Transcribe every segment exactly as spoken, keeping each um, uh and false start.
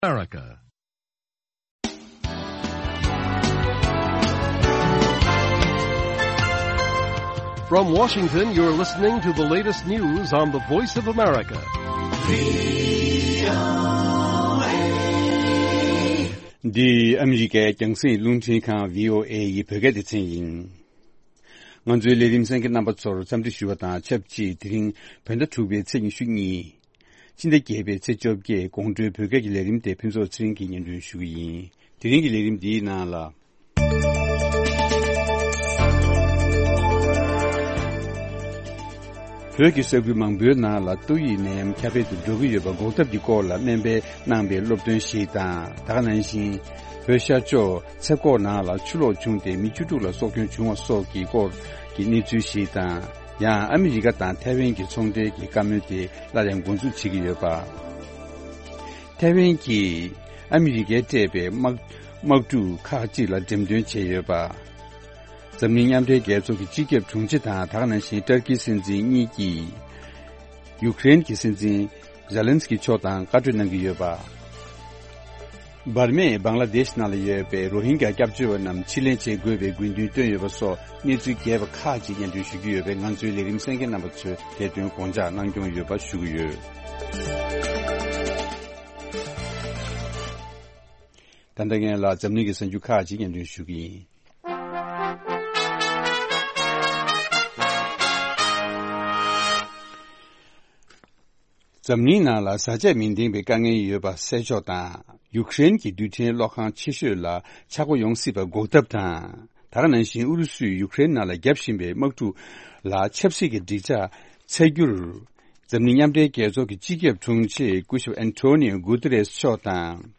America. From Washington, you're listening to the latest news on the Voice of America. འདི་ཨ་མི་རི་ཀའི་རྒྱང་སྲིང་རླུང་འཕྲིན་ཁང་བྷི་ཨོ་ཨེ་ཡི་བོད་སྐད་སྡེ་ཚན་ཡིན། ང་ཚོའི་ལས་རིམ་གསན་མཁན་རྣམ་པ་ཚོར་འཚམས་འདྲི་ཞུ་བ་དང་ཆབས་ཅིག་དེ་རིང་བོད་ཟླ་དྲུག་པའི་ཚེས་ཉི་ཤུ་གཉིས། སྤྱི་ཟླ་བརྒྱད་པའི་ཚེས་བཅོ་བརྒྱད་དགོང་དྲོའི་བོད་སྐད་ཀྱི་ལས་རིམ་དེ་ཕུན་ཚོགས་ཚེ་རིང་གིས་སྙན་སྒྲོན་ཞུ་གི་ཡིན། དེ་རིང་གི་ལས་རིམ་འདིའི་ནང་ལ། བོད་ཀྱི་ས་ཁུལ་མང་པོའི་ནང་ལ་ཏོག་དབྱིབས་ནད་ཡམས་ཁྱབ་སྤེལ་དུ་འགྲོ་གི་ཡོད་པ་འགོག་ཐབས་ཀྱི་སྐོར་ལ་སྨན་པས་གནང་པའི་སློབ་སྟོན་ཞིག་དང་། ད་ག་ནང་བཞིན། བོད་ཤར་ཕྱོགས་ཚེ་སྐོག་ནང་ལ་ཆུ་ལོག་བྱུང་སྟེ་མི་བཅུ་དྲུག་ལ་སྲོག་སྐྱོན་བྱུང་བ་སོགས་ཀྱི་སྐོར་གྱི་གནས་ཚུལ་ཞིག་དང་། ཡང་ཨ་མི་རི་ཀ་དང་ཐའེ་ཝན་གྱི་ཚོང་འབྲེལ་གྱི་བཀའ་མོལ་དེ་སླར་ཡང་འགོ་འཛུགས་བྱེད་ཀྱི་ཡོད་པ། ཐའེ་ཝན་གྱིས་ཨ་མི་རི་ཀས་སྤྲད་པའི་དམག་དམག་འཁྲུག་ཁག་ཅིག་ལ་འགྲེམས་སྟོན་བྱས་ཡོད་པ། འཛམ་གླིང་མཉམ་འབྲེལ་རྒྱལ་ཚོགས་ཀྱི་སྤྱི་ཁྱབ་དྲུང་ཆེ་དང་། ད་ག་ནང་བཞིན་ཏར་ཀིའི་སྲིད་འཛིན་གཉིས་ཀྱིས་ཡུཀ་རེན་གྱི་སྲིད་འཛིན་ཛེ་ལན་སི་ཀི་མཆོག་དང་བཀའ་གྲོས་གནང་གི་ཡོད་པ། འབར་མས་བང་ལ་དེཤ་ནང་ལ་ཡོད་པའི་རོ་ཧིན་གྱ་སྐྱབས་བཅོལ་བ་རྣམས་ཕྱིར་ལེན་བྱེད་དགོས་པའི་དགོས་འདུན་བཏོན་ཡོད་པ་སོགས་གནས་ཚུལ་རྒྱས་པ་ཁག་ཅིག་སྙན་སྒྲོན་ཞུ་རྒྱུ་ཡོད་པས། ང་ཚོའི་ལས་རིམ་གསན་མཁན་རྣམ་པ་ཚོས་དེ་དོན་དགོངས་འཇགས་གནང་སྐྱོང་ཡོད་པ་ཞུ་གི་ཡོད། ད་ལྟ་ངས་ལ་འཛམ་གླིང་གི་གསར་འགྱུར་ཁག་ཅིག་སྙན་སྒྲོན་ཞུ་གི་ཡིན། འཛམ་གླིང་ནང་ལ་བཟའ་ཆས་མི་འདེང་བའི་དཀའ་ངལ་ཡོད་པ་སེལ་ཕྱོགས་དང་། ཡུཀ་རེན་གྱི་རྡུལ་ཕྲན་གློག་ཁང་ཆེ་ཤོས་ལ་ཆག་སྒོ་ཡོང་སྲིད་པ་འགོག་ཐབས་དང་། ད་ག་ནང་བཞིན་ཨུ་རུ་སུས་ཡུཀ་རེན་ནང་ལ་བརྒྱབ་བཞིན་པའི་དམག་འཁྲུག་ལ་ཆབ་སྲིད་ཀྱི་འགྲིག་འཇགས་འཚོལ་རྒྱུར། འཛམ་གླིང་མཉམ་འབྲེལ་རྒྱལ་ཚོགས་ཀྱི་སྤྱི་ཁྱབ་དྲུང་ཆེ་སྐུ་ཞབས་ཨན་ཐོ་ནིའོ་གུ་ཏེ་རེས་མཆོག་དང་།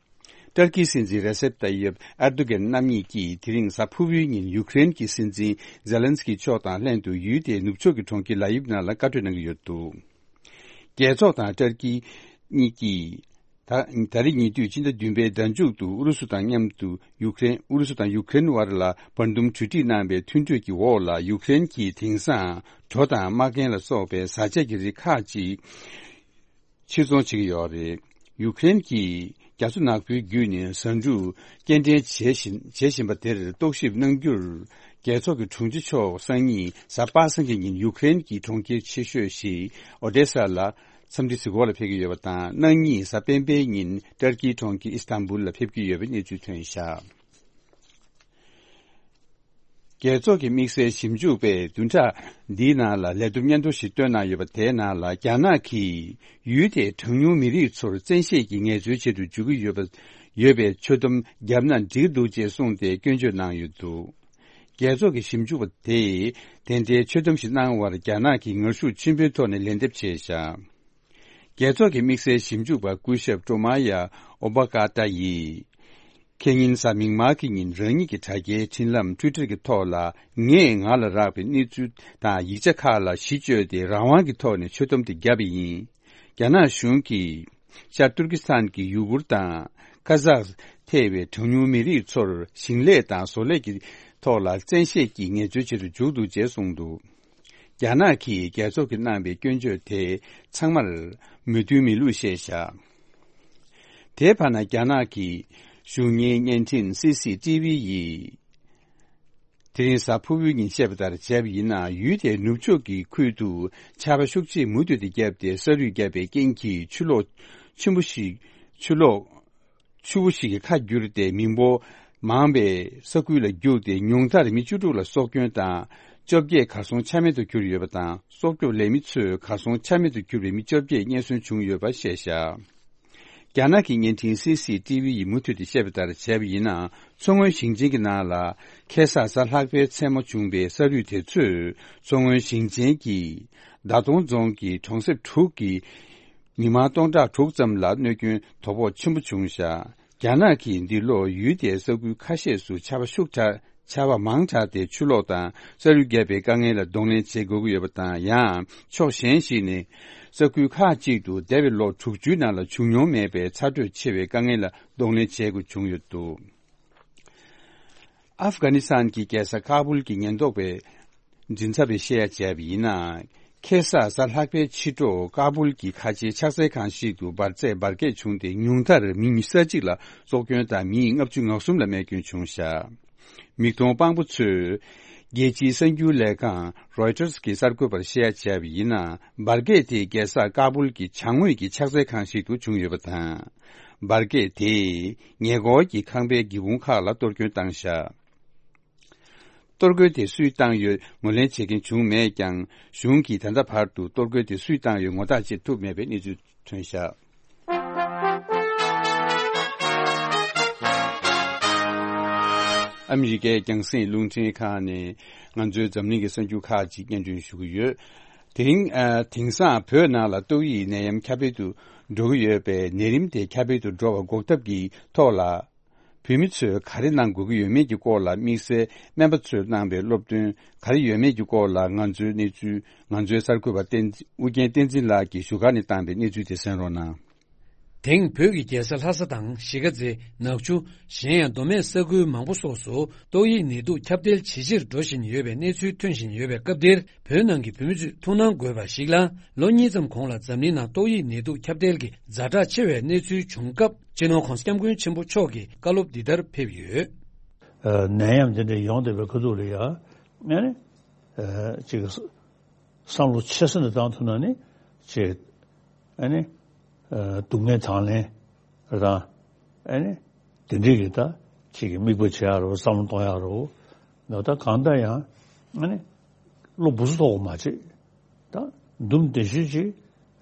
ཏར་ཀིའི་སྲིད་འཛིན་རེ་སེབ་ཏཱ་ཡེབ་ཨེར་དོ་གྷན་རྣམ་གཉིས་ཀྱིས་དེ་རིང་གཟའ་ཕུར་བུའི་ཉིན་ཡུཀ་རེན་གྱི་སྲིད་འཛིན་ཛེ་ལན་སི་ཀི་མཆོག་དང་ལྷན་དུ་ཡུལ་དེའི་ནུབ་ཕྱོགས་ཀྱི་གྲོང་ཁྱེར་ལ་ཡིབ་ནང་ལ་བཀའ་གྲོས་གནང་གི་ཡོད་འདུག། རྒྱལ་ཚོགས་དང་ཏར་ཀི་གཉིས་ཀྱིས་ད་ད་རེས་ཉེ་དུས་སྤྱི་ཟླ་བདུན་པའི་ཟླ་མཇུག་ཏུ་ཨུ་རུ་སུ་དང་མཉམ་དུ་ཡུཀ་རེན། ཨུ་རུ་སུ་དང་ཡུཀ་རེན་དབར་ལ་བར་འདུམ་གྲོས་འགྲིག་གནང་བའི་མཐུན་གྲོས་ཀྱི་འོག་ལ། ཡུཀ་རེན་གྱིས་དེང་སང་གྲོ་དང་མ་ཀན་ལ་སོགས་པའི་བཟའ་ཆས་ཀྱི་རིགས་ཁག་ཅིག་ཕྱིར་ཚོང་བྱེད་ཀྱི་ཡོད་རེད། ཡུཀ་རེན་གྱིས་རྒྱ་མཚོ་ནག་པོའི་བརྒྱུད་ནས་བཟའ་འབྲུ་སྐྱེལ་འདྲེན་བྱེད་བཞིན་བྱེད་བཞིན་པ་དེར་རྟོག་ཞིབ་གནང་རྒྱུར། རྒྱལ་ཚོགས་ཀྱི་དྲུང་ཆེ་མཆོག་སང་ཉིན་གཟའ་པ་སངས་ཀྱི་ཉིན་ཡུཀ་རེན་གྱི་གྲོང་ཁྱེར་ཆེ་ཤོས་ཤིག་ཨོ་ཏེ་ས་ལ་འཚམས་འདྲི་གཟིགས་སྐོར་ལ་ཕེབས་ཀྱི་ཡོད་པ་དང་། གནངས་ཉིན་གཟའ་སྤེན་པའི་ཉིན་ཏར་ཀིའི་གྲོང་ཁྱེར་ཨི་སི་ཐན་བུལ་ལ་ཕེབས་ཀྱི་ཡོད་པའི་གནས་ཚུལ་ཐོན་བཞག། རྒྱལ་ཚོགས་ཀྱི་དམིགས་བསལ་ཞིབ་འཇུག་པས་བདུན་ཕྲག་འདིའི་ནང་ལ་ལས་བསྡོམས་སྙན་ཐོ་ཞིག་བཏོན་གནང་ཡོད་པ། དེའི་ནང་ལ་རྒྱ་ནག་གིས་ཡུལ་དེའི་གྲངས་ཉུང་མི་རིགས་ཚོར་བཙན་ཤེད་ཀྱིས་ངལ་རྩོལ་བྱེད་དུ་འཇུག་གི་ཡོད་པ། ཡོད་པའི་ཆོད་གཏམ་བརྒྱབ་ན་འགྲིག་འདུག་ཅེས་གསུངས་ཏེ་སྐྱོན་བརྗོད་གནང་ཡོད་འདུག། རྒྱལ་ཚོགས་ཀྱི་ཞིབ་འཇུག་པ་དེས་དེ་འདྲའི་ཆོད་གཏམ་ཞིག་གནང་བར་རྒྱ་ནག་གིས་ངར་ཤུགས་ཆེན་པོའི་ཐོག་ནས་ལན་འདེབས་བྱས་བཞག། རྒྱལ་ཚོགས་ཀྱི་དམིགས་བསལ་ཞིབ་འཇུག་པ་སྐུ་ཞབས་ཀྲོ་མ་ཡ་ཨོ་པ་ཀ་ཏ་ཡིས། ཁེ་ཉིན་གཟའ་མིག་དམར་གྱི་ཉིན་རང་ཉིད་ཀྱི་དྲ་རྒྱའི་འཕྲིན་ལམ་ཊུའི་ཊར་གྱི་ཐོག་ལ། ངས་ང་ལ་རག་པའི་གནས་ཚུལ་དང་ཡིག་ཆ་ཁག་ལ་གཞི་བཅོལ་ཏེ་རང་དབང་གི་ཐོག་ནས་ཆོད་གཏམ་དེ་བརྒྱབ་པ་ཡིན། རྒྱ་ནག་གཞུང་གིས་ཤར་ཏུར་ཀི་སི་ཐན་གྱི་ཡུ་གུར་དང་ཁ་ཛག་ཐེ་བའི་གྲངས་ཉུང་མི་རིགས་ཚོར་ཞིང་ལས་དང་བཟོ་ལས་ཀྱི་ཐོག་ལ་བཙན་ཤེད་ཀྱིས་ངལ་རྩོལ་བྱེད་དུ་འཇུག་འདུག་ཅེས་གསུངས་འདུག། རྒྱ་ནག་གིས་རྒྱལ་ཚོགས་ཀྱིས་གནང་བའི་སྐྱོན་བརྗོད་དེ་ཚང་མར་མོས་མཐུན་མེད་ལུགས་བཤད་བཞག། དེའི་བར་ན་རྒྱ་ནག་གི་གཞུང་གཉེར་བརྙན་འཕྲིན་སི་སི་ཊི་ཝི་ཡིས། དེ་རིང་གཟའ་ཕུར་བུའི་ཉིན་བཤད་པ་ལྟར་བྱས་པ་ཡིན་ན། ཡུལ་དེའི་ནུབ་ཕྱོགས་ཀྱི་ཁུལ་དུ་ཆར་པ་ཤུགས་ཆེ་མུ་མཐུད་དུ་བརྒྱབ་སྟེ་ས་རུད་བརྒྱབ་པའི་རྐྱེན་གྱིས་ཆུ་ལོག་ཆེན་པོ་ཞིག་ཆུ་ལོག་ཆུ་བོ་ཞིག་གི་ཁ་བསྒྱུར་ཏེ་མི་འབོར་མང་བའི་ས་ཁུལ་ལ་རྒྱུགས་ཏེ་ཉུང་མཐར་མི་བཅུ་དྲུག་ལ་སྲོག་སྐྱོན་དང་བཅོ་བརྒྱད་གར་སོང་ཆ་མེད་དུ་གྱུར་ཡོད་པ་དང་། སྲོག་སྐྱོབ་ལས་མི་ཚོས་གར་སོང་ཆ་མེད་དུ་གྱུར་པའི་མི་བཅོ་བརྒྱད་རྙེད་སོན་བྱུང་ཡོད་པ་བཤད་བཞག། རྒྱ་ནག་གི་བརྙན་འཕྲིན་སི་སི་ཊི་ཝི་ཡིས་མུ་མཐུད་དེ་བཤད་པ་ལྟར་བྱས་པ་ཡིན་ན། མཚོ་སྔོན་ཞིང་ཆེན་གྱི་ནང་ལ་ཁ་སང་གཟའ་ལྷག་པའི་མཚན་མོ་བྱུང་བའི་ས་རུད་དེ་ཚོས་མཚོ་སྔོན་ཞིང་ཆེན་གྱི་མདའ་དོང་རྫོང་གི་གྲོང་གསེབ་དྲུག་གི་མི་མང་སྟོང་ཕྲག་དྲུག་ཙམ་ལ་གནོད་སྐྱོན་དོ་ཕོག་ཆེན་པོ་བྱུང་བཞག། རྒྱ་ནག་གིས་འདི་ལོ་ཡུལ་དེའི་ས་ཁུལ་ཁ་ཤས་སུ་ཆར་པ་ཤུགས་དྲག་ཆར་པ་མང་དྲགས་ཏེ་ཆུ་ལོག་དང་ས་རུད་བརྒྱབ་པའི་དཀའ་ངལ་ལ་གདོང་ལེན་བྱེད་དགོས་ཀྱི་ཡོད་པ་དང་། ཡང་ཕྱོགས་གཞན་ཞིག་ནས་ས་ཁུལ་ཁག་ཅིག་ཏུ་འདས་པའི་ལོ་དྲུག་ཅུའི་ནང་ལ་བྱུང་མྱོང་མེད་པའི་ཚ་དྲོད་ཆེ་བའི་དཀའ་ངལ་ལ་གདོང་ལེན་བྱེད་དགོས་བྱུང་ཡོད་འདུག། ཨབ་གྷ་ནི་སི་ཐན་གྱི་རྒྱལ་ས་ཁ་བུལ་གྱི་ཉེན་རྟོག་པའི་མགྲིན་ཚབ་པས་བཤད་ཡ་བྱས་པ་ཡིན་ན། ཁེ་ས་གཟའ་ལྷག་པའི་ཕྱི་དྲོ་ཀ་སྦུལ་གྱི་ཁ་ཆེའི་ཕྱག་འཚལ་ཁང་ཞིག་ཏུ་འབར་རྫས་འབར་གས་བྱུང་སྟེ། ཉུང་མཐར་མི་ཉི་ཤུ་རྩ་གཅིག་ལ་སྲོག་སྐྱོན་དང་མི་ལྔ་བཅུ་ང་གསུམ་ལ་རྨས་སྐྱོན་བྱུང་བཞག་མིག་མཐོང་དཔང་པོ་ཚོས་རྒྱལ་སྤྱིའི་གསར་འགྱུར་ལས་ཁང་Reuters གྱི་གསར་འགོད་པར་བཤད་ཡ་བྱས་པ་ཡིན་ན། འབར་གས་དེ་རྒྱལ་ས་ཀ་སྦུལ་གྱི་བྱང་ངོས་ཀྱི་ཕྱག་འཚལ་ཁང་ཞིག་ཏུ་བྱུང་ཡོད་པ་དང་། འབར་གས་དེས་ཉེ་འཁོར་གྱི་ཁང་པའི་སྒེའུ་ཁུང་ཁག་ལ་གཏོར་སྐྱོན་བཏང་བཞག་གཏོར་རྒོལ་དེ་སུས་བཏང་ཡོད་ངོས་ལེན་བྱེད་མཁན་བྱུང་མེད་ཀྱང་། གཞུང་གིས་ད་ལྟ་བར་དུ་གཏོར་རྒོལ་དེ་སུས་བཏང་ཡོད་ངོ་རྟགས་བྱེད་ཐུབ་མེད་པའི་གནས་ཚུལ་ཐོན་བཞག་ཨ་མི་རི་ཀའི་རྒྱང་སྲིང་རླུང་འཕྲིན་ཁང་ནས་ང་ཚོའི་འཛམ་གླིང་གི་གསར་འགྱུར་ཁག་ཅིག་སྙན་སྒྲོན་ཞུ་གི་ཡོད། དེ་རིང་ཨ། དེང་སང་བོད་ནང་ལ་ཏོག་དབྱིབས་ནད་ཡམས་ཁྱབ་སྤེལ་དུ་འགྲོ་གི་ཡོད་པས། ནད་རིམས་དེ་ཁྱབ་སྤེལ་དུ་འགྲོ་བ་འགོག་ཐབས་ཀྱི་ཐོག་ལ། བོད་མི་ཚོས་ག་རེ་གནང་དགོས་ཀྱི་ཡོད་མེད་ཀྱི་སྐོར་ལ་དམིགས་བསལ་སྨན་པ་ཚོས་གནང་པའི་སློབ་སྟོན་ག་རེ་ཡོད་མེད་ཀྱི་སྐོར་ལ། ང་ཚོའི་གནས་ཚུལ་ང་ཚོའི་གསར་འགོད་པ་བསྟན་འཛིན། ཨུ་རྒྱན་བསྟན་འཛིན་ལགས་ཀྱིས་བཞུགས་སྒར་ནས་བཏང་པའི་གནས་ཚུལ་དེ་གསན་རོགས་གནང་། དེང་བོད་ཀྱི་རྒྱལ་ས་ལྷ་ས་དང་གཞིས་ཀ་རྩེ། ནག་ཆུ། གཞན་ཡང་མདོ་སྨད་ས་ཁུལ་མང་པོ་སོགས་སུ་ཏོག་དབྱིབས་ནད་དུག་ཁྱབ་གདལ་ཇེ་ཆེར་འགྲོ་བཞིན་ཡོད་པའི་གནས་ཚུལ་ཐོན་བཞིན་ཡོད་པའི་སྐབས་འདིར། བོད་ནང་གི་བོད་མི་ཚོས་ཐུགས་སྣང་དགོས་པ་ཞིག་ལ། ལོ་གཉིས་ཙམ་གོང་ལ་འཛམ་གླིང་ནང་ཏོག་དབྱིབས་ནད་དུག་ཁྱབ་གདལ་གྱི་ཛ་དྲག་ཆེ་བའི་གནས་ཚུལ་བྱུང་སྐབས། སྤྱི་ནོར་༧གོང་ས་༧སྐྱབས་མགོན་ཆེན་པོ་མཆོག་གིས་བཀའ་སློབ་འདི་ལྟར་ཕེབས་ཡོད། ཨ། ནད་ཡམས་འདི་འདྲ་ཡོང་བསྡད་པའི་ཁ་ཐུག་ལ་ཡ། ཨ་ནི། ཨ། ཅིག་བསམ་བློ་ཆེ་ས་ནས་བཏང་ཐུབ་ན་ནི་ཅིག་ཨ་ནི། ཨ། སྡུག་བསྔལ་དང་ལེན་དང་། ཨ་ནི། དེ་འདྲའི་གི་ད་ཅིག་གི་དམིགས་པ་བྱེད་ཡག་རོ། བསམ་བློ་གཏོང་ཡག་རོ། ད་གང་ལྟར་ཡང་ཨ་ནི། བློ་སྦུ་སུ་ཐོག་མ་བྱེད། ད་འདུམ་དེ་ཤུལ་ཅིག་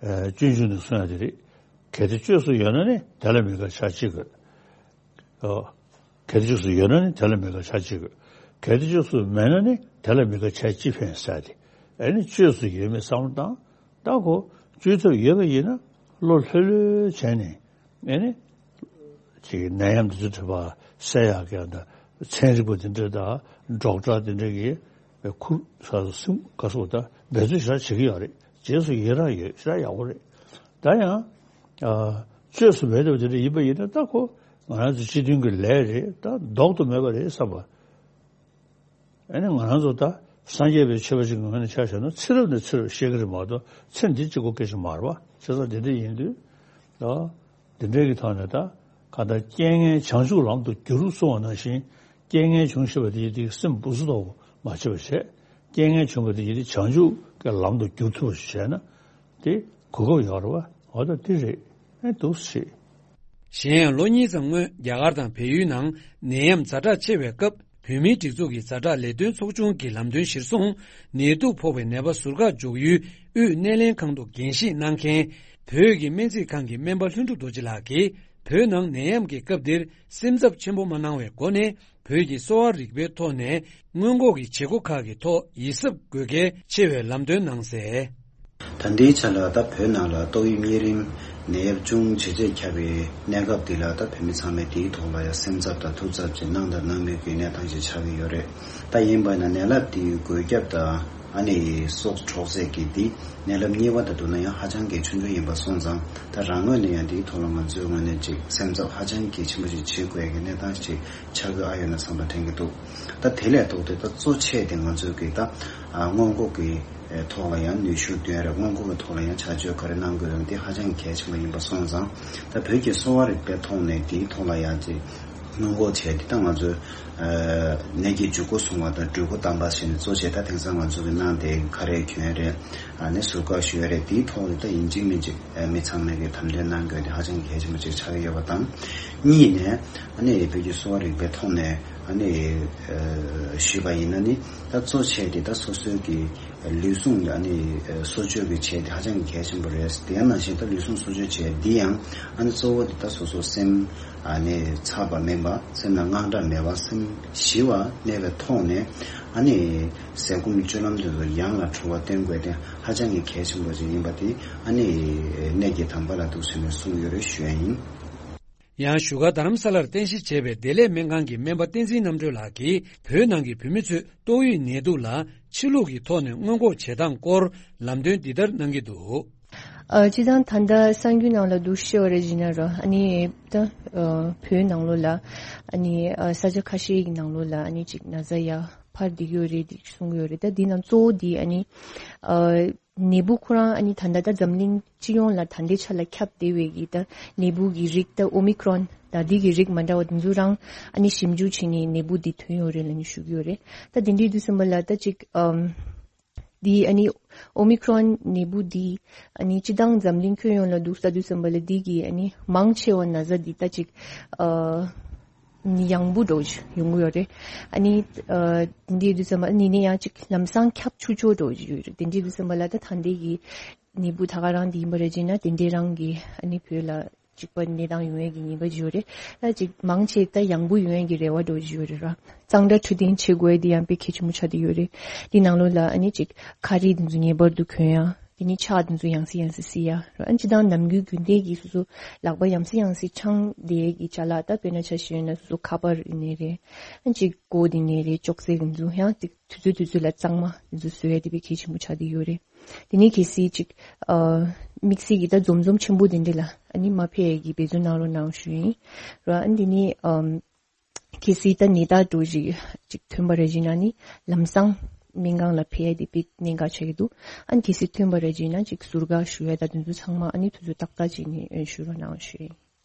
ཨ། སྤྱོད་འཇུག་ནས་གསུང་ཡག་དེ་རེད། གལ་ཏེ་བཅོས་སུ་ཡོད་ན་ནི་དེ་ལ་དམིགས་པ་བྱ་ཅི་དགོས། ཨོ། གལ་ཏེ་བཅོས་སུ་ཡོད་ན་ནི་དེ་ལ་དམིགས་པ་བྱ་ཅི་དགོས། གལ་ཏེ་བཅོས་སུ་མེད་ན་ནི་དེ་ལ་དམིགས་པ་བྱ་ཅི་ཕན་ཟེར་ཏེ། ཨ་ནི་བཅོས་སུ་ཡོད་མེད་བསམ་བློ་བཏང་། ད་ཁོ་བཅོས་ཐབས་ཡོད་པ་ཡིན་ན་བློ་ལྷོད་ལྷོད་བྱས་ནས། ཨ་ནི། ཅིག་ནད་ཡམས་འདི་ཚོ་དྲི་བ་སེལ་ཡག་གི་ད་ཚན་རིག་པ་འདི་འདྲ་དང་ཌོག་ཊར་འདི་འདྲ་གི་ཁུར་ས་སུ་སེམས་དགའ་སོགས་ད་འབད་བརྩོན་ཞེ་དྲག་བྱེད་ཀྱི་ཡོད་རེད། རྗེས་སུ་ཡི་རང་ཡོད། ཞེ་དྲག་ཡག་པོ་རེད། ད་ཡང་། ཨ། བཅོས་སུ་མེད་པ་དེ་འདྲ་ཡིན་པ་ཡིན་ན་ད་ཁོ་ང་རང་ཚོ་སྤྱི་མཐུན་གྱི་ལས་རེད། ད་ལྡོག་ཏུ་མེད་པ་རེད་བསམ་པ། ཨ་ནི་ང་རང་ཚོ་ད་སངས་རྒྱས་པའི་ཆོས་པ་ཅིག་ངོས་ནས་ཆ་བཞག་ན་ཚེ་རབས་ནས་ཚེ་རབས་བཤད་ཀྱི་རེད་མ་གཏོགས། ཚེ་འདི་གཅིག་པོ་སྐད་ཆ་མ་རེད་པ། བྱས་ཙང་དེ་འདྲ་ཡིན་དུས། ད་འདི་འདྲའི་གི་ཐོག་ནས་ད་ག་ད་རྐྱེན་ངན་བྱང་ཆུབ་ལམ་དུ་བསྒྱུར་གསུང་བ་ནང་བཞིན། རྐྱེན་ངན་བྱུང་ཤེས་པ་དེ་ཡིན་དུས་སེམས་སྦུ་སུ་ཐོག་མ་བྱེད་པ་བྱས། རྐྱེན་ངན་བྱུང་བ་དེ་ཡིན་དུས་བྱང་ཆུབ་ཀྱི་ལམ་དུ་བསྒྱུར་ཐུབ་པ་ཞིག་བྱས་ན། དེ་གོ་སྐབས་ཡོད་རེད་པ། འོ་ད་དེ་རེད། ཨེ་འདུག་སེ་བྱེད། གཞན་ཡང་ལོ་གཉིས་ཙམ་སྔོན། རྒྱ་གར་དང་བལ་ཡུལ་ནང་ནད་ཡམས་ཛ་དྲག་ཆེ་བའི་སྐབས། བོད་མིའི་སྒྲིག་འཛུགས་ཀྱི་ཛ་དྲག་ལས་དོན་ཚོགས་ཆུང་གི་ལམ་སྟོན་གཞིར་བཟུང་། ནད་དུག་ཕོག་པའི་ནད་པ་ཟུར་བཀག་འཇོག་ཡུལ་དབུས་སྣེ་ལེན་ཁང་དུ་འགན་བཞེས་གནང་མཁན། བོད་ཀྱི་སྨན་རྩིས་ཁང་གི་སྨན་པ་ལྷུན་གྲུབ་རྡོ་རྗེ་ལགས་ཀྱིས། བོད་ནང་ནད་ཡམས་ཀྱི་སྐབས་འདིར་སེམས་འཚབ་ཆེན་པོ་མ་གནང་བའི་སྒོ་ནས། བོད་ཀྱི་གསོ་བ་རིག་པའི་ཐོག་ནས་སྔོན་འགོག་གི་བྱེད་སྒོ་ཁག་གི་ཐོག་ཡིད་གཟབ་དགོས་གལ་ཆེ་བའི་ལམ་སྟོན་གནང་གསལ། ད་ལྟའི་ཆ་ལ་ད་བོད་ནང་ལ་ཏོག་དབྱིབས་གཉན་རིམས་ནད་ཡམས་ཅུང་ཇེ་ཆེར་ཁྱབ་པའི་གནས་སྐབས་འདི་ལ། ད་བོད་མི་ཚང་མས་དེའི་ཐོག་ལ་ཡང་སེམས་འཚབ་དང་ཐུགས་འཚབ་ཅིག་གནང་དང་གནང་མུས་ཀྱི་གནས་སྟངས་ཤིག་ཆགས་ཀྱི་ཡོད་རེད། ད་ཡིན་པ་ན་ནད་རླབས་འདིའི་འགོས་ཁྱབ་དང་། ཨ་ནི་སྲོག་འཕྲོག་རྩེད་ཀྱི་འདི་ནད་རླབས་གཉིས་པ་དང་བསྡུར་ན་ཡང་ཧ་ཅང་གི་ཆུང་ཆུང་ཡིན་པ་སོང་ཙང་། ད་རང་ངོས་ནས་ཡང་འདིའི་ཐོག་ལ་ང་ཚོའི་ངོས་ནས་ཅིག་སེམས་འཚབ་ཧ་ཅང་གི་ཆེན་པོ་ཞིག་བྱེད་དགོས་ཀྱི་གནས་སྟངས་ཤིག་ཆགས་ཀྱི་ཨ་ཡོད་ན་བསམ་པ་དྲན་གྱི་འདུག་ད་དེ་ལས་ལྡོག་སྟེ་ད་གཙོ་ཆེ་དེ་ང་ཚོས་ཀྱི་ད་ཨ་སྔོན་འགོག་གི་ཐོག་ལ་ཡང་ནུས་ཤུགས་འདོན་རེད། སྔོན་འགོག་གི་ཐོག་ལ་ཡང་བྱ་སྤྱོད་ག་རེ་གནང་དགོས་རེད། འདི་ཧ་ཅང་གལ་ཆེན་པོ་ཡིན་པ་སོང་ཙང་། ད་བོད་ཀྱི་གསོ་བ་རིག་པའི་ཐོག་ནས་འདིའི་ཐོག་ལ་ཡང་ཅིག་སྔོན་འགོག་བྱས་ཏེ། ད་ང་ཚོས་ཨ་ནད་ཀྱི་འཇུག་སྒོ་བཟུང་བ་དང་འགྲོ་སྒོ་དམ་པ་བྱས་ནས་གཙོ་བྱས། ད་དེང་སང་ང་ཚོ་གི་གནང་དེ་ཁ་རས་གྱོན་རེད། ཨ་ནི་ཟུར་བཀག་ཞུ་ཡ་རེད། དེའི་ཐོག་ནས་ད་ཡིན་གཅིག་མིན་གཅིག་ཨ་མི་ཚང་མས་ཀྱི་དམ་དོན་གནང་དགོས་དེ་ཧ་ཅང་གལ་ཆེན་པོ་ཅིག་ཆགས་ཀྱི་ཡོད་པ་དང་། གཉིས་ནས་ཨ་ནི་བོད་ཀྱི་གསོ་བ་རིག་པའི་ཐོག་ནས་ཨ་ནི་ཨ་ཞུས་པ་ཡིན་ན་ནི། ད་གཙོ་ཆེ་དེ་ད་སོ་སོའི་གི་ལུས་ཟུངས་ལ་ཨ་ནི་གསོ་བཅོས་ཀྱི་བྱས་དེ་ཧ་ཅང་གི་གལ་ཆེན་པོ་རེད། དེ་ཡང་ནང་བཞིན་ད་ལུས་ཟུངས་གསོ་བཅོས་བྱས་འདི་ཡང་ཨ་ནི་གཙོ་བོ་དེ་ད་སོ་སོ་སེམས་ཨ་ནི་འཚབ་པ་མིན་པ། སེམས་ལ་དངངས་སྐྲག་མེད་པ། སེམས་ཞི་བ་གནས་པའི་ཐོག་ནས་ཨ་ནི་ཟས་སྐོམ་སྤྱོད་ལམ་དེ་ཚོ་ཡང་ལ་འགྲོ་བ་བསྟེན་དགོས་དེ་ཧ་ཅང་གི་གལ་ཆེན་པོ་ཅིག་ཡིན་པ་དེ་ཨ་ནི་གནད་ཀྱི་དམ་པ་ལ་འདུག་ཟེར་ནས་གསུངས་ཡོད་རེད་ཞུ་ཡ་ཡིན། ཡང་བཞུགས་སྒར་རྡ་རམ་ས་ལར་རྟེན་གཞི་བྱས་པའི་བདེ་ལེགས་སྨན་ཁང་གི་སྨན་པ་བསྟན་འཛིན་རྣམ་གྲོལ་ལགས་ཀྱིས་བོད་ནང་གི་བོད་མི་ཚོས་ཏོག་དབྱིབས་ནད་དུག་ལ་ཕྱི་ལུགས་ཀྱི་ཐོག་ནས་སྔོན་འགོག་བྱེད་སྟངས་སྐོར་ལམ་སྟོན་འདི་ལྟར་གནང་གི་འདུག་ཨ། སྤྱིར་བཏང་ད་ལྟ་གསར་འགྱུར་ནང་ལ་འདུག་ཤེས་པ་རེད་ཟེར་ན་རོ། ཨ་ནི་ད་ཨ་བོད་ནང་ལོགས་ལ་ཨ་ནི་ཨ་ས་ཆ་ཁ་ཤས་ཀྱི་ནང་ལོགས་ལ་ཨ་ནི་ཅིག་ན་ཚ་ཡར་འཕར་བསྡད་ཀྱི་ཡོད་རེད་འདི་གསུང་གི་ཡོད་རེད། ད་འདི་ནང་གཙོ་བོ་འདི་ཨ་ནི་ཨ་ ནད་འབུ་ཁོ་རང་ཨ་ནི་ད་ལྟ་ད་འཛམ་གླིང་སྤྱི་ཡོངས་ལ་ད་ལྟའི་ཆ་ལ་ཁྱབ་བསྡད་པའི་གི་ད་ནད་འབུ་གི་རིགས་ད་ཨོ་མི་ཁྲོན་ད་འདི་གི་རིགས་མ་འདྲ་བ་དེ་ཚོ་རང་ཨ་ནི་ཞིབ་འཇུག་བྱས་ནས་ནད་འབུ་འདི་ཐོན་ཡོད་རེད་ལབ་ནས་ཞུ་གི་ཡོད་རེད། ད་དེ་འདྲའི་དུས་ཙམ་པ་ལ་ད་ཅིག་ཨམ། འདི་ཨ་ནི་ཨོ་མི་ཁྲོན་ནད་འབུ་འདི་ཨ་ནི་སྤྱི་བཏང་འཛམ་གླིང་ཁྱོན་ཡོངས་ལ་འདུག་ས་དུས་ཙམ་པ་ལ་འདི་གི་ཨ་ནི་མང་ཆེ་བ་ན་ཚ་འདི་ད་ཅིག་ཨ། ནི་ཡང་བུ་འགྲོ་ཡོང་གི་ཡོད་རེད། ཨ་ནི་ཨ། འདི་དུས་ཙམ་པ་ནི་ནི་ཡང་ཅིག་ལམ་སང་ཁྱབ་ཆུ་ཆོ་འགྲོ་ཡོད་རེད། དེ་འདྲའི་དུས་ཙམ་པ་ལ་ད་ད་འདི་གི་ནད་འབུ་ད་ག་རང་འདི་ཡིན་པ་རེད་ཅེ་ན་དེ་འདྲའི་རང་གི་ཨ་ནི་བོད་ལ་གཅིག་པ་གནས་སྟངས་ཡོང་ཡས་ཀྱི་ཉེན་ཁ་ཅིག་ཡོད་རེད། ད་ཅིག་མང་ཆེ་ད་ཡང་བུ་ཡོང་ཡས་ཀྱི་རེ་བ་འགྲོ་ཅིག་ཡོད་རེད་ར། གཙང་སྦྲ་འཕྲོད་བསྟེན་བྱེད་དགོས་ཡས་དེ་ཡང་དཔེ་གལ་ཆེན་པོ་ཆགས་བསྡད་ཡོད་རེད། དེ་ནང་ལོགས་ལ་ཨ་ནི་ཅིག་ཁ་རས་དེ་ཚོ་ངེས་པར་དུ་གོན་ཡ། དེ་ནི་ཕྱག་དེ་ཚོ་ཡང་སེ་ཡང་སེ་བསིལ་ཡ་ར། ཨ་ནི་སྤྱི་བཏང་ནམ་རྒྱུན་རྒྱུན་ལྡན་གྱི་སོ་སོ་ལག་པ་ཡང་སེ་ཡང་སེ་འཆང་བསྡད་ཡས་ཀྱི་ཅ་ལག་ད་དཔེར་ན་ཆ་བཞག་ན་སོ་སོ་ཁ་པར་ཡིན་ནའི་རེད། ཨ་ནི་ཅིག་གོ་དེ་ནའི་རེད། ཅོག་ཙེ་དེ་ཚོ་ཡང་ཅིག་དུས་ཚོད་དུས་ཚོད་ལ་གཙང་མ་དེ་ཚོ་བཟོ་ཡ་དེ་དཔེ་གལ་ཆེན་པོ་ཆགས་བསྡད་ཡོད་རེད། དེ་ནས་གལ་སྲིད་ཅིག་ཨ། དམིགས་བསལ་གྱི་ད་འཛོམས་འཛོམས་ཆེན་པོ་དེ་འདྲ་ལ་ཨ་ནི་མ་ཕེབས་ཡས་ཀྱི་འབད་བརྩོན་གནང་རོགས་གནང་ཞུ་ཡིན། ར་ཨ་ནི་དེ་ནས་ཨམ། གལ་སྲིད་ད་ནད་རྟགས་འདྲ་ཞིག་ཅིག་ཐོན་པ་རེད་ཅེ་ན་ནི་ལམ་སང་སྨན་ཁང་ལ་ཕེབས་ཡས་དེ་དཔེ་གནད་འགག་ཆགས་ཀྱི་འདུག་ཨ་ནི་གལ་སྲིད་ཐོན་པ་རེད་ཅེ་ན་ཅིག་ཟུར་བཀག་ཞུ་ཡས་ད་དེ་ཚོ་ཚང་མ་ཨ་ནི་དུས་ཚོད་ཏག་ཏག་ཅིག་ནས་ཞུ་རོགས་གནང་ཞུ་ཡིན།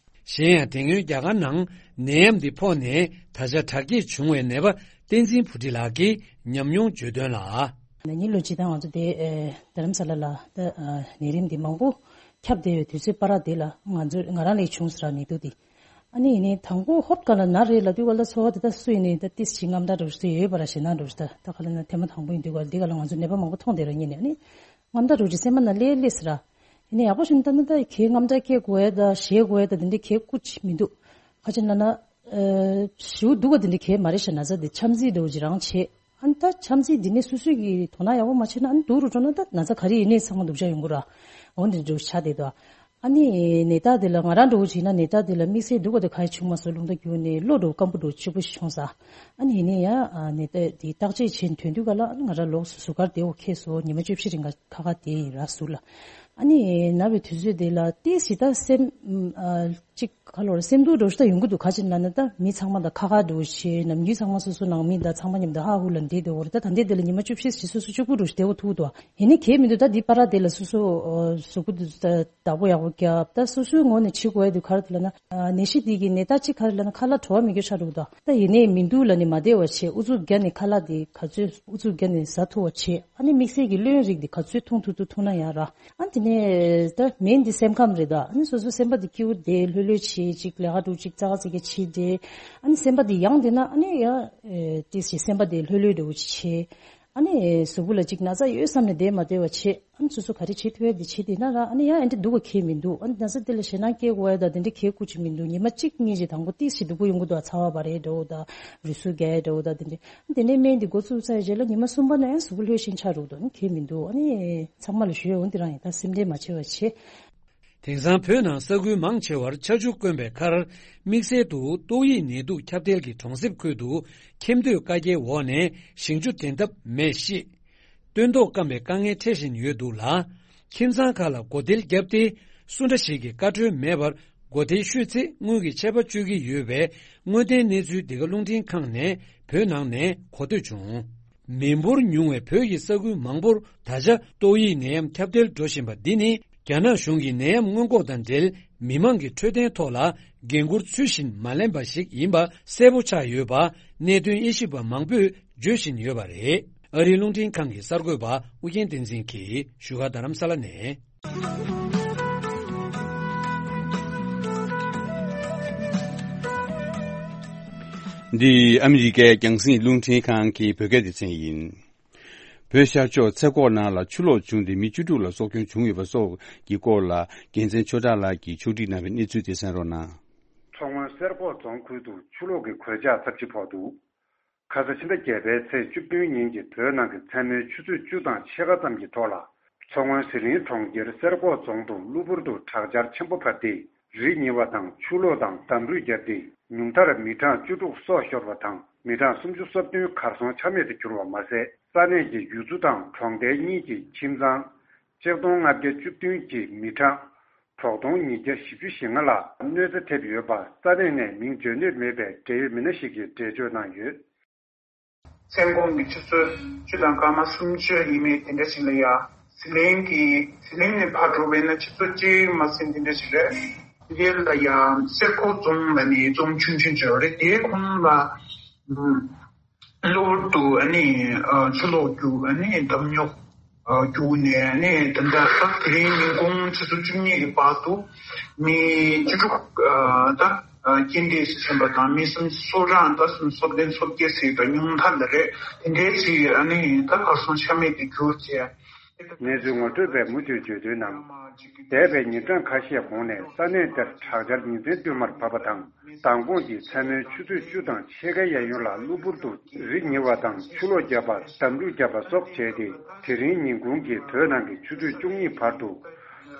གཞན་ཡང་དེ་སྔོན་རྒྱ་གར་ནང་ནད་ཡམས་འདི་ཕོག་ནས་ད་ཆ་དྲག་སྐྱེད་བྱུང་བའི་ནད་པ་བསྟན་འཛིན་བུ་ཁྲིད་ལགས་ཀྱིས་ཉམས་མྱོང་བརྗོད་དོན་ལ། ན་ནིང་ལོ་སྤྱི་བཏང་ང་ཚོ་དེ་ཨེ་རྡ་རམ་ས་ལ་ལ་ད་ཨ་ནད་རིམས་འདི་མང་པོ་ཁྱབ་བསྡད་པའི་དུས་ཚོད་པ་ར་དེ་ལ་ང་ཚོ་ང་རང་ལ་བྱུང་ཟེར་བ་ནད་དུག་འདི། ཨ་ནི་ཡིན་ནའི་དང་པོ་ཧོབ་ག་ལ་ན་རེད་ལབ་དུས་ག་ལ་ཚོར་བ་དེ་ད་སུ་ཡིན་ནའི་ད་ཏིས་ཅིག་དངངས་སྐྲག་འདྲ་ཞིག་ཡོད་པ་ར་ཞེད་སྣང་འདྲ་ཞིག་ད་ད་ག་ལ་ན་ཐེངས་མ་དང་པོ་ཡིན་དུས་ག་ལ་འདི་ག་ལ་ང་ཚོ་ནད་པ་མང་པོ་མཐོང་བསྡད་ར་ཉིན་ནས་ཨ་ནི་དངངས་སྐྲག་འདྲ་ཞིག་སེམས་པ་ན་སླེབས་སླེབས་ཟེར་ར། ཡིན་ནའི་ཡག་པོ་ཞིག་ད་ནི་ད་གའི་དངངས་སྐྲག་སྐྱེ་དགོས་ཡ་ད་ཞེད་དགོས་ཡ་ད་དེ་འདྲའི་གའི་སྐུ་ཅིག་མི་འདུག་ཁ་ཅིག་ན་ན་ཨ་ཞེ་པོ་སྡུག་ག་དེ་འདྲའི་གའི་མ་རེད་ཤག་ན་ཚ་དེ་འཆམ་རྩོད་འདྲ་བོ་ཅིག་རང་བྱེད། ཨ་ནི་ད་འཆམ་རྩོད་འདི་ནས་སོ་སོ་གིས་དོ་སྣང་ཡག་པོ་མ་བྱས་ན་ཨ་ནི་སྡུག་རུ་འགྲོ་ན་ད་ན་ཚ་ག་རེ་ཡིན་ནའི་ཚང་མ་སྡུག་ཅག་ཡོང་གི་ར། འོ་འདི་འདྲ་བོ་ཆགས་བསྡད་འདུག་ཨ་ནི་ནད་རྟགས་དེ་ལ་ང་རང་འདྲ་བོ་བྱས་ན་ནད་རྟགས་དེ་ལ་དམིགས་བསལ་སྡུག་ག་དེ་ག་ཡེ་བྱུང་མ་སོང་། རླུང་རྟ་རྒྱུག་ནས་གློ་འདྲ་བོ་སྐམ་པོ་འདྲ་བོ་ཆེ་པོ་ཞིག་བྱུང་ས། ཨ་ནི་ཡིན་ནའི་ཡ་ཨ་ནད་རྟགས་དེ་བརྟག་དཔྱད་བྱས་ནས་ཐོན་དུས་ག་ལ་ཨ་ནི་ང་རང་ལོགས་སུ་ཟུར་ཁར་བསྡད་འོ་ཁེལ་སོང་། ཉི་མ་བཅུ་བཞི་རིང་ག་ཁ་ཁ་བསྡད་ཡིན་ར་ཟུར་ལ། ཨ་ནི་ན་བའི་དུས་ཚོད་དེ་ལ་ཏོག་ཙམ་ད་སེམས་ཨ་ཅིག་ཁ་ལོ་ར་སེམས་སྡུག་འདྲ་བོ་ཞིག་ད་ཡོང་གི་འདུག་ག་ཅི་ལབ་ན་ད་མི་ཚང་མ་དང་ཁ་ཁ་འདྲ་བོ་བྱས། ནམ་རྒྱུན་ཚང་མ་སོ་སོ་ནང་མི་དང་ཚང་མ་མཉམ་དུ་ཧ་ཧུ་ལ་འདྲེས་བསྡད་འོ་རེད། ད་ད་ལྟའི་དེ་ལ་ཉི་མ་བཅུ་བཞི་ཞིག་སོ་སོ་གཅིག་པུ་འདྲ་བོ་ཞིག་བསྡད་འོ་ཐུག་འདུག་ཡིན་ནའི་གལ་མི་འདུག་ད་འདི་པ་ར་དེ་ལ་སོ་སོ་ཨ་གཟུགས་པོ་དེ་ཚོ་ད་བདག་པོ་ཡག་པོ་རྒྱབ། ད་སོ་སོའི་ངོས་ནས་བྱེད་དགོས་ཡ་དེ་ག་རེ་ལབ་ན་ཨ་ནད་གཞི་འདི་གི་ནད་རྟགས་གཅིག་ག་རེ་ལབ་ན་ཁ་ལག་བྲོ་བ་མི་དགོས་ཆགས་འགྲོ་གི་འདུག་ད་ཡིན་ནའི་མི་འདུག་ལབ་ནས་མ་བསྡད་པ་བྱས། ཨུ་ཚུགས་བརྒྱབ་ནས་ཁ་ལག་དེ་ག་ཚོད་ཨུ་ཚུགས་བརྒྱབ་ནས་ཟ་ཐུབ་པ་བྱས། ཨ་ནི་དམིགས་བསལ་གྱི་གློན་རིགས་དེ་ག་ཚོད་འཐུང་ཐུབ་ཐུབ་འཐུང་ན་ཡག་ར། ཨ་དེ་ནས་ད་མེན་དེ་སེམས་ཁམས་རེད་ད། ཨ་ནི་སོ་སོ་སེམས་པ་དེ་སྐྱིད་པོ་བསྡད་ལྷོད་ལྷོད་བྱས་ཅིག་ལས་ཀ་འདྲ་བོ་ཅིག་ཙག་ཙིག་གེ་བྱས་བསྡད། ཨ་ནི་སེམས་པ་དེ་ཡང་བསྡད་ན་ཨ་ནི་ཡ་ཨེ་ཏིས་ཅིག་སེམས་པ་དེ་ལྷོད་ལྷོད་འདྲ་བོ་ཅིག་བྱས། ཨ་ནི་གཟུགས་པོ་ལ་ཅིག་ན་ཚ་ཡོད་བསམ་ནས་བསྡད་མ་བསྡད་པ་བྱས། ཨ་ནི་སོ་སོ་ག་རེ་བྱེད་ཐུབ་ཡ་དེ་བྱས་བསྡད་ན་ར་ཨ་ནི་ཡང་ཨེ་འདྲ་སྡུག་པ་གང་ཡང་མི་འདུག་ཨ་ནི་ན་ཚ་དེ་ལ་ཞེད་སྣང་སྐྱེ་དགོས་ཡ་ད་དེ་འདྲ་གང་ཡང་སྐུ་མཁྱེན་མི་འདུག་ཉི་མ་གཅིག་གཉིས་ཅིག་དང་པོ་ཏིས་ཅིག་སྡུག་པོ་ཡོང་གི་འདུག་ཚ་བ་བ་རེད་འདྲ་བོ་ད་རུས་ཟུག་རྒྱག་ཡ་འདྲ་བོ་ད་དེ་འདྲ། དེ་ནས་སྨན་འདི་འགོ་བཙུགས་ཚར་རྗེས་ལ་ཉི་མ་གསུམ་པ་ན་ཡང་གཟུགས་པོ་ལྷོད་ཤིང་ཆགས་འགྲོ་གི་འདུག་ཨ་ནི་གང་ཡང་མི་འདུག་ཨ་ནི་ཚང་མ་ལ་ཞུ་ཡ་འོ་འདི་རང་ཡིན། ད་སེམས་ཁྲལ་མ་བྱེད་པ་བྱེད། དེང་སང་བོད་ནང་ས་ཁུལ་མང་ཆེ་བར་ཆར་ཆུ་དཀོན་པའི་ཁར་དམིགས་བསལ་དུ་ཏོག་དབྱིབས་ནད་དུག་ཁྱབ་གདལ་གྱི་གྲོང་གསེབ་ཁུལ་དུ་ཁྱིམ་སྡོད་བཀའ་རྒྱའི་འོག་ནས་ཞིང་ཆུ་འདྲེན་ཐབས་མེད་གཤིས། སྟོན་ཐོག་སྐམ་པའི་དཀའ་ངལ་འཕྲད་བཞིན་ཡོད་འདུག་ལ། ཁྱིམ་ཚང་ཁག་ལ་སྒོ་ཐེལ་བརྒྱབ་སྟེ་སུ་འདྲ་ཞིག་གི་བཀའ་འཁྲོལ་མེད་པར་སྒོ་ཐེལ་བཤུས་ཚེ་དངུལ་གྱི་ཆད་པ་གཅོད་ཀྱི་ཡོད་པའི་དངོས་བདེན་གནས་ཚུལ་འདི་ག་རླུང་འཕྲིན་ཁང་ནས་བོད་ནང་ནས་གོ་ཐོས་བྱུང་། མི་འབོར་ཉུང་བའི་བོད་ཀྱི་ས་ཁུལ་མང་པོར་ད་ཆ་ཏོག་དབྱིབས་ནད་ཡམས་ཁྱབ་གདལ་འགྲོ་བཞིན་པ་འདི་ནི་རྒྱ་ནག་གཞུང་གིས་ནད་ཡམས་སྔོན་འགོག་དང་འབྲེལ་མི་མང་གི་འཕྲོད་བསྟེན་ཐོག་ལ་འགན་འཁུར་ཚུལ་བཞིན་མ་ལེན་པ་ཞིག་ཡིན་པ་གསལ་པོ་ཆགས་ཡོད་པ་གནད་དོན་དབྱེ་ཞིབ་པ་མང་པོས་བརྗོད་བཞིན་ཡོད་པ་རེད། ཨ་རིའི་རླུང་འཕྲིན་ཁང་གི་གསར་འགོད་པ་ཨུ་རྒྱན་བསྟན་འཛིན་གྱིས་བཞུགས་སྒར་རྡ་རམ་ས་ལ་ནས། འདི་ཨ་མི་རི་ཀའི་རྒྱང་སྲིང་རླུང་འཕྲིན་ཁང་གི་བོད་སྐད་སྡེ་ཚན་ཡིན། བོད་ཤར་ཕྱོགས་ཚེ་ཁོག་ནང་ལ་ཆུ་ལོག་བྱུང་སྟེ་མི་བཅུ་དྲུག་ལ་སྲོག་སྐྱོན་བྱུང་ཡོད་པ་སོགས་ཀྱི་སྐོར་ལ་རྒྱལ་མཚན་ཆོས་གྲགས་ལགས་ཀྱིས་ཕྱོགས་སྒྲིག་གནང་བའི་གནས་ཚུལ་དེ་གསན་རོགས་གནང་། མཚོ་སྔོན་སེར་ཁོག་རྫོང་ཁུལ་དུ་ཆུ་ལོག་གི་གོད་ཆག་ཚབས་ཆེ་ཕོག་འདུག་ཁ་ས་ཕྱི་ཟླ་བརྒྱད་པའི་ཚེས་བཅུ་བདུན་ཉིན་གྱི་བོད་ནང་གི་མཚན་མོའི་ཆུ་ཚོད་བཅུ་དང་ཕྱེད་ཀ་ཙམ་གྱི་ཐོག་ལ། མཚོ་སྔོན་ཟི་ལིང་གྲོང་ཁྱེར་སེར་ཁོག་རྫོང་དུ་གློ་བུར་དུ་དྲག་ཆར་ཆེན་པོ་བབས་ཏེ། རི་ཉིལ་བ་དང་ཆུ་ལོག་དང་འདམ་རུད་བརྒྱབ་སྟེ། ཉུང་མཐར་མི་གྲངས་བཅུ་དྲུག་སྲོག་ཤོར་བ་དང་། མི་གྲངས་སུམ་ཅུ་སོ་བདུན་གར་སོང་ཆ་མེད་དུ་གྱུར་བ་མ་ཟད། ས་གནས་ཀྱི་ཡུལ་ཚོ་དང་གྲོང་རྡལ་གཉིས་ཀྱི་ཁྱིམ་ཚང་ཆིག་སྟོང་ལྔ་བརྒྱ་བཅུ་བདུན་གྱི་མི་གྲངས་དྲུག་སྟོང་ཉིས་བརྒྱ་བཞི་བཅུ་ཞེ་ལྔ་ལ་གནོད་འཚེ་ཐེབས་ཡོད་པ་ས་གནས་ནས་མིང་བརྗོད་འདོད་མེད་པའི་འབྲེལ་ཡོད་མི་སྣ་ཞིག་གིས་འགྲེལ་བརྗོད་གནང་ཡོད། མཚན་གུང་གི་ཆུ་ཚོད་བཅུ་དང་སྐར་མ་སུམ་ཅུ་ཡས་མས་དེ་འདྲ་ཞིག་ལ་ཡ། ཟི་ལིང་གི་ཟི་ལིང་ནས་ཕར་འགྲོ་བས་ན་ཆུ་ཚོད་གཅིག་མ་ཟིན་དེ་འདྲ་ཞིག་རེད། དེ་ལ་ཡང་གསེར་ཁོག་རྫོང་ལ་ནི་རྫོང་ཆུང་ཆུང་ཅིག་ཡོད་རེད། དེའི་ཁོངས་ལ་གློ་བུར་དུ་ཨ་ནི་ཆུ་ལོག་རྒྱུག་ཨ་ནི་འདམ་རྙོག་རྒྱུག་ནས་ཨ་ནི་ད་ལྟ་ད་དེ་རིང་ཉིན་གུང་ཆུ་ཚོད་བཅུ་གཉིས་ཀྱི་བར་དུ་མི་བཅུ་དྲུག་ད་རྐྱེན་འདས་སུ་ཕྱིན་པ་དང་མི་སུམ་ཅུ་སོ་གྲངས་ད་སུམ་ཅུ་སོ་བདུན་སོ་བརྒྱད་ཟེར་ད་ཉུང་མཐའ་ལ་རེད། དེ་འདྲའི་ཅིག་ཨ་ནི་ད་གར་སོང་ཆ་མེད་དུ་གྱུར་བྱས། གནས་ཚུལ་ངོ་སྤྲོད་པས་མུ་མཐུད་བརྗོད་དོན་ནང་། འདས་པའི་ཉིན་གྲངས་ཁ་ཤས་གོང་ནས་ས་གནས་དེར་དྲག་ཆར་ཉིན་མཚན་བསྟུད་མར་བབས་པ་དང་། མདང་དགོང་གི་མཚན་མོའི་ཆུ་ཚོད་བཅུ་དང་ཕྱེད་ཀའི་གཡས་གཡོན་ལ་གློ་བུར་དུ་རི་ཉིལ་བ་དང་ཆུ་ལོག་བརྒྱབ་པ། འདམ་རུད་བརྒྱབ་པ་སོགས་བྱས་ཏེ། དེ་རིང་ཉིན་གུང་གི་བོད་ནང་གི་ཆུ་ཚོད་བཅུ་གཉིས་བར་དུ་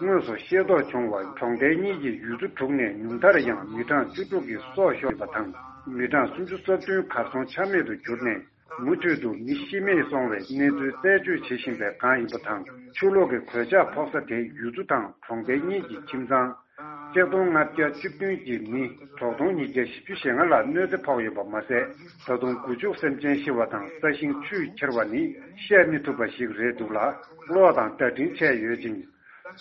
དངོས་སུ་ཤེས་རྟོགས་བྱུང་བར་གྲོང་རྡལ་གཉིས་ཀྱི་ཡུལ་ཚོ་དྲུག་ནས་ཉུང་མཐར་ཡང་མི་གྲངས་བཅུ་དྲུག་གི་སྲོག་ཤོར་བ་དང་། མི་གྲངས་སུམ་ཅུ་སོ་བདུན་གར་སོང་ཆ་མེད་དུ་གྱུར་ནས། མུ་མཐུད་དུ་མི་ཤི་རྨས་སོང་བའི་གནས་ཚུལ་རྩད་གཅོད་བྱེད་བཞིན་པའི་སྒང་ཡིན་པ་དང་། ཆུ་ལོག་གི་གོད་ཆག་ཕོག་ས་དེ་ཡུལ་ཚོ་དང་གྲོང་རྡལ་གཉིས་ཀྱི་ཁྱིམ་ཚང་གཅིག་སྟོང་ལྔ་བརྒྱ་བཅུ་བདུན་གྱི་མི་དྲུག་སྟོང་ཉིས་བརྒྱ་བཞི་བཅུ་ཞེ་ལྔ་ལ་གནོད་འཚེ་ཕོག་ཡོད་པ་མ་ཟད། ད་དུང་དགུ་བཅུ་སེམས་ཅན་ཤི་བ་དང་ས་ཞིང་ཆུས་ཁྱེར་བ་ནི་བཤད་མི་ཐུབ་པ་ཞིག་རེད་འདུག་ལ། གློག་དང་བརྡ་འཕྲིན་ཆད་ཡོད་ཅིང་།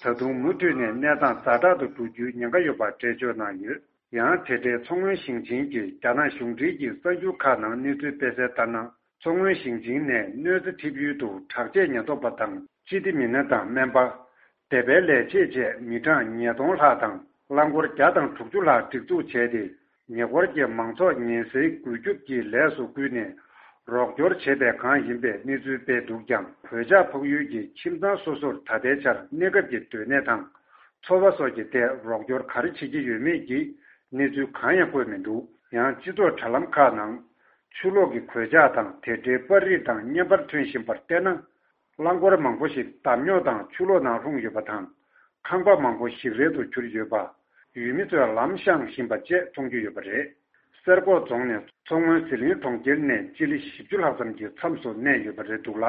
ད་དུང་མུ་མཐུད་ནས་གནས་སྟངས་ཛ་དྲག་ཏུ་འགྲོ་རྒྱུའི་ཉེན་ཁ་ཡོད་པ་འགྲེལ་བརྗོད་གནང་ཡོད། ཡང་དེ་འབྲེལ་མཚོ་སྔོན་ཞིང་ཆེན་གྱི་རྒྱ་ནག་གཞུང་འབྲེལ་གྱི་གསར་འགྱུར་ཁག་ནང་གནས་ཚུལ་སྤེལ་གསལ་ལྟར་ན། མཚོ་སྔོན་ཞིང་ཆེན་ནས་གནོད་འཚེ་ཐེབས་ཡུལ་དུ་དྲག་ཆས་ཉེན་རྟོག་པ་དང་སྤྱི་བདེ་མི་སྣ་དང་སྨན་པ། སྡེ་པའི་ལས་བྱེད་བཅས་མི་གྲངས་ཉིས་སྟོང་ལྷག་དང་རླངས་འཁོར་བརྒྱ་དང་དྲུག་ཅུ་ལྷག་སྒྲིག་འཛུགས་བྱས་ཏེ། ཉེ་འཁོར་གྱི་མང་ཚོགས་ཉེན་སེལ་རྒུད་སྐྱོབ་ཀྱི་ལས་སུ་བསྐུལ་ནས་རོགས་སྐྱོར་བྱེད་པའི་སྒང་ཡིན་པའི་གནས་ཚུལ་སྤེལ་འདུག་ཀྱང་། གོད་ཆག་ཕོག་ཡུལ་གྱི་ཁྱིམ་ཚང་སོ་སོར་ད་ལྟའི་ཆར་གནས་སྐབས་ཀྱི་སྡོད་གནས་དང་། འཚོ་བ་སོགས་ཀྱི་ཐད་རོགས་སྐྱོར་ག་རེ་བྱེད་ཀྱི་ཡོད་མེད་ཀྱི་གནས་ཚུལ་གང་ཡང་བཀོད་མི་འདུག་ཡང་སྤྱི་ཚོགས་དྲ་ལམ་ཁག་ནང་ཆུ་ལོག་གི་གོད་ཆག་དང་དེ་འབྲེལ་པར་རིས་དང་བརྙན་པར་ཐོན་བཞིན་པར་བལྟས་ན། རླངས་འཁོར་མང་པོ་ཞིག་འདམ་རྙོག་དང་ཆུ་ལོག་ནང་ལྷུང་ཡོད་པ་དང་། ཁང་པ་མང་པོ་ཞིག་རལ་དུ་གྱུར་ཡོད་པ། ཡུལ་མི་ཚོས་ལམ་བཤངས་བཞིན་པ་བཅས་མཐོང་རྒྱུ་ཡོད་པ་རེད། གསེར་ཀོང་རྫོང་ནས་མཚོ་སྔོན་ཟི་ལིང་གྲོང་ཁྱེར་ནས་སྤྱི་ལེ་བཞི་བཅུ་ལྷག་ཙམ་གྱི་མཚམས་སུ་གནས་ཡོད་པ་རེད་འདུག་ལ།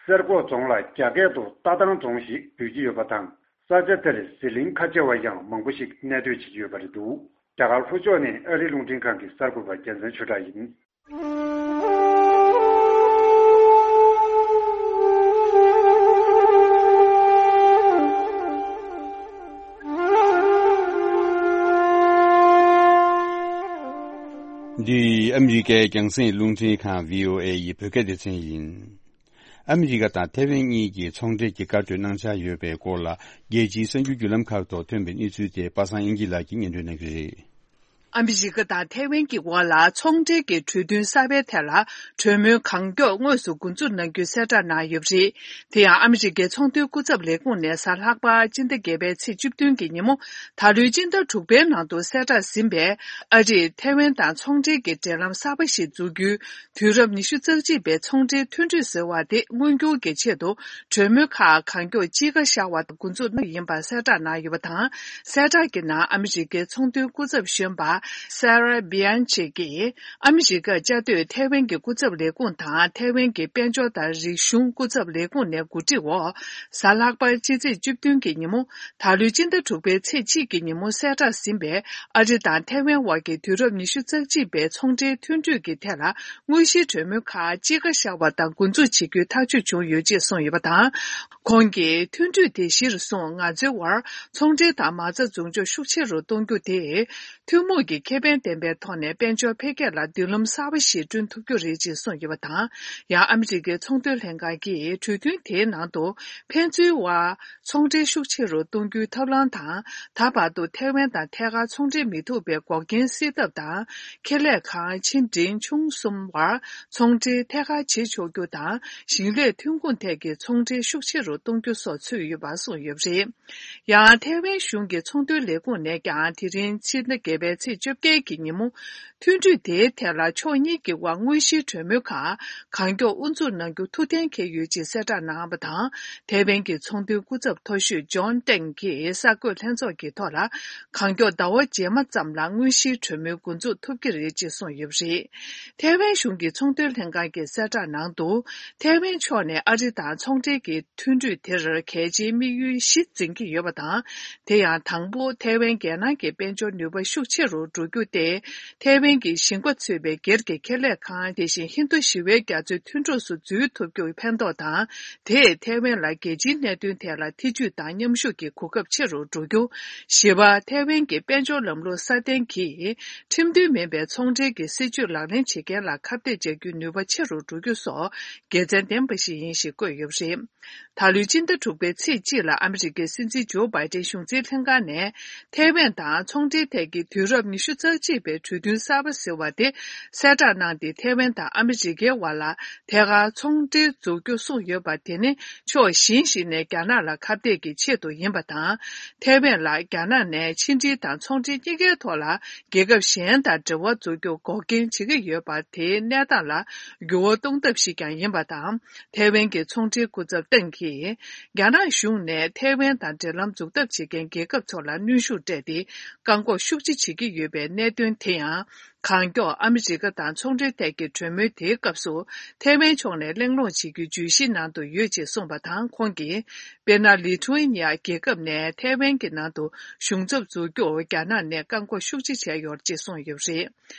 གསེར་ཀོང་རྫོང་ལ་རྒྱ་སྐད་དུ་རྟ་ཐང་རྫོང་ཞེས་འབོད་ཀྱི་ཡོད་པ་དང་། ས་ཆ་དེར་ཟི་ལིང་ཁ་ཆེ་བ་ཡང་མང་པོ་ཞིག་གནས་སྡོད་བྱེད་ཀྱི་ཡོད་པ་རེད་འདུག་རྒྱ་གར་ལྷོ་ཕྱོགས་ནས་ཨ་རིའི་རླུང་འཕྲིན་ཁང་གི་གསར་འགོད་པ་རྒྱལ་མཚན་ཆོས་གྲགས་ཡིན། འདི་ཨ་མི་རི་ཀའི་རྒྱང་སྲིང་རླུང་འཕྲིན་ཁང་བྷི་ཨོ་ཨེ་ཡི་བོད་སྐད་སྡེ་ཚན་ཡིན། ཨ་མི་རི་ཀ་དང་ཐའེ་ཝན་གཉིས་ཀྱིས་ཚོང་འབྲེལ་གྱི་བཀའ་གྲོས་གནང་འཆར་ཡོད་པའི་སྐོར་ལ། རྒྱལ་སྤྱིའི་གསར་འགྱུར་བརྒྱུད་ལམ་ཁག་ཐོག་ཐོན་པའི་གནས་ཚུལ་དེ་པ་སངས་དབྱངས་སྐྱིད་ལགས་ཀྱིས་སྙན་སྒྲོན་གནང་གི་རེད། ཨ་མི་རི་ཀ་དང་ཐའེ་ཝན་གྱི་དབར་ལ་ཚོང་འབྲེལ་གྱི་གྲོས་མཐུན་གསར་པའི་ཐད་ལ་གྲོས་མོལ་གང་མགྱོགས་དངོས་སུ་འགོ་འཛུགས་གནང་རྒྱུའི་གསལ་བསྒྲགས་གནང་ཡོད་པ་རེད། དེ་ཡང་ཨ་མི་རི་ཀའི་ཚོང་དོན་སྐུ་ཚབ་ལས་ཁུངས་ནས་གཟའ་ལྷག་པ་སྤྱི་ཟླ་བརྒྱད་པའི་ཚེས་བཅུ་བདུན་གྱི་ཉིན་མོ། ད་ལོའི་སྤྱི་ཟླ་དྲུག་པའི་ནང་དུ་གསལ་བསྒྲགས་ཟིན་པའི་ཨ་རིས་ཐའེ་ཝན་དང་ཚོང་འབྲེལ་གྱི་འབྲེལ་ལམ་གསར་པ་ཞིག་འཛུགས་རྒྱུའི་དུས་རབས་ཉི་ཤུ་རྩ་གཅིག་པའི་ཚོང་འབྲེལ་མཐུན་གྲོས་ཟེར་བ་དེ་མངོན་འགྱུར་གྱི་ཆེད་དུ་གྲོས་མོལ་ཁག་གང་མགྱོགས་དཔྱིད་ཀ་ཤར་བ་དང་འགོ་འཛུགས་གནང་ཡིན་པ་གསལ་བསྒྲགས་གནང་ཡོད་པ་དང་། གསལ་བསྒྲགས་ཀྱི་ནང་ཨ་མི་རི་ཀའི་ཚོང་དོན་སྐུ་ཚབ་གཞོན་པ་སེ་ར་བྷི་ཡན་ཆི་གིས་ཨ་མི་རི་ཀར་བཅའ་སྡོད་ཐའེ་ཝན་གྱི་སྐུ་ཚབ་ལས་ཁུངས་དང་ཐའེ་ཝན་གྱི་དཔལ་འབྱོར་དང་རིག་གཞུང་སྐུ་ཚབ་ལས་ཁུངས་ནས་གོ་སྒྲིག་འོག་གཟའ་ལྷག་པ་སྤྱི་ཚེས་བཅུ་བདུན་གྱི་ཉིན་མོ། ད་ལོའི་སྤྱི་ཟླ་དྲུག་པའི་ཚེས་གཅིག་གི་ཉིན་མོ་གསལ་བསྒྲགས་ཟིན་པའི་ཨ་རི་དང་ཐའེ་ཝན་དབར་གྱི་དུས་རབས་ཉི་ཤུ་རྩ་གཅིག་པའི་ཚོང་འབྲེལ་མཐུན་གྲོས་ཀྱི་ཐད་ལ་དངོས་གཞིའི་གྲོས་མོལ་ཁག་དཔྱིད་ཀ་ཤར་བ་དང་འགོ་འཛུགས་བྱེད་རྒྱུའི་ཐག་གཅོད་བྱུང་ཡོད་ཅེས་གསུངས་ཡོད་པ་དང་། ཁོང་གིས་མཐུན་གྲོས་དེ་གཞིར་བཟུང་ང་ཚོའི་དབར་ཚོང་འབྲེལ་དང་མ་རྩ་འཛུགས་འཇོག་ཤུགས་ཆེ་རུ་གཏོང་རྒྱུ་དེ། ཐུན་མོང་གི་ཁེ་ཕན་ལྡན་པའི་ཐོག་ནས་དཔལ་འབྱོར་འཕེལ་རྒྱས་ལ་མདུན་ལམ་གསར་པ་ཞིག་བསྐྲུན་ཐུབ་རྒྱུ་རེད་ཅེས་གསུངས་ཡོད་པ་དང་། ཡང་ཨ་མི་རི་ཀའི་ཚོང་དོན་ལྷན་ཁང་གིས་གྲོས་མཐུན་དེའི་ནང་དུ་ཕན་ཚུན་དབར་ཚོང་འབྲེལ་ཤུགས་ཆེ་རུ་གཏོང་རྒྱུའི་ཐབས་ལམ་དང་། ད་བར་དུ་ཐའེ་ཝན་དང་ཐད་ཀར་ཚོང་འབྲེལ་མི་ཐུབ་པའི་འགོག་རྐྱེན་སེལ་ཐབས་དང་། ཁེ་ལས་ཁང་ཆེ་འབྲིང་ཆུང་གསུམ་དབར་ཚོང་འབྲེལ་ཐད་ཀར་བྱེད་ཆོག་རྒྱུ་དང་། ཞིང་ལས་ཐོན་ཁུངས་ཐད་ཀྱི་ཚོང་འབྲེལ་ཤུགས་ཆེ་རུ་གཏོང་རྒྱུ་སོགས་ཚུད་ཡོད་པ་གསུངས་ཡོད་པ་རེད། ཡང་ཐའེ་ཝན་གཞུང་གི་ཚོང་དོན་ལས་ཁུངས་ནས་ཀྱང་དེ་རིང་ཕྱི་ཟླ་བརྒྱད་པའི་ཚེས་བཅོ་བརྒྱད་ཀྱི་ཉིན་མོ། མཐུན་གྲོས་དེའི་ཐད་ལ་ཕྱོགས་གཉིས་ཀྱི་དབར་དངོས་གཞིའི་གྲོས་མོལ་ཁག་གང་མགྱོགས་དབུ་འཛུགས་གནང་རྒྱུ་ཐུགས་གཏན་འཁེལ་ཡོད་ཅེས་གསལ་བསྒྲགས་གནང་བ་དང་། ཐའེ་ཝན་གྱི་ཚོང་དོན་སྐུ་ཚབ་མཐོ་ཤོས་ཇོན་ཏེང་གིས་གསར་འགོད་ལྷན་ཚོགས་ཀྱི་ཐོག་ལ། གང་མགྱོགས་ཟླ་བ་རྗེས་མ་ཙམ་ལ་དངོས་གཞིའི་གྲོས་མོལ་འགོ་འཛུགས་ཐུབ་ཀྱི་རེད་ཅེས་གསུངས་ཡོད་པ་རེད། ཐའེ་ཝན་གཞུང་གི་ཚོང་དོན་ལྷན་ཁང་གི་གསལ་བསྒྲགས་ནང་དུ། ཐའེ་ཝན་ཕྱོགས་ནས་ཨ་རི་དང་ཚོང་འབྲེལ་གྱི་མཐུན་གྲོས་དེར་གལ་ཆེའི་དམིགས་ཡུལ་བཞི་འཛིན་གྱི་ཡོད་པ་དང་། དེ་ཡང་དང་པོ་ཐའེ་ཝན་རྒྱལ་ནང་གི་དཔལ་འབྱོར་ནུས་པ་ཤུགས་ཆེ་རུ་ འགྲོ་རྒྱུ་སྟེ། ཐའེ་ཝན་གྱི་ཞིང་པ་ཚུད་པའི་སྒེར་གྱི་ཁེ་ལས་ཁང་དེ་བཞིན་ཧིན་རྡུ་ཞི་བའི་རྒྱ་མཚོའི་མཐུན་གྲོགས་སུ་འཛུལ་ཐུབ་རྒྱུར་ཕན་ཐོགས་དང་། དེས་ཐའེ་ཝན་ལ་རྒྱལ་སྤྱིའི་གནད་དོན་ཐད་ལ་ཐེ་ཇུས་དང་མཉམ་ཞུགས་ཀྱི་གོ་སྐབས་ཆེ་རུ་འགྲོ་རྒྱུ། བཞི་པ། ཐའེ་ཝན་གྱི་དཔལ་འབྱོར་ལམ་ལུགས་སྲ་བརྟན་གྱིས་ཁྲིམས་མཐུན་མིན་པའི་ཚོང་འབྲེལ་གྱི་སྲིད་ཇུས་ལག་ལེན་བྱེད་མཁན་ལ་ཁ་གཏད་འཇལ་རྒྱུའི་ནུས་པ་ཆེ་རུ་འགྲོ་རྒྱུ་སོགས་དགེ་མཚན་ལྡན་པ་ཞིག་ཡིན་ཞེས་བཀོད་ཡོད་པ་རེད། ད་ལོའི་སྤྱི་ཟླ་དྲུག་པའི་ཚེས་གཅིག་ལ་ཨ་མི་རི་ཀའི་སྲིད་འཛིན་ཇོ་བྷའི་ཏན་གཞུང་འཛིན་ལྷན་ཁང་ནས་ཐའེ་ཝན་དང་ཚོང་འབྲེལ་ཐད་ཀྱི་དུས་རབས་ཉི་ཤུ་རྩ་གཅིག་པའི་གྲོས་མཐུན་གསར་པ་ཟེར་བ་དེ་གསལ་བསྒྲགས་གནང་སྟེ། ཐའེ་ཝན་དང་ཨ་མི་རི་ཀའི་བར་ལ་ཐད་ཀར་ཚོང་འབྲེལ་འཛུགས་རྒྱུ་གསུངས་ཡོད་པ་དེ་ནི་ཕྱོགས་གཞན་ཞིག་ནས་རྒྱ་ནག་ལ་ཁ་གཏད་ཀྱི་ཆེད་དུ་ཡིན་པ་དང་། ཐའེ་ཝན་ལ་རྒྱ་ནག་ནས་ཕྱི་འབྲེལ་དང་ཚོང་འབྲེལ་གཉིས་ཀའི་ཐོག་ལ་རྒྱལ་ཁབ་གཞན་དང་འབྲེལ་བ་འཛུགས་རྒྱུ་འགོག་རྐྱེན་བྱེད་ཀྱི་ཡོད་པ་དེའི་གནས་སྟངས་ལ་འགྱུར་བ་གཏོང་ཐབས་ཤིག་ཀྱང་ཡིན་པ་དང་། ཐའེ་ཝན་གྱི་ཚོང་འབྲེལ་སྐུ་ཚབ་ཏེང་གིས། རྒྱ་ནག་གཞུང་ནས་ཐའེ་ཝན་དང་འབྲེལ་ལམ་འཛུགས་ཐབས་བྱེད་མཁན་རྒྱལ་ཁབ་ཚོ་ལ་གནོན་ཤུགས་སྤྲད་དེ། བཀག་འགོག་ཤུགས་ཆེ་བྱེད་ཀྱི་ཡོད་པའི་གནད་དོན་དེ་ཡང་། གང་མགྱོགས་ཨ་མི་རི་ཀ་དང་ཚོང་འབྲེལ་ཐད་ཀྱི་གྲོས་མོལ་དེའི་སྐབས་སུ། ཐའེ་ཝན་ཕྱོགས་ནས་གླེང་སློང་བྱེད་རྒྱུའི་བརྗོད་གཞིའི་ནང་དུ་ཡོད་ཅེས་གསུངས་པ་དང་། ཁོང་གིས། དཔེར་ན། ལི་ཐུ་ཨེ་ནི་ཡ་རྒྱལ་ཁབ་ནས་ཐའེ་ཝན་གྱི་ནང་དུ་གཞུང་ཚབ་འཛུགས་རྒྱུར་རྒྱ་ནག་ནས་བཀག་འགོག་ཤུགས་ཆེ་བྱས་ཡོད་ཅེས་གསུངས་ཡོད་པ་རེད།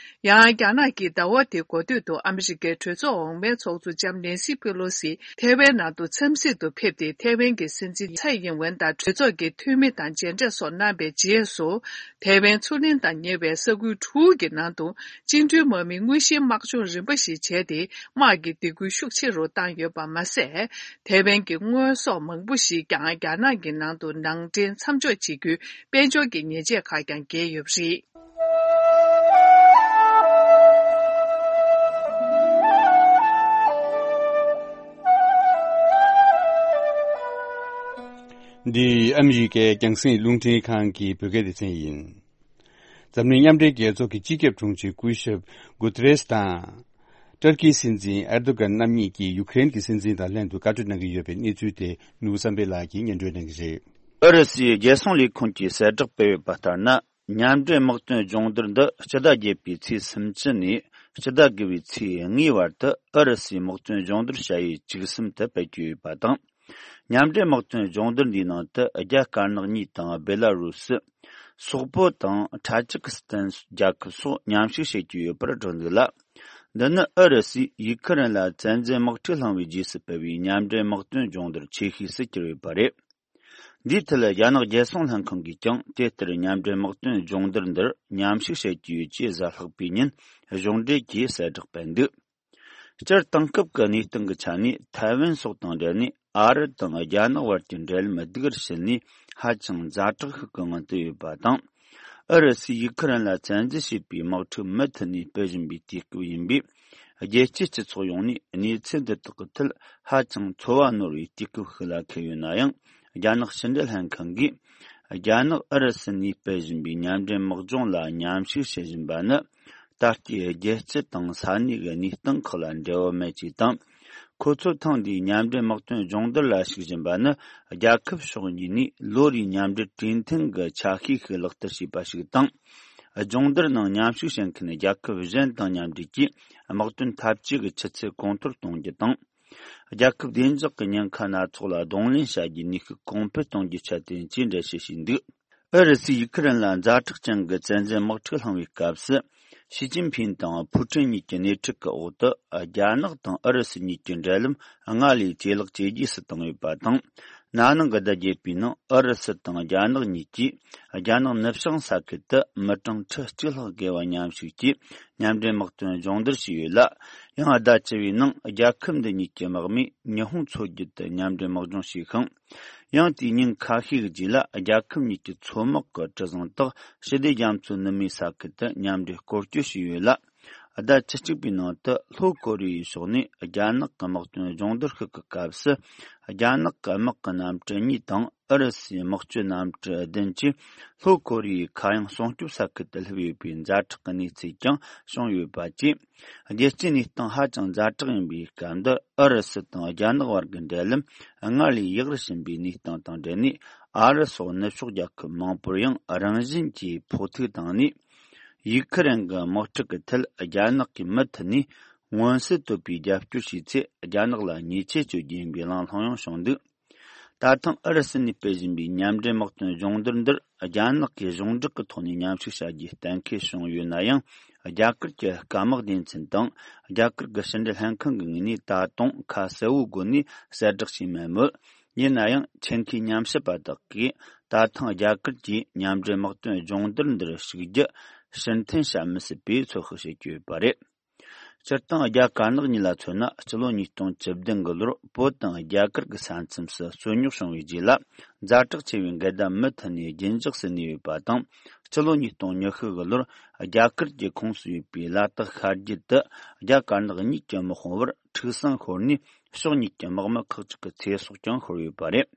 ཡང་། རྒྱ་ནག་གིས་ཟླ་བ་འདིའི་འགོ་སྟོད་དུ་ཨ་མི་རི་ཀའི་གྲོས་ཚོགས་འོག་མའི་ཚོགས་གཙོ་ལྕམ་ནེན་སི་པེ་ལོ་སི་ཐའེ་ཝན་ནང་དུ་འཚམས་གཟིགས་དུ་ཕེབས་ཏེ། ཐའེ་ཝན་གྱི་སྲིད་འཛིན་ཚའེ་ཡིན་ཝེན་དང་གྲོས་ཚོགས་ཀྱི་འཐུས་མི་དང་མཇལ་འཕྲད་སོགས་གནང་བའི་རྗེས་སུ། ཐའེ་ཝན་མཚོ་གླིང་དང་ཉེ་བའི་ས་ཁུལ་དྲུག་གི་ནང་དུ་བཅིངས་འགྲོལ་དམག་མི་དངོས་གཞིའི་དམག་སྦྱོང་རིམ་པ་ཞིག་བྱས་ཏེ། དམག་གི་སྡིགས་སྐུལ་ཤུགས་ཆེ་རུ་བཏང་ཡོད་པ་མ་ཟད། ཐའེ་ཝན་གྱི་དངོས་ཟོག་མང་པོ་ཞིག་ཀྱང་རྒྱ་ནག་གི་ནང་དུ་ནང་འདྲེན་མཚམས་འཇོག་བྱེད་རྒྱུའི་དཔལ་འབྱོར་གྱི་ཉེས་ཆད་ཁག་ཀྱང་འགེལ་ཡོད་པ་རེད། འདི་ཨ་མི་རི་ཀའི་རྒྱང་སྲིང་རླུང་འཕྲིན་ཁང་གི་བོད་སྐད་སྡེ་ཚན་ཡིན། འཛམ་གླིང་མཉམ་འབྲེལ་རྒྱལ་ཚོགས་ཀྱི་སྤྱི་ཁྱབ་དྲུང་ཆེ་སྐུ་ཞབས་གུ་ཏེ་རེས་དང་། ཏུར་ཀིའི་སྲིད་འཛིན་ཨེར་དོ་གྷན་རྣམ་གཉིས་ཀྱིས་ཡུ་ཀེ་རེན་གྱི་སྲིད་འཛིན་དང་ལྷན་དུ་བཀའ་གྲོས་གནང་གི་ཡོད་པའི་གནས་ཚུལ་དེ་ནོར་བུ་བསམ་འཕེལ་ལགས་ཀྱིས་སྙན་སྒྲོན་གནང་གི་རེད། ཨུ་རུ་སུའི་རྒྱལ་སྲུང་ལས་ཁུངས་ཀྱིས་གསལ་བསྒྲགས་སྤེལ་ཡོད་པ་ལྟར་ན། མཉམ་འབྲེལ་དམག་དོན་སྦྱོང་བརྡར་འདི་སྤྱི་ཟླ་བརྒྱད་པའི་ཚེས་སུམ་ཅུ་ནས་སྤྱི་ཟླ་དགུ་པའི་ཚེས་ལྔའི་བར་དུ་ཨུ་རུ་སུའི་དམག་དོན་སྦྱོང་བརྡར་བྱ་ཡུལ་བཅུ་གསུམ་དུ་སྤེལ་གྱི་ཡོད་པ་དང་། མཉམ་འབྲེལ་དམག་དོན་སྦྱོང་བརྡར་འདིའི་ནང་དུ་རྒྱ་དཀར་ནག་གཉིས་དང་། སྦེ་ལ་རུ་སི། སོག་པོ་དང་ཐ་ཇིག་སི་ཐན་རྒྱལ་ཁབ་སོགས་མཉམ་ཞུགས་བྱེད་ཀྱི་ཡོད་པར་བསྒྲགས་འདུག་ལ། འདི་ནི་ཨུ་རུ་སུས་ཡུ་ཁུ་རེན་ལ་བཙན་འཛུལ་དམག་འཁྲུག་བསླངས་པའི་རྗེས་སུ་སྤེལ་བའི་མཉམ་འབྲེལ་དམག་དོན་སྦྱོང་བརྡར་ཆེ་ཤོས་སུ་གྱུར་ཡོད་པ་རེད། འདིའི་ཐད། རྒྱ་ནག་རྒྱལ་སྲུང་ལྷན་ཁང་གིས་ཀྱང་དེ་ལྟར་མཉམ་འབྲེལ་དམག་དོན་སྦྱོང་བརྡར་འདིར་མཉམ་ཞུགས་བྱེད་ཀྱི་ཡོད་ཅེས་གཟའ་ལྷག་པའི་ཉིན་གཞུང་འབྲེལ་གྱིས་གསལ་བསྒྲགས་སྤེལ་འདུག་སྤྱིར་བཏང་སྐབས་ཀྱི་གནས་སྟངས་ཀྱི་ཆ་ནས། ཐའེ་ཝན་སོགས་དང་འབྲེལ་ནས་ཨ་རི་དང་རྒྱ་ནག་བར་གྱི་འབྲེལ་ལམ་སྡུག་རུ་ཕྱིན་ནས་ཧ་ཅང་ཛ་དྲག་ཤོས་ཀྱི་ངང་དུ་ཡོད་པ་དང་། ཨུ་རུ་སུས་ཡུ་ཁུ་རེན་ལ་བཙན་འཛུལ་བྱས་པའི་དམག་འཁྲུག་མུ་མཐུད་ནས་སྤེལ་བཞིན་པའི་དུས་སྐབས་ཡིན་པས། རྒྱལ་སྤྱིའི་སྤྱི་ཚོགས་ཡོངས་ནས་གནས་ཚུལ་འདི་དག་གི་ཐད་ཧ་ཅང་ཚོར་བ་ནོར་བའི་དུས་སྐབས་ཤིག་ལ་འཁེལ་ཡོད་ན་ཡང་། རྒྱ་ནག་ཕྱི་འབྲེལ་ལྷན་ཁང་གིས། རྒྱ་ནག་ཨུ་རུ་སུ་ནས་སྤེལ་བཞིན་པའི་མཉམ་འབྲེལ་དམག་སྦྱོང་ལ་མཉམ་ཞུགས་བྱེད་བཞིན་པ་ནི། ད་ལྟའི་རྒྱལ་སྤྱི་དང་ས་གནས་ཀྱི་གནས་སྟངས་ཁག་ལ་འབྲེལ་བ་མེད་ཅེས་དང་། ཁོ་ཚོར་ཐེངས་འདིའི་མཉམ་འབྲེལ་དམག་དོན་སྦྱོང་བརྡར་ལ་ཞུགས་བཞིན་པ་ནི། རྒྱལ་ཁབ་ཕྱོགས་གཉིས་ནས་ལོ་རེའི་མཉམ་འབྲེལ་གྲོས་མཐུན་གྱི་ཆ་ཤས་ཤིག་ལག་བསྟར་བྱས་པ་ཞིག་དང་། སྦྱོང་བརྡར་ནང་མཉམ་ཞུགས་བྱེད་མཁན་རྒྱལ་ཁབ་གཞན་དང་མཉམ་འབྲེལ་གྱིས། དམག་དོན་འཐབ་ཇུས་ཀྱི་ཆུ་ཚད་གོང་མཐོར་གཏོང་རྒྱུ་དང་། རྒྱལ་ཁབ་བདེ་འཇགས་ཀྱི་ཉེན་ཁ་སྣ་ཚོགས་ལ་གདོང་ལེན་བྱ་རྒྱུའི་ནུས་ཤུགས་གོང་འཕེལ་གཏོང་རྒྱུའི་ཆེད་དོན་བཅས་འགྲེལ་བཤད་བྱས་འདུག་ཨུ་རུ་སུས་ཡུ་ཁུ་རེན་ལ་ཛ་དྲག་ཅན་གྱི་བཙན་འཛུལ་དམག་འཁྲུག་བསླངས་པའི་སྐབས་སུ། ཞི་ཅིན་ཕིན་དང་ཕུའུ་ཁྲིན་གཉིས་ཀྱི་སྣེ་ཁྲིད་ཀྱི་འོག་ཏུ། རྒྱ་ནག་དང་ཨུ་རུ་སུ་གཉིས་ཀྱི་འབྲེལ་ལམ་སྔར་ལས་ཇེ་ལེགས་ཇེ་རྒྱས་སུ་བཏང་ཡོད་པ་དང་། ན་ནིང་གི་ཟླ་བརྒྱད་པའི་ནང་ཨུ་རུ་སུ་དང་རྒྱ་ནག་གཉིས་ཀྱིས། རྒྱ་ནག་ནུབ་བྱང་ས་ཁུལ་དུ་མི་གྲངས་ཁྲི་གཅིག་ལྷག་བརྒལ་བ་མཉམ་ཞུགས་ཀྱིས། མཉམ་འབྲེལ་དམག་དོན་སྦྱོང་བརྡར་བྱས་ཡོད་ལ། ཡང་ཟླ་བཅུ་བའི་ནང་རྒྱལ་ཁབ་འདི་གཉིས་ཀྱི་དམག་མིས་ཉི་ཧོང་མཚོ་རྒྱུད་དུ་མཉམ་འབྲེལ་དམག་སྦྱོང་བྱས་ཤིང་། ཡང་དེའི་ཉིན་ཁ་ཤས་ཀྱི་རྗེས་ལ། རྒྱལ་ཁབ་གཉིས་ཀྱི་མཚོ་དམག་གི་གྲུ་གཟིངས་དག་ཞི་བདེ་རྒྱ་མཚོའི་ནུབ་མའི་ས་ཁུལ་དུ་མཉམ་འབྲེལ་སྐོར་སྐྱོད་བྱས་ཡོད་ལ། ཟླ་བཅུ་གཅིག་པའི་ནང་དུ་ལྷོ་ཀོ་རི་ཡའི་ཕྱོགས་ནས་རྒྱ་ནག་གི་དམག་དོན་སྦྱོང་བརྡར་ཤིག་གི་སྐབས་སུ། རྒྱ་ནག་གི་དམག་གི་གནམ་གྲུ་གཉིས་དང་། ཨུ་རུ་སུའི་དམག་སྤྱོད་གནམ་གྲུ་བདུན་གྱིས་ལྷོ་ཀོ་རི་ཡའི་མཁའ་དབྱིངས་སྲུང་སྐྱོབ་ས་ཁུལ་དུ་སླེབས་ཡོད་པའི་ཛ་དྲག་གི་གནས་ཚུལ་ཀྱང་བྱུང་ཡོད་པ་བཅས། རྒྱལ་སྤྱིའི་གནས་སྟངས་ཧ་ཅང་ཛ་དྲག་ཡིན་པའི་སྐབས་འདིར། ཨུ་རུ་སུ་དང་རྒྱ་ནག་བར་གྱི་འབྲེལ་ལམ་སྔར་ལས་ཡག་རུ་ཕྱིན་པའི་གནས་སྟངས་དང་འབྲེལ་ནས། ཨ་རི་སོགས་ནུབ་ཕྱོགས་རྒྱལ་ཁབ་མང་པོར་ཡང་རང་བཞིན་གྱིས་ཕོག་ཐུག་བཏང་ནས། ཡུ་ཁུ་རེན་གྱི་དམག་འཁྲུག་གི་ཐད་རྒྱ་ནག་གིས་མུ་མཐུད་ནས་མངོན་གསལ་དོད་པའི་རྒྱབ་སྐྱོར་བྱས་ཚེ། རྒྱ་ནག་ལ་ཉེས་ཆད་གཅོད་རྒྱུ་ཡིན་པའི་གླེང་སློང་ཡང་བྱུང་འདུག་ད་ཐེངས་ཨུ་རུ་སུ་ནས་སྤེལ་བཞིན་པའི་མཉམ་འབྲེལ་དམག་དོན་སྦྱོང་བརྡར་འདིར། རྒྱ་ནག་གིས་གཞུང་བསྒྲགས་ཀྱི་ཐོག་ནས་མཉམ་ཞུགས་བྱ་རྒྱུའི་གཏན་འཁེལ་བྱུང་ཡོད་ན་ཡང་། རྒྱ་གར་གྱི་སྐམ་དམག་སྡེ་ཚན་དང་རྒྱ་གར་གྱི་ཕྱི་འབྲེལ་ལྷན་ཁང་གི་ངོས་ནས་ད་དུང་ཁ་གསལ་བོའི་སྒོ་ནས་གསལ་བསྒྲགས་བྱས་མེད་མོད། ཡིན་ན་ཡང་ཆེད་མཁས་ཉམས་ཞིབ་པ་དག་གིས་ད་ཐེངས་རྒྱ་གར་གྱིས་མཉམ་འབྲེལ་དམག་དོན་སྦྱོང་བརྡར་འདིར་ཞུགས་རྒྱུ་ཕྱིར་འཐེན་བྱ་མི་སྲིད་པའི་ཚོད་དཔག་བྱེད་ཀྱི་ཡོད་པ་རེད། སྤྱིར་བཏང་རྒྱ་དཀར་ནག་གཉིས་ལ་མཚོན་ན། སྤྱི་ལོ་ཉིས་སྟོང་བཅུ་བདུན་གྱི་ལོར་བོད་དང་རྒྱ་གར་གྱི་ས་མཚམས་སུ་རྩོད་རྙོག་བྱུང་བའི་རྗེས་ལ། ཛ་དྲག་ཆེ་བའི་འགལ་ཟླ་མུ་མཐུད་ནས་རྒྱུན་འཇགས་སུ་གནས་ཡོད་པ་དང་། སྤྱི་ལོ་ཉིས་སྟོང་ཉི་ཤུ་གི་ལོར་རྒྱ་གར་གྱི་ཁོངས་སུ་ཡོད་པའི་ལ་དྭགས་ཤར་རྒྱུད་དུ་རྒྱ་དཀར་ནག་གཉིས་ཀྱི་དམག་དཔུང་བར་འཁྲུག་ཟིང་ཤོར་ནས། ཕྱོགས་གཉིས་ཀྱི་དམག་མི་ཁག་ཅིག་གི་ཚེ་སྲོག་ཀྱང་ཤོར་ཡོད་པ་རེད།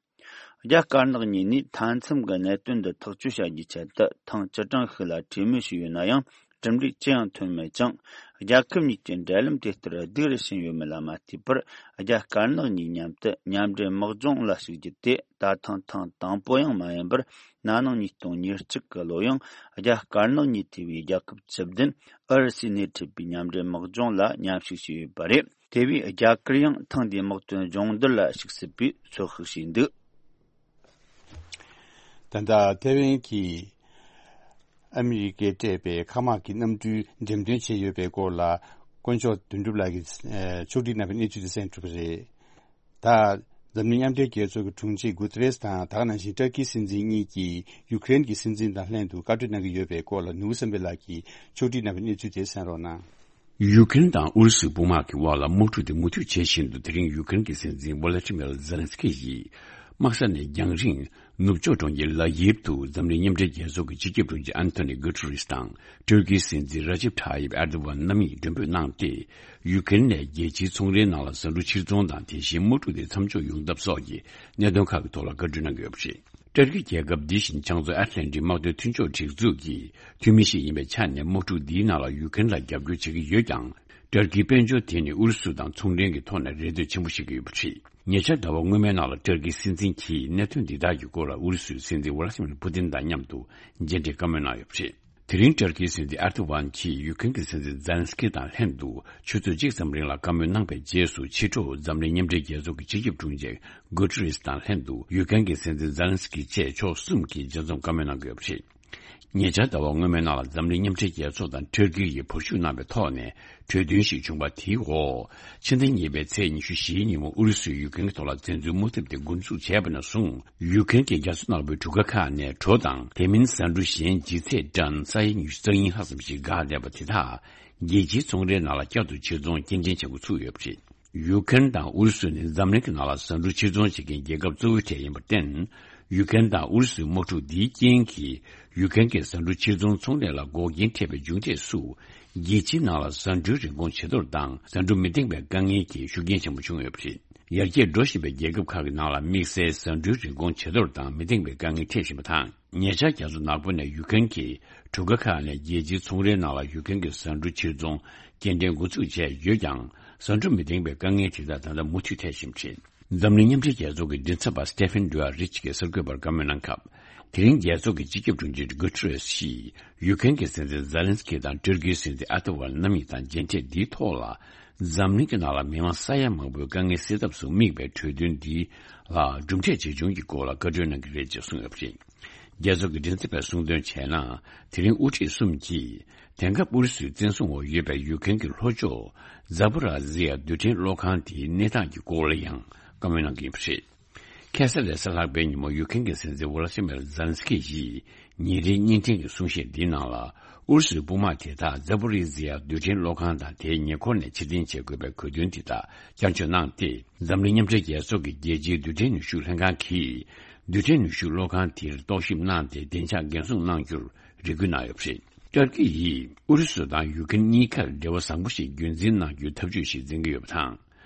རྒྱ་དཀར་ནག་གཉིས་ནས་མཐའ་མཚམས་ཀྱི་གནད་དོན་འདི་ཐག་གཅོད་བྱ་རྒྱུའི་ཆེད་དུ་ཐེངས་བཅུ་གྲངས་ཤིག་ལ་གྲོས་མོལ་བྱས་ཡོད་ན་ཡང་། གྲུབ་འབྲས་ཅི་ཡང་ཐོན་མེད་ཅིང་། རྒྱལ་ཁབ་གཉིས་ཀྱི་འབྲེལ་ལམ་དེ་ལྟར་སྡུག་རུ་ཕྱིན་ཡོད་མེད་ལ་མ་ལྟོས་པར། རྒྱ་དཀར་ནག་གཉིས་མཉམ་དུ་མཉམ་འབྲེལ་དམག་སྦྱོང་ལ་ཞུགས་རྒྱུ་དེ་ད་ཐེངས་ཐེངས་དང་པོ་ཡང་མ་ཡིན་པར། ན་ནིང་ཉིས་སྟོང་ཉེར་གཅིག་གི་ལོ་ཡང་རྒྱ་དཀར་ནག་གཉིས་ཐེ་བའི་རྒྱལ་ཁབ་བཅུ་བདུན་ཨུ་རུ་སུའི་སྣེ་ཁྲིད་པའི་མཉམ་འབྲེལ་དམག་སྦྱོང་ལ་མཉམ་ཞུགས་བྱས་ཡོད་པ་རེད། དེ་བས་རྒྱ་གར་ཡང་ཐེངས་འདིའི་དམག་དོན་སྦྱོང་བརྡར་ལ་ཞུགས་སྲིད་པའི་ཚོད་དཔག་བྱས་འདུག། ད་ལྟ་ཐེ་ཝན་གྱིས་ཨ་མི་རི་ཀས་སྤྲད་པའི་མཁའ་དམག་གི་གནམ་གྲུའི་འགྲེམས་སྟོན་བྱས་ཡོད་པའི་སྐོར་ལ། དཀོན་མཆོག་དོན་གྲུབ་ལགས་ཀྱིས་ཕྱོགས་སྒྲིག་གནང་བའི་གནས་ཚུལ་དེ་གསན་གྲུབ་པ་རེད། ད། འཛམ་གླིང་མཉམ་འབྲེལ་རྒྱལ་ཚོགས་ཀྱི་དྲུང་ཆེ་གུ་ཏེ་རེས་དང་། ད་ག་ནང་བཞིན་ཏུར་ཀི་སྲིད་འཛིན་གཉིས་ཀྱིས་ཡུ་ཀེ་རེན་གྱི་སྲིད་འཛིན་དང་ལྷན་དུ་བཀའ་གྲོས་གནང་གི་ཡོད་པའི་སྐོར་ལ། ནོར་བུ་བསམ་འཕེལ་ལགས་ཀྱིས་ཕྱོགས་སྒྲིག་གནང་བའི་གནས་ཚུལ་དེ་གསན་རོགས་གནང་། ཡུ་ཀེ་རེན་དང་ཨུ་རུ་སུའི་དཔུང་དམག་གི་དབར་ལ་དམག་འཁྲུག་དེ་མུ་མཐུད་བྱེད་བཞིན་དུ། དེ་རིང་ཡུ་ཀེ་རེན་གྱི་སྲིད་འཛིན་ཝོ་ལ་ཏི་མིར་ཛེ་ལན་སི་ཀི་ཡིས་དམག་ས་ནས་རྒྱང་རིང་ནུབ་ཕྱོགས་གྲོང་ཁྱེར་ལ་ཡིབ་ཏུ་འཛམ་གླིང་མཉམ་འབྲེལ་རྒྱལ་ཚོགས་ཀྱི་སྤྱི་ཁྱབ་དྲུང་ཆེ་ཨན་ཐོ་ནི་གུ་ཏུ་རེས་དང་། ཏུར་ཀིའི་སྲིད་འཛིན་ར་ཇིབ་ཐ་ཡིབ་ཨེར་དོ་ཝན་རྣམ་གཉིས་མགྲོན་འབོད་གནང་སྟེ། ཡུ་ཀེ་རེན་ནས་རྒྱལ་སྤྱིའི་ཚོང་རའི་ནང་ལ་ཟ་འབྲུ་ཕྱིར་ཚོང་དང་། དེ་བཞིན་དམག་འཁྲུག་དེ་མཚམས་འཇོག་ཡོང་ཐབས་སོགས་ཀྱི་གནད་དོན་ཁག་གི་ཐོག་ལ་བཀའ་འཁྲོལ་གནང་གི་ཡོད་པ་རེད། ཏུར་ཀི་རྒྱལ་ཁབ་འདི་བཞིན་བྱང་མཚོ་ཨེཊ་ལན་ཊིག་དམག་དོན་མཐུན་ཕྱོགས་སྒྲིག་འཛུགས་ཀྱི་འཐུས་མི་ཞིག་ཡིན་པའི་ཆ་ནས། དམག་འཁྲུག་འདིའི་ནང་ལ་ཡུ་ཀེ་རེན་ལ་རྒྱབ་སྐྱོར་བྱེད་ཀྱི་ཡོད་ཀྱང་། ཏུར་ཀིའི་དཔལ་འབྱོར་དེ་ནི་ཨུ་རུ་སུ་དང་ཚོང་འབྲེལ་གྱི་ཐོག་ནས་རེ་ལྟོས་ཆེན་པོ་བྱེད་ཀྱི་ཡོད་པ་རེད། ཉེ་ཆར་ཟླ་བ་སྔོན་མའི་ནང་ལ་ཏུར་ཀིའི་སྲིད་འཛིན་གྱིས་གནད་དོན་འདི་དག་གི་སྐོར་ལ་ཨུ་རུ་སུའི་སྲིད་འཛིན་ཝ་ལ་ཏི་མིར་པུ་ཏིན་དང་མཉམ་དུ་མཇལ་འཕྲད་བཀའ་མོལ་གནང་ཡོད་པ་རེད། དེ་རིང་ཏུར་ཀིའི་སྲིད་འཛིན་ཨེར་དོ་ཝན་གྱིས་ཡུ་ཀེ་རེན་གྱི་སྲིད་འཛིན་ཛེ་ལན་སི་ཀི་དང་ལྷན་དུ་ཆུ་ཚོད་གཅིག་ཙམ་རིང་ལ་བཀའ་མོལ་གནང་པའི་རྗེས་སུ། ཕྱི་དྲོ་འཛམ་གླིང་མཉམ་འབྲེལ་རྒྱལ་ཚོགས་ཀྱི་སྤྱི་ཁྱབ་དྲུང་ཆེ་གུ་ཏུ་རེས་དང་ལྷན་དུ་ཡུ་ཀེ་རེན་གྱི་སྲིད་འཛིན་ཛེ་ལན་སི་ཀི་བཅས་ཕྱོགས་གསུམ་གྱིས་མཇལ་འཛོམས་བཀའ་མོལ་གནང་གི་ཡོད་པ་རེད། ཉེ་ཆར་ཟླ་བ་སྔོན་མའི་ནང་ལ་འཛམ་གླིང་མཉམ་འབྲེལ་རྒྱལ་ཚོགས་དང་ཏུར་ཀི་ཡིས་བར་ཞུགས་གནང་པའི་ཐོག་ནས་གྲོས་མཐུན་ཞིག་བྱུང་བ་དེའི་འོག་ཕྱི་ཟླ་གཉིས་པའི་ཚེས་ཉི་ཤུ་བཞིའི་ཉིན་མོ་ཨུ་རུ་སུས་ཡུ་ཀེ་རེན་གྱི་ཐོག་ལ་བཙན་འཛུལ་དམག་འཐབ་དེ་འགོ་འཛུགས་བྱས་པ་ནས་བཟུང་། ཡུ་ཀེ་རེན་གྱི་རྒྱ་མཚོ་ནག་པོའི་གྲུ་ཁ་ཁག་ནས་གྲོ་དང་། དེ་མིན་ཟ་འབྲུ་གཞན་ལྗིད་ཚད་ཏན་ས་ཡ་ཉི་ཤུ་རྩ་གཉིས་ལྷག་ཙམ་ཞིག་འགག་བསྡད་པ་དེ་དག་རྒྱལ་སྤྱིའི་ཚོང་རའི་ནང་ལ་བསྐྱར་དུ་ཕྱིར་ཚོང་སྐྱེལ་འདྲེན་བྱེད་འགོ་ཚུགས་ཡོད་པ་རེད། ཡུ་ཀེ་རེན་དང་ཨུ་རུ་སུ་ནི་འཛམ་གླིང་གི་ནང་ལ་ཟ་འབྲུ་ཕྱིར་ཚོང་བྱེད་མཁན་རྒྱལ་ཁབ་གཙོ་བོའི་གྲས་ཡིན་པར་བརྟེན། ཡུ་ཀེ་རེན་དང་ཨུ་རུ་སུའི་དམག་འཁྲུག་འདིའི་རྐྱེན་གྱིས། ཡུ་ཀེ་རེན་གྱི་ཟ་འབྲུ་ཕྱིར་ཚོང་ཚོང་ལས་ལ་འགོག་རྐྱེན་འཕྲད་པའི་མཇུག་འབྲས་སུ། རྒྱལ་སྤྱིའི་ནང་ལ་ཟ་འབྲུའི་རིན་གོང་ཇེ་མཐོར་དང་། ཟ་འབྲུ་མི་འདེང་བའི་དཀའ་ངལ་གྱིས་ཤུགས་རྐྱེན་ཆེན་པོ་བྱུང་ཡོད་པ་རེད། ཡར་རྒྱས་འགྲོ་བཞིན་པའི་རྒྱལ་ཁབ་ཁག་གི་ནང་ལ་དམིགས་བསལ་ཟ་འབྲུའི་རིན་གོང་ཇེ་མཐོར་དང་མི་འདེང་བའི་དཀའ་ངལ་འཕྲད་བཞིན་པ་དང་། ཉེ་ཆར་རྒྱ་མཚོ་ནག་པོ་ནས་ཡུ་ཀེ་རེན་གྱི་གྲུ་ཁ་ཁག་ནས་རྒྱལ་སྤྱིའི་ཚོང་རའི་ནང་ལ་ཡུ་ཀེ་རེན་གྱི་ཟ་འབྲུ་ཕྱིར་ཚོང་སྐྱེལ་འདྲེན་འགོ་ཚུགས་བྱས་ཡོད་ཀྱང་། ཟ་འབྲུ་མི་འདེང་བའི་དཀའ་ངལ་དེ་དག་ད་ལྟ་མུ་མཐུད་འཕྲད་བཞིན་པ་རེད། འཛམ་གླིང་མཉམ་འབྲེལ་རྒྱལ་ཚོགས་ཀྱི་མགྲིན་ཚབ་པ་སི་ཏེ་ཕན་ཌུ་ཨ་རིཆ་གིས་གསར་འགོད་པར་བཀའ་མོལ་གནང་སྐབས། དེ་རིང་རྒྱལ་ཚོགས་ཀྱི་སྤྱི་ཁྱབ་དྲུང་ཆེ་གུ་ཏུ་རེས་ཀྱིས་ཡུ་ཀེ་རེན་གྱི་སྲིད་འཛིན་ཛེ་ལན་སི་ཀི་དང་ཏུར་ཀིའི་སྲིད་འཛིན་ཨེར་དོ་ཝན་རྣམ་གཉིས་དང་མཇལ་འཕྲད་འདིའི་ཐོག་ལ། འཛམ་གླིང་གི་ནང་ལ་མི་མང་ས་ཡ་མང་པོའི་དཀའ་ངལ་སེལ་ཐབས་སུ་དམིགས་པའི་གྲོས་མཐུན་འདི་ལ་གྲུབ་འབྲས་ཇི་བྱུང་གི་སྐོར་ལ་བཀའ་འཁྲོལ་གནང་གི་རེད་ཅེས་གསུངས་ཡོད་པ་རེད། རྒྱལ་ཚོགས་ཀྱི་མགྲིན་ཚབ་པས་གསུངས་དོན་བྱས་ན། དེ་རིང་དབུ་ཁྲིད་གསུམ་གྱིས་དེང་སྐབས་ཨུ་རུ་སུའི་བཙན་བཟུང་འོག་ཡོད་པའི་ཡུ་ཀེ་རེན་གྱི་ལྷོ་ཕྱོགས་ཛ་པོ་ར་ཛི་ཡ་རྡུལ་ཕྲན་གློག་ཁང་དེའི་གནས་སྟངས་ཀྱི་སྐོར་ལ་ཡང་བཀའ་མོལ་གནང་གི་ཡོད་པ་རེད། ཁ་སང་རེས་གཟའ་ལྷག་པའི་ཉིན་མོ་ཡུ་ཀེ་རེན་གྱི་སྲིད་འཛིན་ཝོ་ལ་ཏི་མིར་ཛེ་ལན་སི་ཀི་ཡིས་ཉིན་རེའི་བརྙན་འཕྲིན་གྱི་གསུང་བཤད་འདིའི་ནང་ལ། ཨུ་རུ་སུའི་དཔུང་དམག་དེ་དག་ཛ་པོ་རི་ཛི་ཡ་རྡུལ་ཕྲན་གློག་ཁང་དང་དེའི་ཉེ་འཁོར་ནས་ཕྱིར་འཐེན་བྱེད་དགོས་པའི་གོ་དོན་དེ་དག་བསྐྱར་བརྗོད་གནང་སྟེ། འཛམ་གླིང་མཉམ་འབྲེལ་རྒྱལ་ཚོགས་ཀྱི་རྒྱལ་སྤྱིའི་རྡུལ་ཕྲན་ནུས་ཤུགས་ལྷན་ཁང་གིས། རྡུལ་ཕྲན་ནུས་ཤུགས་གློག་ཁང་དེར་རྟོག་ཞིབ་གནང་སྟེ། བདེ་འཇགས་འགན་སྲུང་གནང་རྒྱུར་རེ་སྐུལ་གནང་ཡོད་པ་རེད། ཏུར་ཀི་ཡིས་ཨུ་རུ་སུ་དང་ཡུ་ཀེ་རེན་གཉིས་ཀར་འབྲེལ་བ་བཟང་པོ་ཞིག་རྒྱུན་འཛིན་གནང་རྒྱུའི་ཐབས་ཇུས་ཤིག་འཛིན་གྱི་ཡོད་པ་དང་།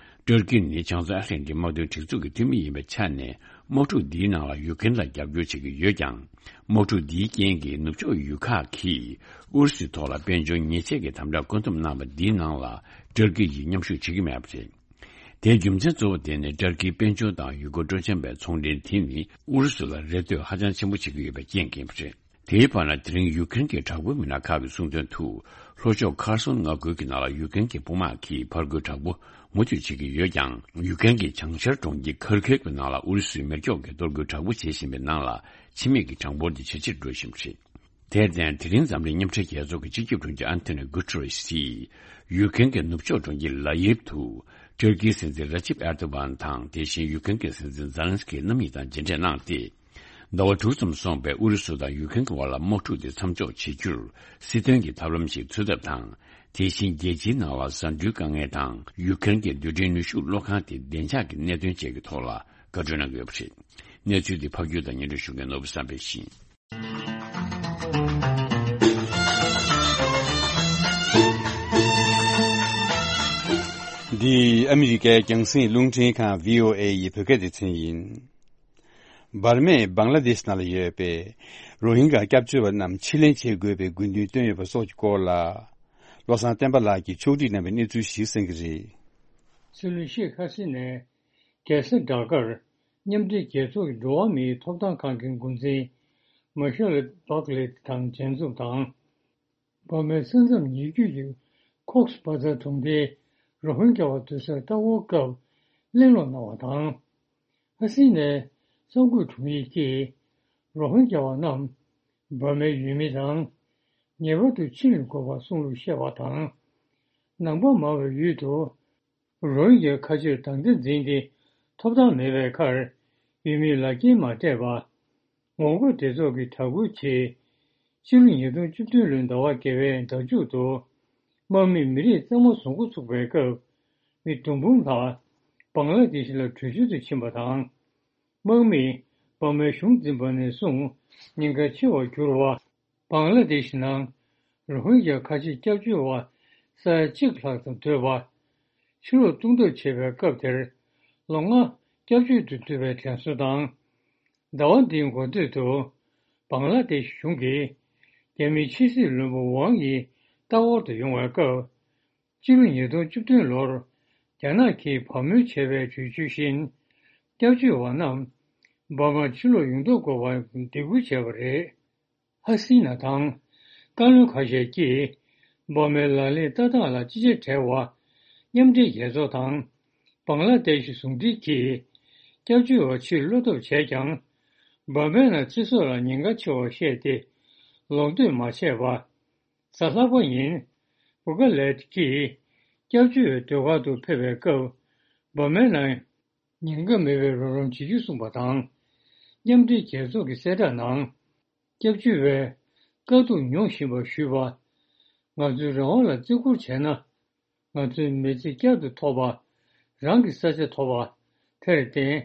ཏུར་ཀི་ནི་བྱང་མཚོ་ཨེ་ཤི་ཡའི་དམག་དོན་སྒྲིག་འཛུགས་ཀྱི་འཐུས་མི་ཡིན་པའི་ཆ་ནས། དམག་འཁྲུག་འདིའི་ནང་ལ་ཡུ་ཀེ་རེན་ལ་རྒྱབ་སྐྱོར་བྱེད་ཀྱི་ཡོད་ཀྱང་། དམག་འཁྲུག་འདིའི་རྐྱེན་གྱིས་ནུབ་ཕྱོགས་ཡུལ་ཁག་གིས་ཨུ་རུ་སུའི་ཐོག་ལ་དཔལ་འབྱོར་ཉེས་ཆད་ཀྱི་དམ་དྲག་བཀོད་འདོམས་གནང་བ་འདིའི་ནང་ལ་ཏུར་ཀི་ཡིས་མཉམ་ཞུགས་བྱེད་ཀྱི་མེད་པ་རེད། དེའི་རྒྱུ་མཚན་གཙོ་བོ་དེ་ནི་ཏུར་ཀིའི་དཔལ་འབྱོར་དང་ཡུལ་སྐོར་སྤྲོ་འཆམ་པའི་ཚོང་འབྲེལ་དེ་ནི་ཨུ་རུ་སུ་ལ་རེ་ལྟོས་ཧ་ཅང་ཆེན་པོ་བྱེད་ཀྱི་ཡོད་པའི་རྐྱེན་གྱིས་ཡིན་པ་རེད། དེའི་བར་ན། དེ་རིང་ཡུ་ཀེ་རེན་གྱི་དྲག་པོའི་མི་སྣ་ཁག་གིས་གསུངས་དོན་དུ། ལྷོ་ཕྱོགས་ཁར་སོན་མངའ་ཁུལ་གྱི་ནང་ལ་ཡུཀ་རེན་གྱི་དཔུང་དམག་གིས་ཕར་རྒོལ་དྲག་པོ་མུ་མཐུད་བྱེད་ཀྱི་ཡོད་ཀྱང་། ཡུཀ་རེན་གྱི་བྱང་ཤར་གྲོང་ཁྱེར་ཁར་ཁིབ་ཀྱི་ནང་ལ་ཨུ་རུ་སུས་མེ་སྒྱོགས་ཀྱིས་གཏོར་རྒོལ་དྲག་པོ་བྱེད་བཞིན་པའི་ནང་ལ། འཆི་མེད་ཀྱི་གྲངས་འབོར་དེ་ཇེ་ཆེར་འགྲོ་བཞིན་པ་རེད། དེར་བརྟེན། དེ་རིང་འཛམ་གླིང་མཉམ་འབྲེལ་རྒྱལ་ཚོགས་ཀྱི་སྤྱི་ཁྱབ་དྲུང་ཆེ་ཨན་ཐོ་ནི་གུ་ཏེ་རེས་ཀྱིས། ཡུཀ་རེན་གྱི་ནུབ་ཕྱོགས་གྲོང་ཁྱེར་ལ་ཡིབ་ཏུ། ཏུར་ཀིའི་སྲིད་འཛིན་ར་ཅིབ་ཨེར་ཏོ་གྷན་དང་། དེ་བཞིན་ཡུཀ་རེན་གྱི་སྲིད་འཛིན་ཛེ་ལན་སི་ཀི་རྣམ་གཉིས་དང་མཇལ་འཕྲད་གནང་སྟེ། ཟླ་བ་དྲུག་ཙམ་སོང་བའི་ཨུ་རུ་སུ་དང་ཡུཀ་རེན་གྱི་དབར་ལ་དམག་འཁྲུག་དེ་མཚམས་འཇོག་བྱེད་རྒྱུར། སྲིད་དོན་གྱི་ཐབས་ལམ་ཞིག་འཚོལ་ཐབས་དང་། དེ་བཞིན་རྒྱལ་སྤྱིའི་ནང་ལ་བཟའ་འབྲུའི་དཀའ་ངལ་དང་། ཡུཀ་རེན་གྱི་རྡུལ་ཕྲན་ནུས་ཤུགས་གློག་ཁང་དེ་བདེ་འཇགས་ཀྱི་གནད་དོན་བཅས་ཀྱི་ཐོག་ལ་བཀའ་འཁྲོལ་གནང་གི་ཡོད་པ་རེད། གནས་ཚུལ་འདི་ཕབ་སྒྱུར་དང་སྙན་སྒྲོན་ཞུ་མཁན་ནོར་བུ་བསམ་འཕེལ་ཡིན། འདི་ཨ་མི་རི་ཀའི་རྒྱང་སྲིང་རླུང་འཕྲིན་ཁང་བྷི་ཨོ་ཨེ་ཡི་བོད་སྐད་སྡེ་ཚན་ཡིན། འབར་མས་བང་ལ་དེཤ་ནང་ལ་ཡོད་པའི་རོ་ཧིན་གྱི་སྐྱབས་བཅོལ་བ་རྣམས་ཕྱིར་ལེན་བྱེད་དགོས་པའི་དགོས་འདུན་བཏོན་ཡོད་པ་སོགས་ཀྱི་སྐོར་ལ། བློ་བཟང་བསྟན་པ་ལགས་ཀྱིས་ཕྱོགས་སྒྲིག་གནང་བའི་གནས་ཚུལ་ཞིག་གསན་གྱི་རེད། སྲིད་བློན་ཤེས་ཁ་སི་ནས། རྒྱལ་ས་ཌ་ཀར་མཉམ་འབྲེལ་རྒྱལ་ཚོགས་ཀྱི་འགྲོ་བ་མིའི་ཐོབ་ཐང་ཁང་གི་འགོ་འཛིན་མ་ཤེལ་བྷག་ལེ་དང་མཇལ་འཛོམས་དང་། འབར་མའི་ས་མཚམས་ཉེ་བརྒྱུད་ཀྱི་ཁོག་སི་བྷ་ཛར་གྲོང་སྡེའི་རོ་ཧིན་གྱི་བ་སྡོད་སར་ལྟ་སྐོར་སྐབས་གླེང་སློང་གནང་བ་དང་། ཁ་སི་ནས་གསར་འགོད་དྲུང་ཡིག་གིས་རོ་ཧིན་གྱི་བ་རྣམས་འབར་མའི་ཡུལ་མི་དང་ངེས་པར་དུ་ཕྱིར་ལེན་དགོས་པ་གསུངས་ལུགས་བཤད་པ་དང་། ནང་པ་མང་བའི་ཡུལ་དུ། རོ་ཧིན་གྱི་ཁ་ཆེར་དང་འདོད་འཛིན་ཏེ་ཐོབ་ཐང་མེད་པའི་ཁར་ཡུལ་མིས་ལག་འཁྱེར་མ་སྤྲད་པ། ངོ་རྒོལ་སྡེ་ཚོགས་ཀྱིས་དྲག་རྒོལ་བྱས། ཕྱི་ལོ་ཉིས་སྟོང་བཅུ་བདུན་ལོའི་ཟླ་བ་བརྒྱད་པའི་ཟླ་མཇུག་ཏུ་དམག་མིས་མི་རིགས་གཙང་མ་བཟོ་འགོ་ཚུགས་པའི་སྐབས་མི་བརྡུང་འབུམ་ལྷག་བང་ལ་དེ་ཤི་ལ་བྲོས་བྱོལ་དུ་ཕྱིན་པ་དང་། དམག་མིས་འབར་མའི་གཞུང་འཛིན་པ་ནས་བཟུང་ཉེན་ཁ་ཆེ་བར་གྱུར་བ། བང་ལ་དེ་ཤི་ནང་རོ་ཧིན་གྱི་ཁ་ཆེ་སྐྱབས་བཅོལ་བ་ས་ཡ་གཅིག་ལྷག་ཙམ་སྡོད་པ། ཕྱིར་ལོག་བཏང་ཐབས་བྱེད་པའི་སྐབས་དེར་ལོ་ལྔ་སྐྱབས་བཅོལ་དུ་བསྡུ་བའི་དྲན་གསོ་དང་། ཟླ་བ་འདིའི་འགོ་སྟོད་དུ་བང་ལ་དེ་ཤི་གཞུང་གིས་རྒྱ་མིའི་ཕྱི་སྲིད་བློན་པོ་ཝང་དབྱི་ལྟ་སྐོར་དུ་ཡོང་བའི་སྐབས། སྤྱི་ལོ་ཉིས་སྟོང་བཅུ་བདུན་ལོར་རྒྱ་ནག་གིས་བག་མོས་བྱས་པའི་གྲོས་ཆོད་བཞིན། སྐྱབས་བཅོལ་བ་རྣམས་འབར་མར་ཕྱིར་ལོག་ཡོང་ཐབས་དགོས་པར་འདེད་སྐུལ་བྱས་པ་རེད། ཧ་སི་ན་དང་བཀའ་བློན་ཁ་ཤས་ཀྱིས་འབར་མའི་ལག་ལེན་ལྟ་སྟངས་ལ་ཅི་བྱ་བྲལ་བ། མཉམ་འབྲེལ་རྒྱལ་ཚོགས་དང་བང་ལ་དེ་ཤི་ཟུང་འབྲེལ་གྱིས་སྐྱབས་བཅོལ་བ་ཕྱིར་སློག་ཐབས་བྱས་ཀྱང་། འབར་མའི་ནང་སྤྱི་ཚོགས་ལ་ཉེན་ཁ་ཆེ་བར་བཤད་དེ་ལོག་འདོད་མ་བྱས་པ། གཟའ་ལྷག་པ་ཉིན་བྷུ་ཀ་ལེད་ཀྱིས་སྐྱབས་བཅོལ་བའི་སྡོད་སྒར་དུ་ཕེབས་པའི་སྐབས་འབར་མའི་ནང་ཉེན་ཁ་མེད་པའི་རོགས་རམ་བྱེད་རྒྱུ་གསུངས་པ་དང་། མཉམ་འབྲེལ་རྒྱལ་ཚོགས་ཀྱི་གསལ་བསྒྲགས་ནང་། སྐྱབས་བཅོལ་བས་དཀའ་སྡུག་མྱོང་བཞིན་པར་ཞུས་པ། ང་ཚོའི་རང་དབང་ལ་བརྩི་བཀུར་བྱས་ན། ང་ཚོའི་མི་ཚེ་བསྐྱར་དུ་ཐོབ་པ། རང་གི་ས་ཆ་ཐོབ་པ། དེར་བརྟེན།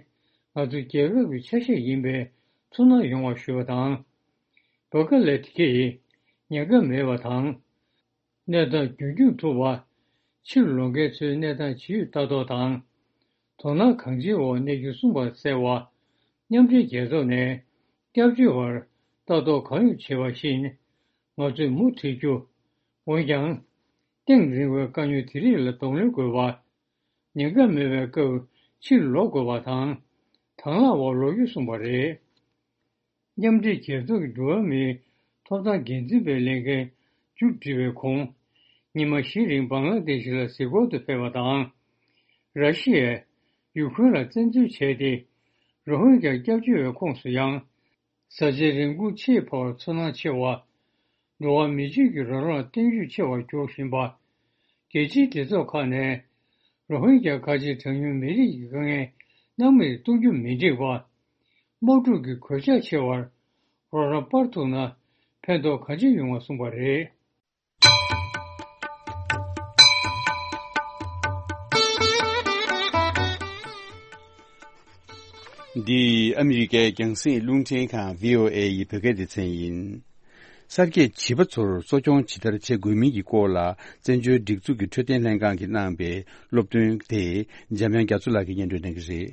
ང་ཚོ་རྒྱལ་ཁབ་ཀྱི་ཆ་ཤས་ཡིན་པའི་ཚོར་སྣང་ཡོང་བ་ཞུས་པ་དང་། བྷུ་ཀ་ལེད་ཀྱིས་ཉེན་ཁ་མེད་པ་དང་། གནས་སྟངས་རྒྱུན་སྐྱོང་ཐུབ་པ། ཕྱིར་ལོག་མཁན་ཚོའི་གནས་སྟངས་ཇི་ཡོད་ལྟ་རྟོག་དང་། དོ་སྣང་གང་ཆེའི་འོག་གནས་རྒྱུ་གསུངས་པར་གསལ་བ། མཉམ་འབྲེལ་རྒྱལ་ཚོགས་ནས་སྐྱབས་བཅོལ་བར་ལྟ་རྟོག་གང་ཡོད་བྱེད་པ་བཞིན། ང་ཚོས་མུ་མཐུད་རྒྱུ། འོན་ཀྱང་། གཏིང་རིང་བའི་དཀའ་རྙོག་དེ་རིགས་ལ་གདོང་ལེན་དགོས་པ། ཉེན་ཁ་མེད་པའི་སྐབས་ཕྱིར་ལོག་དགོས་པ་དང་། དང་བླངས་འོག་ལོག་རྒྱུ་གསུངས་པ་རེད། མཉམ་འབྲེལ་རྒྱལ་ཚོགས་ཀྱི་འགྲོ་བ་མིའི་ཐོབ་ཐང་འགན་འཛིན་པའི་ལས་འགན་མཇུག་སྒྲིལ་བའི་གོང་། ཉི་མ་བཞི་རིང་བང་ལ་དེ་ཤི་ལ་གཟིགས་སྐོར་དུ་ཕེབས་པ་དང་། ར་ཤི་ཡས་ཡུ་ཁུ་རེན་ལ་བཙན་འཛུལ་བྱས་ཏེ། རོ་ཧིན་གྱི་སྐྱབས་བཅོལ་བའི་ཁོངས་སུ་ཡང་། བཟའ་བཅའི་རིན་གོང་ཆེས་འཕར་བར་ཚོར་སྣང་ཆེ་བ། འགྲོ་བ་མི་ཆོས་ཀྱི་རང་དབང་གཏན་འཇགས་ཆེ་བར་འགྱུར་བཞིན་པ། རྒྱལ་སྤྱིའི་སྡེ་ཚོགས་ཁག་ནས་རོ་ཧིན་གྱི་ཁ་ཆེ་གྲངས་ཉུང་མི་རིགས་ཀྱི་དཀའ་ངལ་སྣང་མེད་གཏོང་རྒྱུ་མི་འགྲིག་པ། དམག་འཁྲུག་གི་གོད་ཆག་ཆེ་བར་རོགས་རམ་སྤར་ཐུབ་ན་ཕན་ཐོགས་གང་ཆེ་ཡོང་བ་གསུངས་པ་རེད། འདི་ཨ་མི་རི་ཀའི་རྒྱང་སྲིང་རླུང་འཕྲིན་ཁང་བྷི་ཨོ་ཨེ་ཡི་བོད་སྐད་སྡེ་ཚན་ཡིན། གསར་སྐྱེས་བྱིས་པ་ཚོར་གསོ་སྐྱོང་ཇི་ལྟར་བྱེད་དགོས་མིན་གྱི་སྐོར་ལ་བཙན་བྱོལ་སྒྲིག་འཛུགས་ཀྱི་འཕྲོད་བསྟེན་ལྷན་ཁང་གིས་གནང་པའི་སློབ་སྟོན་དེ་འཇམ་དབྱངས་རྒྱ་མཚོ་ལགས་ཀྱིས་སྙན་སྒྲོན་གནང་གི་རེད།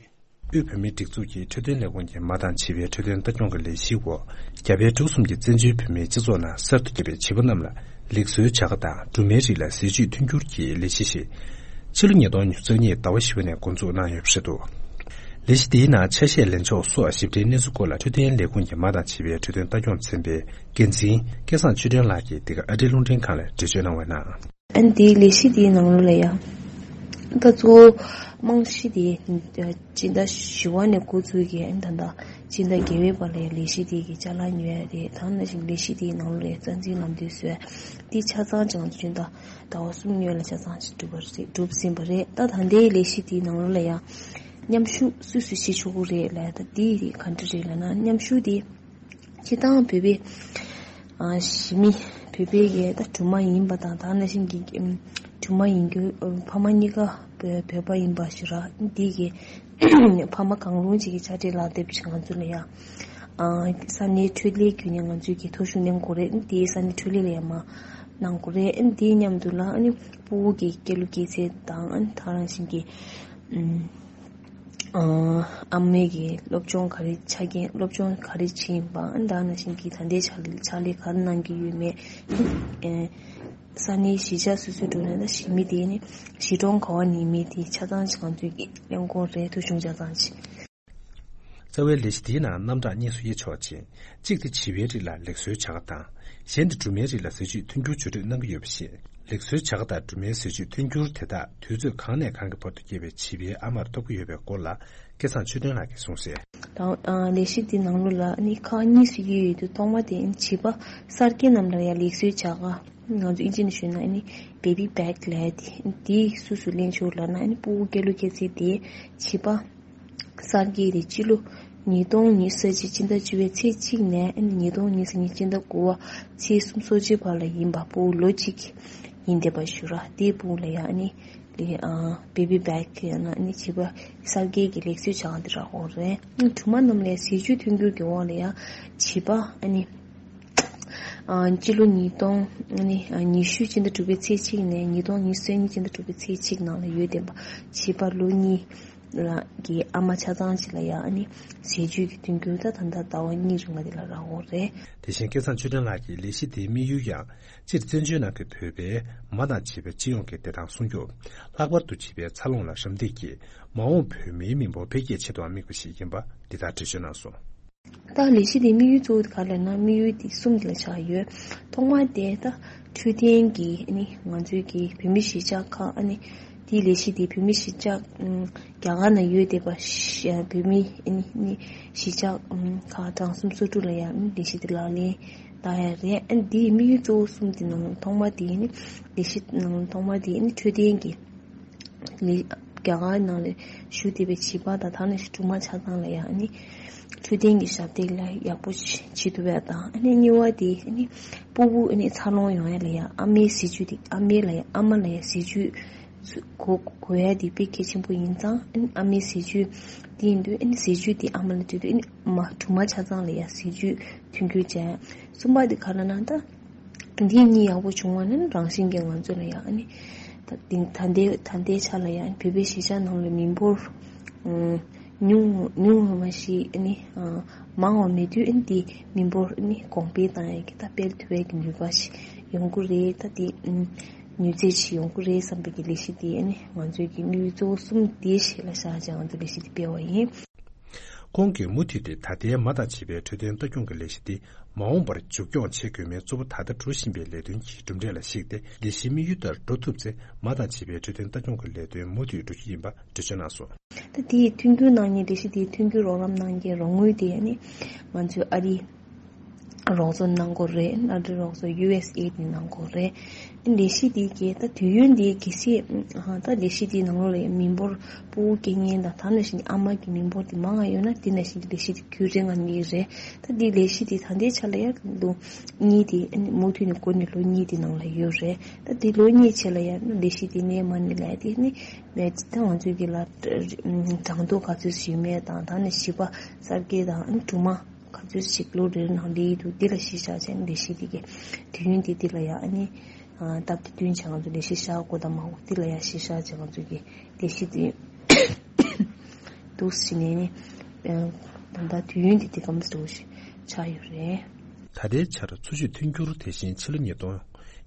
དབུས་བོད་མིའི་སྒྲིག་འཛུགས་ཀྱི་འཕྲོད་བསྟེན་ལས་ཁུངས་ཀྱི་མ་འདང་བྱིས་པའི་འཕྲོད་བསྟེན་ལྟ་སྐྱོང་གི་ལས་གཞིའི་འོག་རྒྱ་བལ་འབྲུག་གསུམ་གྱི་བཙན་བྱོལ་བོད་མིའི་སྤྱི་ཚོགས་ནང་གསར་དུ་སྐྱེས་པའི་བྱིས་པ་རྣམས་ལ་ལེགས་གསོའི་བྱ་དགའ་དང་སྦྲུམ་མའི་རིགས་ལ་ཟས་བཅུད་མཐུན་འགྱུར་གྱི་ལས་གཞི་ཞིག་ཕྱི་ལོ་ཉིས་སྟོང་ཉི་ཤུ་རྩ་གཉིས་ཟླ་བ་བཞི་པ་ནས་འགོ་འཛུགས་གནང་ཡོད་པ་རེད་འདུག་ལས་གཞི་དེའི་ནང་ཆ་ཤས་ལེན་ཕྱོགས་སོགས་ཞིབ་ཕྲའི་གནས་ཚུལ་སྐོར་ལ་འཕྲོད་བསྟེན་ལས་ཁུངས་ཀྱི་མ་དང་བྱིས་པའི་འཕྲོད་བསྟེན་ལྟ་སྐྱོང་ཚན་པའི་འགན་འཛིན་སྐལ་བཟང་ཆོས་སྒྲོན་ལགས་ཀྱིས་འདི་ག་ཨ་རིའི་རླུང་འཕྲིན་ཁང་ལ་འགྲེལ་བརྗོད་གནང་བའི་ནང་། ཨ་ནི་དེའི་ལས་གཞི་དེའི་ནང་ལོགས་ལ་ཡང་ད་གཙོ་བོ་རྨང་གཞི་དེ་སྤྱི་ཟླ་བཞི་པ་ནས་འགོ་ཚུགས་ཀྱི། ཨ་ནི་ད་ལྟ་སྤྱི་ཟླ་བརྒྱད་པའི་བར་ལ་ཡང་ལས་གཞི་དེ་གི་ཅ་ལག་ཉོ་ཡ་རེད། ད་ནང་བཞིན་ལས་གཞི་དེའི་ནང་ལོགས་ལ་ཡང་རྩ་འཛིན་ལམ་སྟོན་བཟོ་ཡ་དེ་ཆ་ཚང་ཅིག་ང་ཚོ་སྤྱི་ཟླ་ཟླ་བ་གསུམ་སྔོན་ལ་ཆ་ཚང་ཞིག་གྲུབ་པ་རེད། གྲུབ་ཟིན་པ་རེད། ད་ད་ལྟའི་ལས་གཞི་དེའི་ནང་ལོགས་ལ་ཡང་མཉམ་ཞུགས་སུ་སུ་བྱེད་ཆོག་གི་རེད་ལབ། ད་དེ་ག་འདྲ་རེད་ལབ་ན། མཉམ་ཞུགས་དེ་སྤྱིར་བཏང་བོད་པའི་ཨ་གཞིས་མི་བོད་པའི་གི་ད་སྦྲུམ་མ་ཡིན་པ་དང་། ད་ནང་བཞིན་གྱི་ཨམ་སྦྲུམ་མ་ཡིན་རྒྱུ་ཕ་མ་གཉིས་ཀ་བོད་བོད་པ་ཡིན་པ་ཞིག་ར། འདི་གི་ཕ་མ་གང་རུང་ཅིག་གི་དཔྱ་ཁྲལ་ལག་དེབ་ཅིག་ང་ཚོ་ལ་ཡང་ཨ་ས་གནས་འཕྲོད་བསྟེན་བརྒྱུད་ནས་ང་ཚོས་ཀྱི་ཐོ་གཞུང་གནང་དགོས་རེད། དེའི་ས་གནས་འཕྲོད་ལས་ལ་ཡང་མ་གནང་དགོས་རེད། དེའི་མཉམ་དུ་ལ་ཨ་ནི་སྤུ་གུ་གི་སྐྱེ་ལོ་སྐྱེ་ཚད་དང་། ཨ་ནི་ད་རང་བཞིན་གྱི་ཨམ་ཨ་ཨ་མའི་གི་སློབ་སྦྱོང་ག་རེ་ཆ་རྐྱེན། སློབ་སྦྱོང་ག་རེ་བྱེད་ཡིན་པ། ཨ་ནི་ད་ནང་བཞིན་གྱི་ད་ལྟའི་ཕྱག་ལས་ཕྱག་ལས་ག་རེ་གནང་གི་ཡོད་མེད། ཨེ་ས་གནས་གཞིས་ཆགས་སོ་སོའི་འགྲོ་ན་ད་གཞིས་མི་དེ་ནི་གཞིས་གྲོང་ག་བ་ནས་མི་དེ་ཆ་ཚང་ཅིག་ང་ཚོས་ཀྱི་གླེང་སྐོར་རེད། ཐོ་གཞུང་ཆ་ཚང་ཅིག་རྩ་བའི་ལས་གཞི་དེའི་ནང་རྣམ་གྲངས་གཉིས་སུ་དབྱེ་ཆོག་ཅིང་། གཅིག་དེ་བྱིས་པའི་རིགས་ལ་ལེགས་གསོའི་བྱ་དགའ་དང་། གཞན་དེ་སྦྲུམ་མའི་རིགས་ལ་ཟས་བཅུད་མཐུན་འགྱུར་བཅོས་སྒྲིག་གནང་གི་ཡོད་པ་བཞིན། ལེགས་གསོའི་བྱ་དགའ་དང་སྦྲུམ་མའི་ཟས་བཅུད་མཐུན་འགྱུར་དེ་དག་དུས་ཚོད་གང་ནས་གང་གི་བར་དུ་སྐྱེས་པའི་བྱིས་པའི་ཨ་མར་ཐོབ་ཀྱི་ཡོད་པའི་སྐོར་ལ་སྐལ་བཟང་ཆོས་སྒྲོན་ལགས་ཀྱིས་གསུངས་གསལ། དང་ཨ་ལས་གཞི་འདི་ནང་ལོགས་ལ་ཨ་ནི་ཁག་གཉིས་སུ་དབྱེ་ཡོད་དུས། ཐོག་མ་དེ་ཨ་ནི་བྱིས་པ་གསར་སྐྱེས་རྣམས་ལ་ཡང་ལེགས་གསོའི་བྱ་དགའ། ང་ཚོ་ཨིན་ཇི་ནས་ཞུས་ན་ཨ་ནི་བེ་བི་བེག་ལབ་ཡ་དེ། དེ་སུ་སུ་ལེན་ཆོག་ལབ་ན། ཨ་ནི་སྤུ་གུ་སྐྱེ་ལོ་སྐྱེ་ཚད་དེ་བྱིས་པ་གསར་སྐྱེས་དེ་སྤྱི་ལོ་ཉིས་སྟོང་ཉི་ཤུ་རྩ་གཅིག་སྤྱི་ཟླ་བཅུ་པའི་ཚེས་གཅིག་ནས་ཨ་ནི་ཉིས་སྟོང་ཉི་ཤུ་གཉིས་སྤྱི་ཟླ་དགུ་པ་ཚེས་སུམ་ཅུ་སོ་གཅིག་བར་ལ་ཡིན་པ། སྤུ་གུ་ལོ་གཅིག་ཡིན་བསྡད་པ་ཞུ་ར། དེའི་སྤུ་གུ་ལ་ཡང་ཨ་ནི་ལེ་ཨ་བེ་བི་བེག་ཡང་ན་ཨ་ནི་བྱིས་པ་གསར་སྐྱེས་ཀྱི་ལེགས་གསོའི་བྱ་དགའ་དེ་རག་ཡོད་རེད། སྦྲུམ་མ་རྣམས་ལ་ཟས་བཅུད་མཐུན་འགྱུར་གྱི་འོག་ལ་ཡང་བྱིས་པ་ཨ་ནི་ཨ་སྤྱི་ལོ་ཉིས་སྟོང་ཨ་ནི་ཉི་ཤུ་སྤྱི་ཟླ་དྲུག་པའི་ཚེས་གཅིག་ནས་ཉིས་སྟོང་ཉི་ཤུ་རྩ་གཉིས་སྤྱི་ཟླ་དྲུག་པའི་ཚེས་གཅིག་ནང་ལ་ཡོད་བསྡད་པ་བྱིས་པ་ལོ་གཉིས་ལ་གི་ཨ་མ་ཆ་ཚང་ཅིག་ལ་ཡང་ཨ་ནི་ཟས་བཅུད་ཀྱི་མཐུན་འགྱུར་ད་ད་ལྟ་ཟླ་བ་གཉིས་རིང་ལ་དེ་ལ་རག་ཡོད་རེད། དེ་བཞིན་སྐལ་བཟང་ཆོས་སྒྲོན་ལགས་ཀྱིས་ལས་གཞི་དེའི་དམིགས་ཡུལ་ཡང་སྤྱིར་བཙན་བྱོལ་ནང་གི་བོད་པའི་མ་དང་བྱིས་པའི་སྤྱི་ཡོངས་ཀྱི་བདེ་ཐང་སྲུང་སྐྱོབ། ལྷག་པར་དུ་བྱིས་པའི་འཚར་ལོངས་ལ་རམ་འདེགས་ཀྱིས་མ་འོངས་བོད་མིའི་མི་འབོར་འཕེལ་རྒྱས་ཆེད་དུའང་དམིགས་པ་ཞིག་ཡིན་པ་འདི་ལྟར་འགྲེལ་བརྗོད་གནང་སོང་། ད་ལས་གཞི་དེའི་དམིགས་ཡུལ་གཙོ་བོ་དེ་ག་རེ་ལབ་ན། དམིགས་ཡུལ་དེ་གསུམ་དེ་ལ་ཆགས་ཡོད། ཐོག་མ་དེ་ད་འཕྲོད་བསྟེན་གྱི་ཨ་ནི་ང་ཚོའི་གི་བོད་མི་གཞིས་ཆགས་ཁག་ཨ་ནི་དེའི་ལས་གཞི་དེ་བོད་མི་གཞིས་ཆགས་ཨམ་རྒྱ་གར་ནང་ཡོད་བསྡད་པ་ཤ་བོད་མི་ཨ་ནི་ཨ་ནི་གཞིས་ཆགས་ཨམ་ཁག་གྲངས་སུམ་སོ་དྲུག་ལ་ཡང་ཨ་ནི་ལས་གཞི་དེ་ལག་ལེན་བསྟར་ཡ་རེད། ཨ་ནི་དེའི་དམིགས་ཡུལ་གཙོ་བོ་གསུམ་དེ་ནང་ཐོག་མ་དེ་ཨ་ནི་ལས་གཞི་ནང་ཐོག་མ་དེ་ཨ་ནི་འཕྲོད་བསྟེན་གྱི་ལས་རྒྱ་གར་ནང་ལ་བཞུགས་བསྡད་པའི་བྱིས་པ་དང་། ད་ནང་བཞིན་སྦྲུམ་མ་ཆ་ཚང་ལ་ཡང་ཨ་ནི་འཕྲོད་བསྟེན་གྱི་ཞབས་འདེགས་ལ་ཡག་པོ་བྱེད་ཐུབ་ཡ་དང་། ཨ་ནི་གཉིས་པ་དེ་ཨ་ནི་སྤུ་གུ་ཨ་ནི་འཚར་ལོངས་ཡོང་ཡ་ལ་ཡང་ཨ་མའི་ཟས་བཅུད་དེ། ཨ་མའི་ལ་ཡང་ཨ་མ་ལ་ཡང་ཟས་བཅུད་དགོས་དགོས་ཡ་དེ་དཔེ་གལ་ཆེན་པོ་ཡིན་ཙང་། ཨ་ནི་ཨ་མའི་ཟས་བཅུད་དེ་ཡིན་དུས་ཨ་ནི་ཟས་བཅུད་དེ་ཨ་མ་ལ་སྤྲད་དུས་ཨ་ནི་མ་སྦྲུམ་མ་ཆ་ཚང་ལ་ཡང་ཟས་བཅུད་མཐུན་འགྱུར་བྱས། གསུམ་པ་དེ་ག་རེ་ལབ་ན། ད་འདི་གཉིས་ཡག་པོ་བྱུང་བ་ནི་རང་བཞིན་གྱིས་ང་ཚོ་ལ་ཡང་ཨ་ནི་ད་ད་ལྟའི་ད་ལྟའི་ཆ་ལ་ཡང་བོད་པའི་གཞིས་ཆགས་ནང་ལ་མི་འབོར་ཉུང་ཉུང་བ་ཞིག་ཨ་ནི་མང་བ་མེད་དུས། ཨ་ནི་དེ་མི་འབོར་ཨ་ནི་གོང་འཕེལ་བཏང་ཡས་ཀྱི་ད་སྤེལ་ཐུབ་ཡས་ཀྱི་ནུས་པ་ཞིག་ཡོང་གི་རེད། ད་དེ་ནུས་རྩལ་ཞིག་ཡོང་གི་རེད་བསམ་པའི་གི་ལས་གཞི་དེ་ཨ་ནི་ང་ཚོའི་གི་དམིགས་ཡུལ་གཙོ་བོ་གསུམ་དེ་ཞིག་ལ་བཞག་བྱས་ང་ཚོ་ལས་གཞི་དེ་སྤེལ་བ་ཡིན། ཁོང་གིས་མུ་མཐུད་དེ་ད་ལྟའི་མ་དང་བྱིས་པའི་འཕྲོད་བསྟེན་ལྟ་སྐྱོང་གི་ལས་གཞི་འདི་མ་འོངས་པར་མཇུག་སྐྱོང་བྱེད་དགོས་མིན་གཙོ་བོ་ད་ལྟ་འགྲོ་བཞིན་པའི་ལས་དོན་གྱི་གྲུབ་འབྲས་ལ་གཞིགས་ཏེ། ལས་གཞིའི་དམིགས་ཡུལ་ལྟར་འགྲོ་ཐུབ་ཚེ། མ་དང་བྱིས་པའི་འཕྲོད་བསྟེན་ལྟ་སྐྱོང་གི་ལས་དོན་མུ་མཐུད་འགྲོ་རྒྱུ་ཡིན་པ་འགྲེལ་བརྗོད་གནང་སོང་། ད་དེའི་མཐུན་འགྱུར་གནང་མཁན། ལས་གཞི་དེའི་མཐུན་འགྱུར་རོགས་རམ་གནང་མཁན་རོགས་དངུལ་དེ་ནི་ང་ཚོའི་ཨ་རི་རོགས་ཚོགས་གནང་དགོས་རེད། ཨ་རི་རོགས་ཚོགས་ཡུ་ཨེས་ཨེ་ཌི་ནས་གནང་དགོས་རེད། ལས་གཞི་འདི་གའི་ད་དུས་ཡུན་འདི་གལ་སྲིད་ཨ་ད་ལས་གཞི་འདིའི་ནང་ལོགས་ལ་མི་འབོར་སྤུ་གུ་སྐྱེ་མཁན་དང་། ད་ནང་བཞིན་ཨ་མ་གི་མི་འབོར་འདི་མང་བ་ཡོད་ན། འདི་ནང་བཞིན་ལས་གཞི་འདི་རྒྱུན་རིང་ང་གནས་རེད། ད་འདི་ལས་གཞི་འདི་ད་ལྟའི་ཆ་ལ་ཡང་ལོ་གཉིས་དེ་མུ་མཐུད་ནས་འགོ་ནས་ལོ་གཉིས་དེ་ནང་ལ་ཡོད་རེད། ད་འདི་ལོ་གཉིས་རྗེས་ལ་ཡང་ལས་གཞི་འདི་གནས་མ་གནས་ལ་ཡང་དེ་ནི་ད་ང་ཚོའི་གི་ལ་གྲངས་ཐོ་ག་ཚོད་ཞིག་ཡོད་མེད་དང་། ད་ནི་བྱིས་པ་གསར་སྐྱེས་དང་སྦྲུམ་མ་ག་ཚོད་ཞིག་ལོ་རེར་ནང་སླེབས་འདུག་འདི་ལ་གཞི་བཞག་བྱས་ནས་ལས་གཞི་འདི་གི་དུས་ཡུན་འདི་འདི་ལ་ཡང་ཨ་ནི་སྟབས་བདེ་བསྟུན་བྱས་ང་ཚོ་ལས་གཞི་བཞག་དགོས་དང་མ་དགོས་འདི་ལ་ཡང་གཞི་བཞག་བྱས་ང་ཚོ་གི་ལས་གཞི་འདི་འདུག་ཟིན་ནས་ནི་ད་ལྟ་དུས་ཡུན་འདི་འདི་གམ་འདྲ་བོ་ཞིག་ཆགས་ཡོད་རེད། ད་ལྟའི་ཆར་འཚོ་བཅུད་མཐུན་འགྱུར་དེ་བཞིན་ཕྱི་ལོ་ཉིས་སྟོང་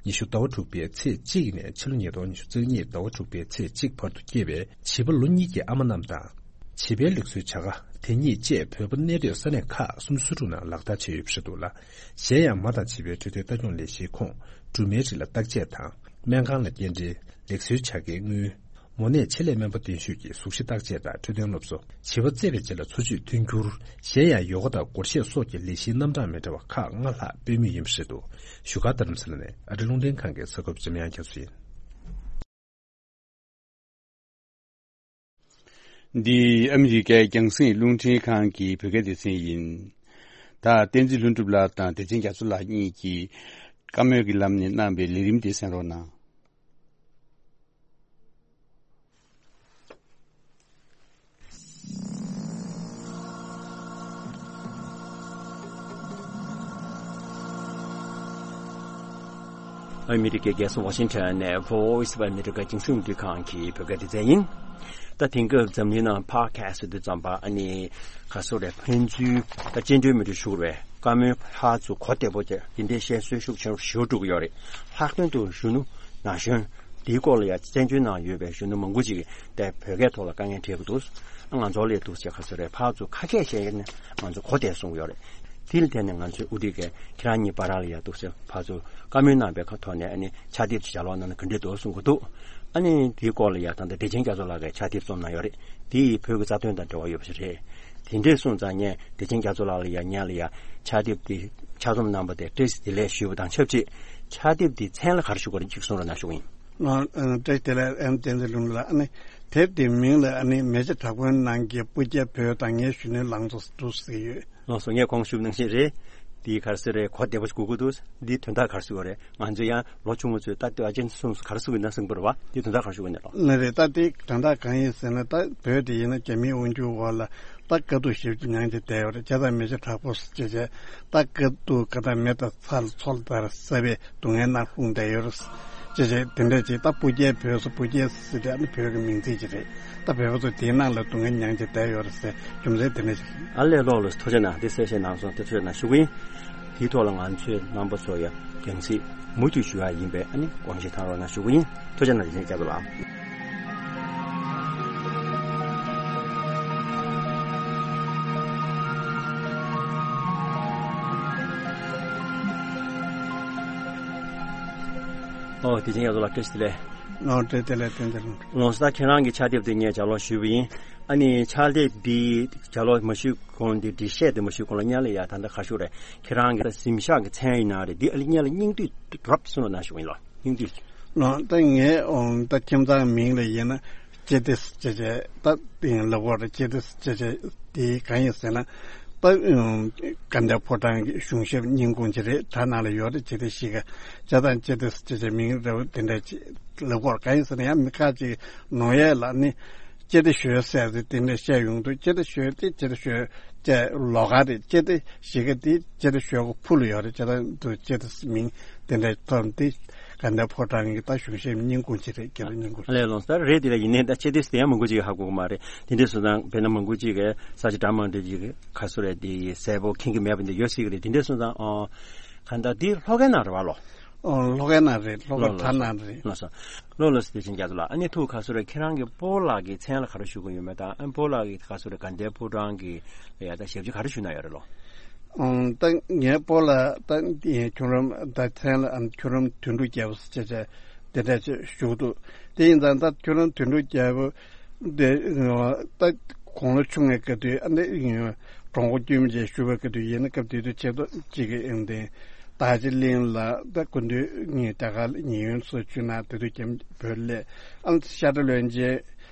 ཉི་ཤུ་ཟླ་བ་དྲུག་པའི་ཚེས་གཅིག་ནས་ཕྱི་ལོ་ཉིས་སྟོང་ཉི་ཤུ་རྩ་གཉིས་ཟླ་བ་དྲུག་པའི་ཚེས་གཅིག་བར་དུ་སྐྱེས་པའི་བྱིས་པ་ལོ་གཉིས་ཀྱི་ཨ་མ་རྣམས་དང་། བྱིས་པའི་ལུགས་སྲོལ་བྱ་དགའ་དེ་ཉིད་བཅས་བོད་པ་གནས་སྡོད་ས་གནས་ཁག་སུམ་ཅུ་སོ་དྲུག་ནང་ལག་བསྟར་བྱས་ཡོད་པ་རེད་འདུག་ལ། གཞན་ཡང་མ་དང་བྱིས་པའི་འཕྲོད་བསྟེན་ལྟ་སྐྱོང་ལས་གཞིའི་ཁོངས་སྦྲུམ་མའི་རིགས་ལ་བརྟག་དཔྱད་དང་སྨན་ཁང་ལ་སྐྱེལ་འདྲེན། ལེགས་གསོའི་བྱ་དགའི་དངུལ། མོ་ནད་ཆེད་ལས་སྨན་པ་གདན་ཞུས་ཀྱི་གཟུགས་གཞི་བརྟག་དཔྱད་དང་འཕྲོད་བསྟེན་སློབ་གསོ། བྱིས་པ་བཙས་པའི་རྗེས་ལ་འཚོ་བཅུད་མཐུན་འགྱུར། གཞན་ཡང་ཡོ་ག་དང་སྒོར་གཞས་སོགས་ཀྱི་ལས་གཞིའི་རྣམ་གྲངས་མི་འདྲ་བ་ཁག་ལྔ་ལྷག་སྤེལ་མུས་ཡིན་པ་རེད་འདུག། བཞུགས་སྒར་རྡ་རམ་ས་ལ་ནས་ཨ་རི་རླུང་འཕྲིན་ཁང་གི་གསར་འགོད་པ་འཇམ་དབྱངས་རྒྱ་མཚོ་ཡིན། འདི་ཨ་མི་རི་ཀའི་རྒྱང་སྲིང་རླུང་འཕྲིན་ཁང་གི་བོད་སྐད་སྡེ་ཚན་ཡིན། ད་བསྟན་འཛིན་ལྷུན་གྲུབ་ལགས་དང་བདེ་ཆེན་རྒྱ་མཚོ་ལགས་གཉིས་ཀྱིས་བཀའ་མོལ་གྱི་ལམ་ནས་གནང་བའི་ལས་རིམ་དེ་གསན་རོགས་གནང་། ཨ་མི་རི་ཀའི་རྒྱལ་ས་ཝ་ཤིང་ཊོན་ནས་Voice of America རྒྱང་སྲིང་རླུང་འཕྲིན་ཁང་གི་བོད་སྐད་སྡེ་ཚན་ཡིན། ད་དེང་སྐབས་འཛམ་གླིང་ནང་ཕོཌ་ཁ་སི་ཊི་དེ་ཙམ་པ་ཨ་ནི་ག་སོ་རེ་ཕན་ཚུན་ད་སྤྱན་འབྲེལ་མི་འགྲོ་ཞུ་བའི་བཀའ་མོལ་ཕར་ཚུར་གོ་བདེ་པོ་བྱས་དེ་འདྲའི་བཤད་སྲོལ་ཤུགས་ཆེན་པོ་ཞེ་པོ་འགྲོ་གི་ཡོད་རེད། ལྷག་དོན་དུ་གཞོན་ནུ་ན་གཞོན་དེའི་སྐོར་ལ་ཡང་བཙན་བྱོལ་ནང་ཡོད་པའི་གཞོན་ནུ་མང་པོ་ཅིག་གིས་བོད་སྐད་ཐོག་ལ་དཀའ་ངལ་འཕྲད་ཀྱི་འདུག། ང་ཚོ་ལས་འདུག་ཟེར་ག་ཚོད་རེད་ཕར་ཚུར་ཁ་སྐད་བཤད་ཡས་ནས་ང་ཚོ་གོ་བདེ་གསུང་གི་ཡོད་རེད། དེ་ལ་བརྟེན་ནས་ང་ཚོའི་དབུ་ཁྲིད་ཀྱིས་ཁྱེད་རང་གཉིས་བར་ལ་ཡང་འདུག་ཟེར་ཕར་ཚུར་བཀའ་མོལ་གནང་བའི་ཁ་ཐོག་ནས་ཨ་ནི་ཕྱག་དེབ་ཅིག་ལྗགས་ཀློག་གནང་ན་ག་འདྲ་འདུག་གསུང་གི་འདུག། ཨ་ནི་དེའི་སྐོར་ལ་ཡང་ད་ལྟ་བདེ་ཆེན་རྒྱ་མཚོ་ལགས་ཀྱིས་ཕྱག་དེབ་རྩོམ་གནང་ཡོད་རེད། དེ་ཡིས་བོད་ཀྱི་རྩ་དོན་དང་འབྲེལ་བ་ཡོད་པ་ཞིག་རེད། དེ་འདྲས་སོང་ཙང་ངས་བདེ་ཆེན་རྒྱ་མཚོ་ལགས་ལ་ཡང་ངས་ལ་ཡང་ཕྱག་དེབ་དེ་ཕྱག་རྩོམ་གནང་པ་དེ་བཀྲ་ཤིས་བདེ་ལེགས་ཞུས་པ་དང་ཆབས་ཅིག་ཕྱག་དེབ་དེའི་མཚན་ལ་ག་རེ་ཞུ་དགོས་རེད་གཅིག་གསུང་རོགས་གནང་ཞུ་གི་ཡིན། ང་ཨ་བཀྲ་ཤིས་བདེ་ལེགས་ཨེམ་བསྟན་འཛིན་ལྷུན་གྲུབ་ལགས། ཨ་ནི་དེབ་དེའི་མིང་ལ་ཨ་ནི་མེ་ལྕེ་དྲག་པོའི་ནང་གི་སྤུ་རྒྱལ་བོད་དང་ངའི་གཞོན་ནུའི་ལང་ཚོ་འདུག་ཟེར་ཡོད། ལགས་སོ། ངས་གོང་ཞུས་ནང་བཞིན་རེད། འདི་ག་རེ་ཟེར་རེད་གོ་བདེ་པོ་ཞིག་དགོས་ཀྱི་འདུག། འདིའི་དོན་དག་ག་རེ་ཟེར་དགོས་རེད། ང་ཚོ་ཡང་ལོ་ཆུང་ངུ་ཚོས་ད་ལྟོས་ཨ་ཅན་གསུངས་ག་རེ་ཟེར་དགོས་ན་གསུངས་པ་རེད་བ། འདིའི་དོན་དག་ག་རེ་ཞུ་དགོས་ནས་ལོ། ནི་རེད། ད་འདི་དོན་དག་གང་ཡིན་ཟེར་ན་ད་བོད་དེ་ཡིན་ན་རྒྱ་མིའི་དབང་སྒྱུར་འོག་ལ་ད་དཀའ་སྡུག་ཞེ་པོ་ཅིག་མྱངས་བྱས་བསྡད་ཡོད་རེད། བྱས་ཙང་མེ་ལྕེ་དྲག་པོ་ཟེར་བྱས་བྱས་ད་དཀའ་སྡུག་ག་ད་མེ་དང་ཚྭ་ལ་མཚོ་ལྟར་བསྲེས་པའི་སྡུག་བསྔལ་ནང་ལྷུང་བསྡད་ཡོད་རེད། ཅེས་བྱས་དེ་འདྲ་ཅིག་ད་སྤུ་རྒྱལ་བོད་ཟེར་སྤུ་རྒྱལ་ཟེར་དེ་ཨ་ནི་བོད་ཀྱི་མིང་ཚིག་ཅིག་རེད། ད་བོད་པ་ཚོ་དེའི་ནང་ལ་སྡུག་བསྔལ་མྱངས་བྱས་བསྡད་ཡོད་རེད་ཟེར་རྒྱུ་མཚན་དེ་འདྲ་ཞིག་རེད། ཨ་ལས་ལོག་ལ་ཐུགས་རྗེ་གནང་། དེ་གསལ་བཤད་གནང་སོང་། དེ་ཐུགས་རྗེ་གནང་ཞུ་གི་ཡིན། དེའི་ཐོག་ལ་ང་ཚོས་རྣམ་པ་ཚོ་ཡང་རྒྱང་སྲིང་མུ་མཐུད་ཞུ་ཡ་ཡིན་པས་ཨ་ནི་དགོངས་བཞེས་གནང་རོགས་གནང་ཞུ་གི་ཡིན། ཐུགས་རྗེ་གནང་། དེ་བཞིན་སྐྱབས་ལགས། ཨོ་དེ་བཞིན་སྐྱབས་ལགས་བཀྲ་ཤིས་བདེ་ལེགས། ཨོ་བཀྲ་ཤིས་བདེ་ལེགས། བསྟན་འཛིན་ལྷུན་གྲུབ། ལགས་སོ། ད་ཁྱེད་རང་གི་ཕྱག་དེབ་དེ་ངས་ལྗགས་ཀློག་ཞུས་པ་ཡིན། ཨ་ནི་ཕྱག་དེབ་འདི་ལྗགས་ཀློག་མ་ཞུས་གོང་འདི་འབྲི་བཤད་དེ་མ་ཞུས་གོང་ལ་སྔོན་ལ་ཡ་ད་ལྟ་ག་རེ་ཞུ་དགོས་རེད། ཁྱེད་རང་གི་གཟིམ་ཤག་གི་མཚན་ཡིན་ན་རེད། འདི་ཨ་ལི་སྔོན་ལ་སྙིང་བསྡུས་རོབ་ཙམ་གནང་ཞུ་གི་ཡིན་ལགས། སྙིང་བསྡུས། ལགས་ད་ངས་ཨོ་ད་ཁྱིམ་ཚང་མིང་ལ་ཡིན་ན་ཅི་ཏི་ཟེར་བྱས་ད་ལབ་དགོས་རེད། ཅི་ཏི་ཟེར་བྱས་དེ་གང་ཡིན་ཟེར་ན་ད་དགའ་ལྡན་ཕོ་བྲང་གི་གཞུང་ཞབས་སྙིང་ཁུང་ཅིག་རེད། དེ་ནང་ལ་ཡོད་རེད། ཅི་ཏི་གཞིས་ཀ་བྱས་ཙང་ཅི་ཏི་ཟེར་བྱས་མིང་རེ་བ་དེ་འདྲ་ཅིག་ལབ་དགོས་རེད། གང་ཡིན་ཟེར་ན་ཡང་མི་ཁ་ཅིག་ནོར་ཡས་ལ་ནི་ཅི་ཏི་ཞོལ་ཟེར་ཏེ་དེ་འདྲ་བཤད་ཡོང་དུས་ཅི་ཏི་ཞོལ་དེ་ཅི་ཏི་ཞོལ་བཅས་ལོགས་ཀ་རེད། ཅི་ཏི་གཞིས་ཀ་དེ་ཅི་ཏི་ཞོལ་གི་ཕུ་ལ་ཡོད་རེད། བྱས་ཙང་དུ་ཅི་ཏི་མིང་དེ་འདྲ་ཐོབ་དེ་དགའ་ལྡན་ཕོ་བྲང་གི་ད་གཞུང་ཞབས་སྙིང་ཁུང་ཅིག་རེད། སྐྱེ་བོ་སྙིང་ཁུང་ཅིག་ཨ་ལས་ལོངས་ས་རེད། དེ་ལ་ཡིན་ནའི་ད་ཅི་ཏི་དེ་ཡང་མང་པོ་ཅིག་ཧ་གོ་གི་མ་རེད། དེ་འདྲ་སོང་ཙང་དཔེར་ན་མང་པོ་ཅིག་གིས་ས་ཆ་འདྲ་མི་འདྲ་ཅིག་ག་སུ་རེད་དེ་གསལ་པོ་མཁྱེན་གྱི་མེད་པ་འདི་ཡོད་སྲིད་ཀྱི་རེད། དེ་འདྲ་སོང་ཙང་ཨོ་ག་ད་དེ་ལྷོ་ཁའི་ནང་རེད་བ་ལོ། ཨོ་ལྷོ་ཁའི་ནང་རེད། ལྷོ་ཁ་ལོ་ཐ་ན་རེད། ལོ་སོ། ལོ་ལོ་སི་དེ་བཞིན་རྒྱ་མཚོ་ལགས། ཨ་ནི་ཐུགས་ཁ་སོ་རེ་ཁྱེད་རང་གི་སྤོ་ལགས་ཀྱི་མཚན་ལ་ག་རེ་ཞུ་གི་ཡོད་མེད་དང་ཨ་སྤོ་ལགས་ཀྱི་ཁ་སོ་རེ་དགའ་ལྡན་ཕོ་བྲང་གི་ལ་ཡ་ད་ཞབས་ཕྱི་ག་རེ་ཞུ་ན་ཡོད་རེད་ལོ། ཨང་ད་ངའི་སྤོ་ལགས་ད་ཁྱུང་རམ་ད་མཚན་ལ་ཨ་ཁྱུང་རམ་དོན་གྲུབ་རྒྱལ་པོ་ཟེར་བྱས་དེ་འདྲ་ཞིག་ཞུ་གི་འདུག། དེ་ཡིན་ཙང་ད་ཁྱུང་རམ་དོན་གྲུབ་རྒྱལ་པོ་དེ་ད་དགུང་ལོ་ཆུང་བའི་སྐབས་དུས་ཨ་ནི་གྲོང་པ་དཀྱུས་མ་ཅིག་བཞུགས་པའི་སྐབས་དུས་ཡིན་ན་སྐབས་དེ་དུས་ཆེད་དུ་གཅིག་གི་ཨེ་འདི་རྟ་མཆོག་གླིང་ལ་ད་སྐུ་མདུན་ངས་རྒྱ་གར་ཉེ་ཡོན་སུ་བྱུང་ན་དེ་དུས་ཀྱང་བོད་སླེབས་ཨ་ཤ་ཁྲ་བློན་ཆེན་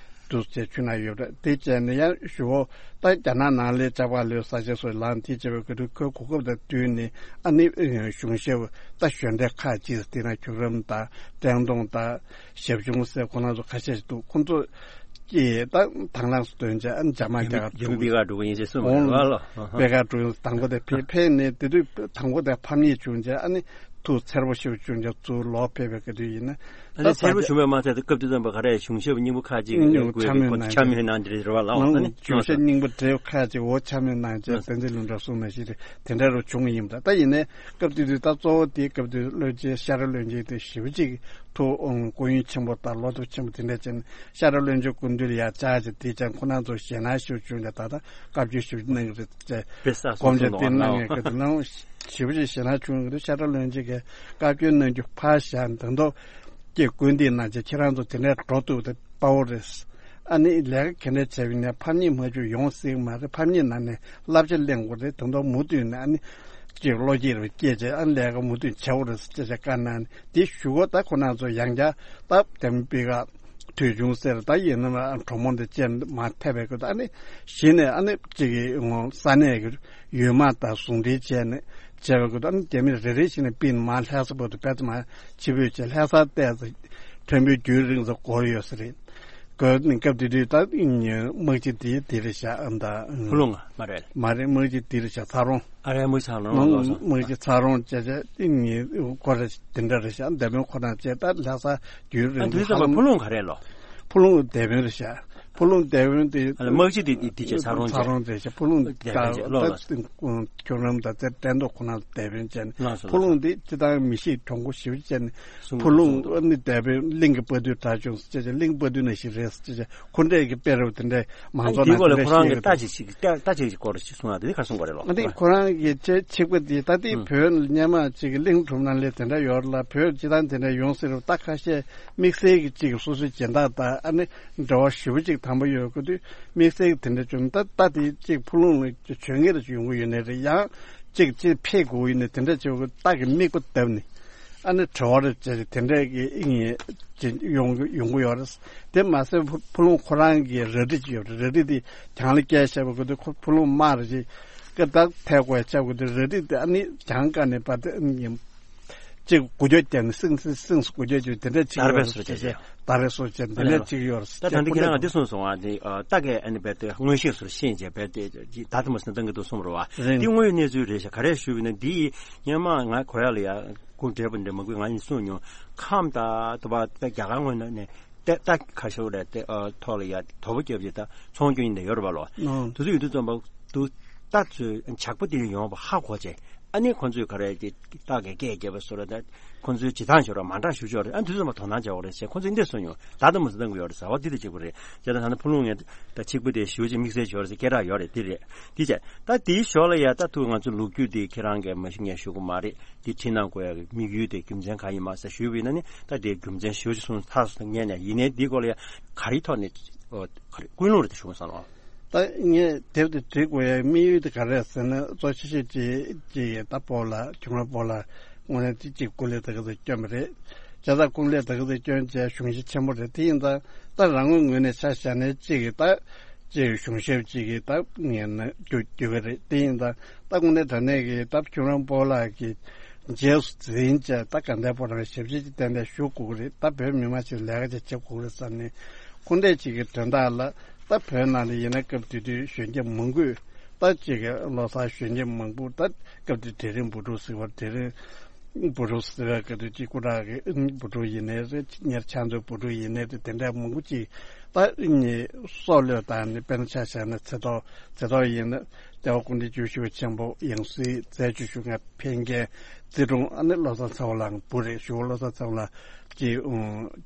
དུ་ཟེར་ཆུ་ན་ཡོད་རེད། དེ་བྱས་ནས་ཡང་ཞུ་བོ་ད་རྒྱ་ནག་ནང་ལས་ཇག་པ་ལོས་ས་ཆ་སོགས་ལངས་དེ་བྱས་པའི་སྐབས་དུས་ཁོའི་གོ་སྐབས་དང་བསྟུན་ནས་ཨ་ནི་གཞུང་ཞབས་ད་གཞོན་སྡེ་ཁག་ཅིག་དེ་ན་ཁྱུང་རམ་དང་བཀྲས་མཐོང་དང་ཞབས་ཆུང་ཟེར་ཁོ་རང་ཚོ་ཁ་ཤས་ཤིག་འདུག། ཁོ་ཚོ་ཀྱིས་ད་དང་བླངས་སུ་བཏོན་བྱས་ཨ་ནི་འཇབ་མ་རྒྱ་གར་རྒྱ་མི་པི་ཀ་འགྲོ་གི་ཡིན་ཞེས་གསུངས་པ་རེད་བ་ལོ། པི་ཀ་འགྲོ་དང་པོ་དེ་ཕེབས་ཕེབས་ནས་དེ་དུས་དང་པོ་དེ་ཕམ་ཉེས་བྱུང་བྱས་ཨ་ནི་ཐུགས་འཚེར་པོ་ཞིག་བྱུང་བྱས་ཚུར་ལོག་ཕེབས་པའི་སྐབས་དུས་ཡིན་ན། ཨ་ནི་ད་ཚེ་རིང་བྱུང་བའི་མ་ཚད་དུ་སྐབས་དེ་ཙམ་པ་ག་རེ་གཞུང་ཞབས་སྙིང་པོ་ཁ་ཅིག་ཨུ་ཡོད་དགོས་ཆ་མེད་གནང་ཆ་མེད་གནང་དེ་རེད་བ་ལགས། ཨ་ནི་གཞུང་ཞབས་སྙིང་པོ་བྲེལ་ཁ་ཅིག་འོ་ཆ་མེད་གནང་བྱས་བསྟན་འཛིན་ལྷུན་གྲུབ་གསུངས་ན་ཞིག་རེད། དེ་འདྲ་རུ་བྱུང་ཡིན་པ་འདྲ། ད་ཡིན་ནའི་སྐབས་དེ་དུས་ད་གཙོ་བོ་དེ་སྐབས་དེ་བློན་ཆེན་ཤ་ར་བློན་ཆེན་དེ་ཞེ་པོ་ཅིག་ཐུགས་སྐུ་ཡོན་ཆེན་པོ་དང་བློ་སྟོབས་ཆེན་པོ་དེ་འདྲ་ཅན་ཤ་ར་བློན་ཆེན་སྐུ་མདུན་ལ་ཡར་བཅར་བྱས་དེ་ཅན་ཁོ་རང་ཚོ་ཞེད་སྣང་ཞེ་པོ་བྱུང་ནས་ད་ལྟ་བཀའ་བཀྱོན་ཞེ་པོ་གནང་གི་རེད་ཅེས་བཀའ་སློབ་ཞེ་པོ་ཅིག་བྱས་ནས་ཞེ་པོ་ཅིག་ཞེད་སྣང་བྱུང་གི་འདུག་ཤ་ཁྲག་བློན་ཆེན་གྱིས་བཀའ་བཀྱོན་གནང་རྒྱུ་ཕར་བཞག་དང་ཐོག་ཀྱི་སྐུལ་འདེད་གནང་བྱས་ཁྱེད་རང་ཚོ་དེ་འདྲའི་འགྲོ་ཐུབ་དེ་དཔའ་བོ་རེད། ཨ་ནི་ལས་ཀ་ག་འདྲ་བྱས་པ་ཡིན་ན་ཕམ་ཉེས་མ་བྱུང་ཡོང་སྲིད་མ་རེད། ཕམ་ཉེས་ནང་ནས་བསླབ་བྱ་ལེན་དགོས་རེད། དང་ཐོག་མུ་མཐུད་ནས་ཨ་ནི་ཅིག་བློ་སྐྱེད་རུ་སྐྱེས་བྱས་ཨ་ནི་ལས་ཀ་མུ་མཐུད་བྱ་དགོས་རེད་ཅེས་བྱས་བཀའ་གནང་ནས་དེ་ཞུ་གོ་ད་ཁོ་རང་ཚོ་ཡང་བསྐྱར་སྟབས་བདེ་མོ་སྤེལ་ག་དུས་བྱུང་ཟེར་ད་ཡིན་ན་གྲོགས་མོ་འདི་བཅས་མ་ཐེབས་པའི་སྐོར་དུ་ཨ་ནི་གཞི་ནས་ཨ་ནི་གཅིག་གི་ངོ་ས་གནས་ཀྱི་ཡུལ་དམག་དང་ཟུང་འབྲེལ་བྱས་ནས་བྱས་པའི་སྐོར་དུ་ཨ་ནི་རྒྱ་མི་རེ་རེ་བཞིན་ནས་པིན་མ་ལྷ་ས་བར་དུ་བེད་མ་ཆི་བོས་བྱས་ལྷ་ས་བལྟས་ཚེ་ཁྲོན་པའི་རྒྱུན་རིང་ཙམ་འགོར་ཡོད་ས་རེད། གོ་ནི་སྐབས་དེ་དུས་ད་དམག་སྤྱི་དེ་དེ་རེད་ཤག་ཨ་མ་ད་ཕུ་ལུང་མ་རེད། མ་རེད། དམག་སྤྱི་དེ་རེད་ཤག་ཚ་རོང་། ཨ་རའི་དམག་ཚང་རོང་ལོ་སོ། དམག་སྤྱི་ཚ་རོང་བཅས་བཅས་ཏིང་ངེ་ཁོ་ར་དེ་འདྲ་རེད་ཤག་འདས་པོ་ཁོ་རང་བཅས་ད་ལྷ་ས་རྒྱུན་རིང་ཨ་དུས་ཙམ་པ་ཕུ་ལུང་ག་རེད་ལོ། ཕུ་ལུང་འདས་པོ་རེད་ཤག་ཕུ་ལུང་འདས་པོ་དེ་དམག་སྤྱི་དེ་དེ་བཅས་ཚ་རོང་ཚ་རོང་རེད་ཤག་ཕུ་ལུང་འདས་པོ་ད་ལོ་ལ་ཁྱོད་རང་ད་དེ་བསྟན་རྡོ་ཁོ་རང་འདས་པོ་བཅས་ནས་ལོ་སོ་ཕུ་ལུང་དེ་སྤྱི་བཏང་མི་ཤེས་གྲོང་པོ་ཞིག་བཅས་ནས་ཕུ་ལུང་ཨ་ནི་འདས་པོ་གླིང་གི་དཔའ་རྟུལ་གྲགས་ཆུང་ཟེར་བཅས་གླིང་དཔའ་རྟུལ་ནང་བཞིན་རེད་ཟེར་བཅས། ཁོ་འདྲས་ཀྱི་དཔེ་རབ་དེ་འདྲས་མང་ཚོགས་ནང་དེ་ལ་ཁོ་རང་གི་ལྟ་ཅིག་ཅིག་ལྟ་ཅིག་ཅིག་སྐོར་ཞིག་གསུང་ཡ་དེ་ནི་ག་གསུང་ག་རེད་ལོ། ཨ་ནི་ཁོ་རང་གི་ཆེ་ཆིག་པ་དེ་ད་ལྟའི་བོད་སྔོན་མ་ཅིག་གི་གླིང་སྒྲུང་ནང་ལས་དེ་འདྲ་ཡོད་ལ་བོད་སྤྱི་བཏང་དེ་འདྲ་ཡོང་སྲིད་རུ་ད་ཁ་ཤས་དམིགས་བསལ་གྱི་ཅིག་སོ་སོའི་སྦྱིན་བདག་དང་ཨ་ནི་འབྲེལ་བ་ཞེ་པོ་ཅིག་དམ་པོ་ཡོད་དགོས་དུས་དམིགས་བསལ་གྱི་དེ་འདྲ་བྱུང་ད་ད་དེ་ཅིག་ཕུ་ལུང་ལ་བྱོན་ངེས་རེ་ཡོང་གི་ཡོད་ནའི་རེད་ཡང་ཅིག་ཅིག་ཕེབས་དགོས་ཡོད་ནའི་དེ་འདྲ་བྱེད་དགོས་ད་གི་མིག་པ་བཏབ་ནས། ཨ་ནི་དྲི་བ་རེ་བྱས་ཏེ་དེ་འདྲའི་གི་ཨིན་ཡོང་ཡོང་གི་ཡོད་རེད། དེ་མ་ཟད་ཕུ་ཕུ་ལུང་ཁོ་རང་གི་རལ་གྲི་ཅིག་ཡོད་རེད། རལ་གྲི་དེ་གྱང་ལ་བཀལ་བཞག་པ་གི་དུས་ཁོ་ཕུ་ལུང་དམག་རེ་ཅིག་གི་ད་ཐད་དགོས་ཡ་ཆགས་དགོས་དུས་རལ་གྲི་དེ་ཨ་ནི་གྱང་བཀལ་ནས་པ་དེ་ཨ་ནི་ཅིག་འགུལ་སྐྱོད་བརྒྱབ་ནས་སིང་སིང་སིང་སིང་འགུལ་སྐྱོད་ཅིག་དེ་འདྲ་ཅིག་ཡོད་རེད་ཟེར་བྱས་ད་རེས་སོ་བྱས་དེ་འདྲ་ཅིག་ཡོད་རེད་ད། ད་འདི་ཁྱེད་རང་ལ་འདི་གསུངས་སོང་ཨ་ནི་ད་གས་ཨ་ནི་བས་དེ་མངོན་ཤེས་སུ་ཤེས་བྱས་བས་དེ་ད་དེ་མ་ཟིན་བཏང་གི་འདུག་གསུངས་རོགས་ཨ། འདི་དངོས་ཡོད་གནས་ཚུལ་རེད་ཤག་ག་རེ་ཞུས་པ་ཡིན་ན་འདི་སྔོན་མ་ང་གོ་ཡ་ལ་ཡ། སྐུ་བགྲེས་པོ་འདྲ་མང་པོས་ང་ཡིན་གསུངས་མྱོང་། ཁམས་དང་དུ་བ་ད་རྒྱ་གར་ངོས་ནས་ནས་ཏེ་ཏ་ཁ་ཤོར་རེད་དེ་ཨ་ཐོག་ལ་ཡ་དོ་པོ་རྒྱབ་ཀྱི་ད་ཚོང་སྐྱོན་ཡིན་ནས་ཡོད་རེད་པ་ལོ། ཨང་། དུ་ཚོད་ཡོད་དུས་ཙམ་པ་དུ་ཏ་ཚོས་ཇག་པ་དེ་ཡོང་བ་ཧ་གོ་བྱས་ཨ་ནི་ཁོ་ཚོས་ག་རེ་དེ་ཏ་གི་སྐད་རྒྱབ་པ་སོ་ར་ད་ཁོ་ཚོའི་བྱེད་སྟངས་ཤོར་བ་མ་འདྲ་ཞུ་ཆོག་རེད། ཨ་དུས་ཙམ་པ་དོ་སྣང་བྱ་བ་རེད་ཟེར་ཁོ་ཚོས་འདི་གསུངས་ཡོང་ད་ལྟ་མ་ཟད་བཏང་གི་ཡོད་རེད་ཟེར་བ་འདི་ད་གཅིག་པུ་རེད་ཟེར་ད་ད་ནི་ཕུ་ལུང་ངས་ད་གཅིག་པུ་དེ་ཞུ་ཅིག་དམིགས་བསལ་ཞོར་ཟེར་སྐད་གྲགས་ཡོད་རེད་འདི་རེད་འདི་བྱས་ད་དེའི་ཞོར་ལ་ཡ་ད་ཐུག་ང་ཚོ་ལོ་རྒྱུས་དེ་ཁྱེད་རང་གིས་མ་ཞུ་ངས་ཞུ་གི་མ་རེད། འདི་ཁྲིད་གནང་དགོས་ཡག་གི་དམིགས་ཡུལ་དེ་རྒྱུ་མཚན་གང་ཡིན་མ་ཟེར་ཞུས་པ་ཡིན་ན་ནི་ད་དེའི་རྒྱུ་མཚན་ཞུ་ཅིག་གསུངས་ཐག་སོང་ངས་ནས་ཡིན་ནའི་འདིའི་སྐོར་ལ་ཡ་ག་རེའི་ཐོག་ནས་ཨོ་ག་རེ་ཀུན་སློང་རེད་དེ་ཞུ་དགོས་བསམ་ལོ། ད་ངས་དེབ་དེ་བྲིས་དགོས་ཡག་དམིགས་ཡུལ་དེ་ག་རེ་རེད་ཟེར་ན་གཙོ་ཆེ་ཤོས་ཅིག་ཅིག་ཡ་ད་སྤོ་ལགས་ཁྱུང་ར་སྤོ་ལགས་དངོས་གནས་ཅིག་ཅིག་སྐུ་ལས་ད་ག་ཚོད་བསྐྱོན་པ་རེད། བྱས་ཙང་སྐུ་ལས་ད་ག་ཚོད་བསྐྱོན་བྱས་གཞུང་ཤེས་ཆེན་པོ་རེད་དེ་ཡིན་ཙང་ད་རང་ངོས་ངོས་ནས་ཆ་བཞག་ནས་ཅིག་ད། ཅིག་གཞུང་ཞབས་ཅིག་གིས་ད་ངས་ན་རྒྱུ་རྒྱུ་གི་རེད་དེ་ཡིན་ད་ད་དངོས་གནས་དྲང་གནས་ཀྱི་ད་ཁྱུང་ར་སྤོ་ལགས་ཀྱི་རྗེས་སུ་འཛིན་བྱས་ད་དགའ་ལྡན་ཕོ་བྲང་ཞབས་ཕྱི་ཅིག་ཏན་ཏན་ཞུ་དགོས་ཀྱི་རེད་ད་བོད་མི་མང་ཞིག་ལས་ཀ་ཅིག་བྱེད་དགོས་ཀྱི་རེད་བསམ་ནས་ཁོ་འདྲས་ཅིག་གི་དོན་དག་ལ་ད་བོད་ནང་ལ་ཡིན་ན་སྐབས་དེ་དུས་གཞོན་སྐྱེས་མང་པོས་ད་ཅིག་གི་ལོ་གསར་གཞོན་སྐྱེས་མང་པོ་ད་སྐབས་དེ་གྲལ་རིམ་བུ་ཕྲུག་ཟེར་བ་གྲལ་རིམ། བུ་ཕྲུག་ཟེར་བའི་སྐབས་དུས་གཅིག་སྐུ་དྲག་གི་བུ་ཕྲུག་ཡིན་ནའི་རེད་ཉེར་ཆ་མཚོའི་བུ་ཕྲུག་ཡིན་ནའི་རེད་དེ་འདྲ་མང་པོ་ཅིག་ད་ནི་སྲོག་བློས་བཏང་ནས་དཔེར་ན་ཆ་བཞག་ན་ཚེ་ཐོག་ཚེ་ཐོག་ཡིན་ན་ལྟེ་བ་སྐུ་ཕྲེང་བཅུ་བཞི་པ་ཆེན་པོ་ཡང་སྲིད་རྩེ་བཅུ་ཞུ་མཁན་ཕན་རྒྱལ་རྩེ་དྲུང་ཨ་ནི་བློ་བཟང་ཚེ་དབང་ལགས་བུ་རེད་ཞུ་བ་བློ་བཟང་ཚེ་དབང་ལགས་ཀྱི་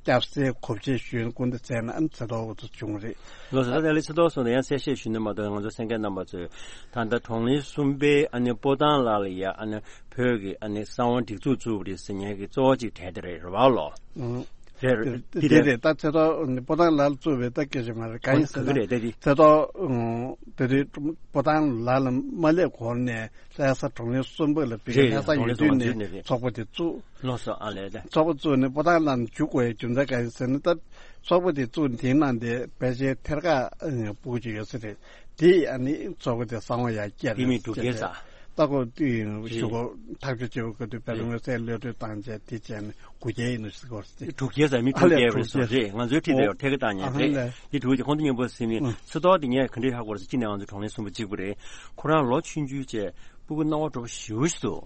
སྐྱབས་སའི་གོ་ཆེ་ཞུས་སྐུ་འདི་བཙལ་ན་ཨ་ནི་ཚེ་ཐོག་འུ་ཚོ་བྱུང་རེད། ལོ་ཟེར་ད་ལས་ཚེ་ཐོག་སོང་ནས་ཡང་གསལ་བཤད་ཞུས་ནས་མ་གཏོགས་ང་ཚོ་གསན་མཁན་རྣམ་པ་ཚོས་ད་ལྟ་གྲོང་གླིང་གསུམ་པའི་ཨ་ནི་སྤོ་ཐང་ལ་ལ་ཡ་ཨ་ནི། བོད་ཀྱི་ཨ་ནི་གསང་བ་སྒྲིག་འཛུགས་བཙུགས་པ་རེད་ཟེར་མཁན་གྱི་གཙོ་བོ་གཅིག་གྲས་དེ་རེད་རེད་བ་ལོ། ཨང་། རེད་རེད་དེ་དེ་རེད་རེད་ད་ཚེ་ཐོག་སྤོ་ཐང་ལ་བཙུགས་པའི་ད་སྐད་ཆ་མ་རེད་གང་ཡིན་ཟེར་ན་ག་གི་རེད་དེ་དེ། ཚེ་ཐོག་ཨང་དེ་དུས་སྤོ་ཐང་ལ་ལ་མ་སླེབས་གོང་ནས་ལྷ་ས་གྲོང་གླིང་གསུམ་པ་ལ་བི་ཀ་རེད་ལྷ་ས་ཡོད་དུས་ནས་ཚོགས་པ་དེ་བཙུགས། ལོ་སོ་ཨ་ལས་ད། ཚོགས་པ་བཙུགས་ནས་སྤོ་ཐང་ལ་འཇུག་དགོས་ཡའི་རྒྱུ་མཚན་ག་ཡིན་ཟེར་ན་ད་ཚོགས་པ་དེ་བཙུགས་དེའི་ནང་དེ་ཕལ་ཆེར་ཐེར་ཀ་སྤུ་གུ་ཅིག་ཡོད་ས་རེད། དེ་ཨ་ནི་ཚོགས་པ་དེ་གསང་བ་ཡར་བསྐྱལ་དེ་མི་འབྲུག་རྒྱལ་ས། ད་ཁོ་ཞུ་གོ་ཐག་གཅོད་བྱེད་པ་ག་དུས་དཔལ་མངོན་གསལ་གློད་གྲོལ་བཏང་བྱས་དེ་བྱས་ནས་དགུ་རྒྱལ་ཡིན་ནོ་ཞིག་གོ་དེ་དྲུག་རྒྱལ་ས་མི་དྲུག་རྒྱལ་བ་སོ་རེད་ང་ཚོའི་ཁྲིད་དེ་ཡོད་ཐད་ཀ་བཏང་ཉན་རེད། དེ་དྲུག་རྒྱལ་ཁོང་ཚོ་མཉམ་པོ་ཟིན་ནས་ཚེ་ཐོག་དེ་ངས་ག་འདྲའི་ཧ་གོ་རེད་ཟེར་ཅི་ནས་ང་ཚོ་གྲོང་གླིང་གསུམ་པ་གཅིག་པུ་རེད། ཁོ་རང་ལོ་ཆུང་ཆུང་བྱས་སྤུ་གུ་སྣང་བ་འགྲོ་པོ་ཞེ་པོ་ཞིག་འདུག་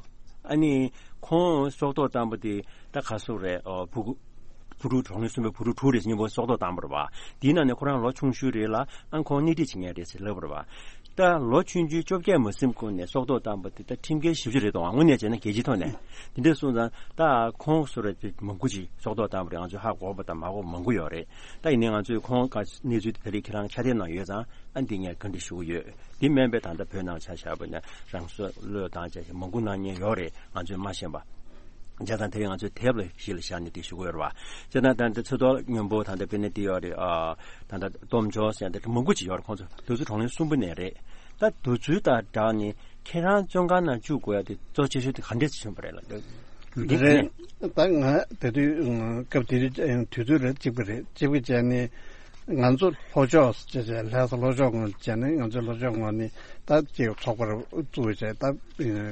ཨ་ནི་ཁོང་སྲོག་ཐོག་བཏང་པ་དེ་ད་ག་སོག་རེད་ཨོ་སྤུ་གུ། བུ་ཕྲུག་གྲོགས་ལྷན་གསུམ་པའི་བུ་ཕྲུག་དྲུག་རེ་ཟེར་མཉམ་པོ་སྲོག་ཐོག་བཏང་བ་རེད་བ། དེའི་ནང་ནས་ཁོ་རང་ལོ་ཆུང་ཤོས་རེད་ལ་ཨ་ཁོང་སྣེ་ཁྲིད་བྱེད་མཁན་རེད་ཟེར་ལབ་པ་རེད་བ། ད་ལོ་ཆུང་ཆུང་བཅོ་བརྒྱད་མ་ཟིན་གོང་ནས་སྲོག་ཐོག་བཏང་པ་དེ་ད་ཁྲིམས་འགལ་ཞེ་པོ་ཅིག་རེད་འདུག་དངོས་གནས་བྱས་ན་རྒྱལ་སྤྱིའི་ཐོག་ནས། དེ་འདྲ་སོང་ཙང་ད་ཁོང་སུ་རེད་དེ་མང་པོ་ཅིག་སྲོག་ཐོག་བཏང་བ་རེད། ང་ཚོས་ཧ་གོ་བ་དང་མ་གོ་བ་མང་པོ་ཡོད་རེད། ད་ཡིན་ནའི་ང་ཚོས་ཁོང་ག་གནས་ཚུལ་དེ་ད་རེས་ཁྱེད་རང་ཕྱག་དེབ་ནང་ཡོད་ཙང་ཨ་འདི་ངས་བཀའ་འདྲི་ཞུ་གི་ཡོད། འདི་མིན་པའི་ད་ལྟ་བོད་ནང་ཆ་བཞག་པ་ན་རང་སྲོག་བློས་བཏང་བྱས་མང་པོ་གནང་མཁན་ཡོད་རེད། ང་ཚོས་མ་ཤེས་པ། བྱས་ཙང་དེ་རིང་ང་ཚོས་དེབ་ལ་གཞི་ལ་བཞག་ནས་དེ་ཞུ་གི་ཡོད་རེད་བ། བྱས་ཙང་ད་ལྟ་ཚེ་ཐོག་སྔོན་པོ་ད་ལྟ་དཔེར་ན་དེ་ཡོད་རེད། ཨ་ད་ལྟ་སྟོབས་འབྱོར་ཟེར་ཡ་དེ་མང་པོ་ཅིག་ཡོད་རེད། ཁོང་ཚོ་དུས་ཚོད་གྲོང་ལྷན་གསུམ་པོ་ནས་རེད། ད་དུས་ཚོད་དང་སྦྲགས་ནས་ཁྱེད་རང་བཙོན་ཁང་ནང་བཅུག་དགོས་ཡ་དེ་གཙོ་ཆེ་ཤོས་དེ་ག་འདྲས་བྱུང་བ་རེད་ལ། རེད། ད་ང་དེ་དུས་སྐབས་དེ་དུས་དུས་ཚོད་རེད་གཅིག་པ་རེད། གཅིག་པ་བྱས་ནས་ང་ཚོ་ལྷོ་ཕྱོགས་ཅེས་བྱས་ལྷ་ས་ལྷོ་ཕྱོགས་ངོས་བྱས་ནས་ང་ཚོའི་ལྷོ་ཕྱོགས་ངོས་ནས་ད་ཅིག་ཚོགས་པ་བཙུགས་བྱས་ད་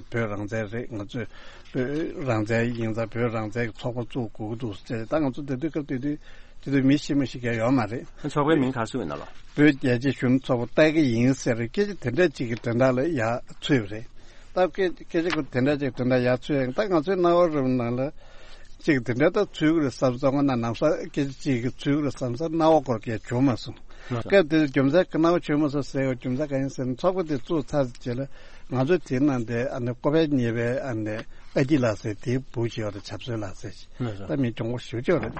བོད་རང་བཙན་རེད། ང་ཚོས་བོད་རང་བཙན་ཡིན་ཙང་བོད་རང་བཙན་གྱི་ཚོགས་པ་བཙུགས་དགོས་ཀྱི་འདུག་ཅེས་ད་ང་ཚོ་དེ་དུས་སྐབས་དེ་དུས་དེ་དུས་མི་ཤེས་མ་ཤེས་མཁན་ཡོད་མ་རེད། ཚོགས་པའི་མིང་ག་རེ་ཟེར་བ་ཡིན་ན་ལགས། བོད་རྒྱལ་གཅེས་གཞོན་ནུ་ཚོགས་པ་ལྟ་གི་ཡིན་ཟེར་སྐད་ཆ་དེ་འདྲ་ཅིག་གི་དོན་དག་ལ་ཡ་ཚུད་པ་རེད། ད་སྐད་སྐད་ཆ་ཁོ་དེ་འདྲ་ཅིག་དོན་དག་ཡ་ཚུད་ཡང་ད་ང་ཚོའི་རྣ་བ་རུམ་ནང་ལ་ཅིག་དེ་འདྲ་ད་ཚུད་ཀྱི་རེད་བསམ་སོང་། ང་ན་ནམ་ས་སྐད་ཆ་ཅིག་གི་ཚུད་ཀྱི་རེད་བསམ་ས་རྣ་བ་སྐོར་སྐད་བྱུང་མ་སོང་། སྐབས་དེར་རྒྱུ་མཚན་གྱི་རྣ་བ་བྱུང་མ་སོང་ཟེར་བའི་རྒྱུ་མཚན་གང་ཡིན་ཟེར་ན་ཚོགས་པ་དེ་བཙུགས་ཚར་རྗེས་ལ་ང་ཚོའི་དེའི་ནང་དེ་ཨ་ནི་ཀོ་པལ་གཉིས་པའི་ཨ་ནི་ཨ་ཁྱི་ལགས་ཟེར་དེའི་བུ་ཞིག་ཡོད་རེད། བྱམས་བཟོད་ལགས་ཟེར་ཞིག་ད་མི་གྱོང་པོ་ཞེ་པོ་ཅིག་རེད།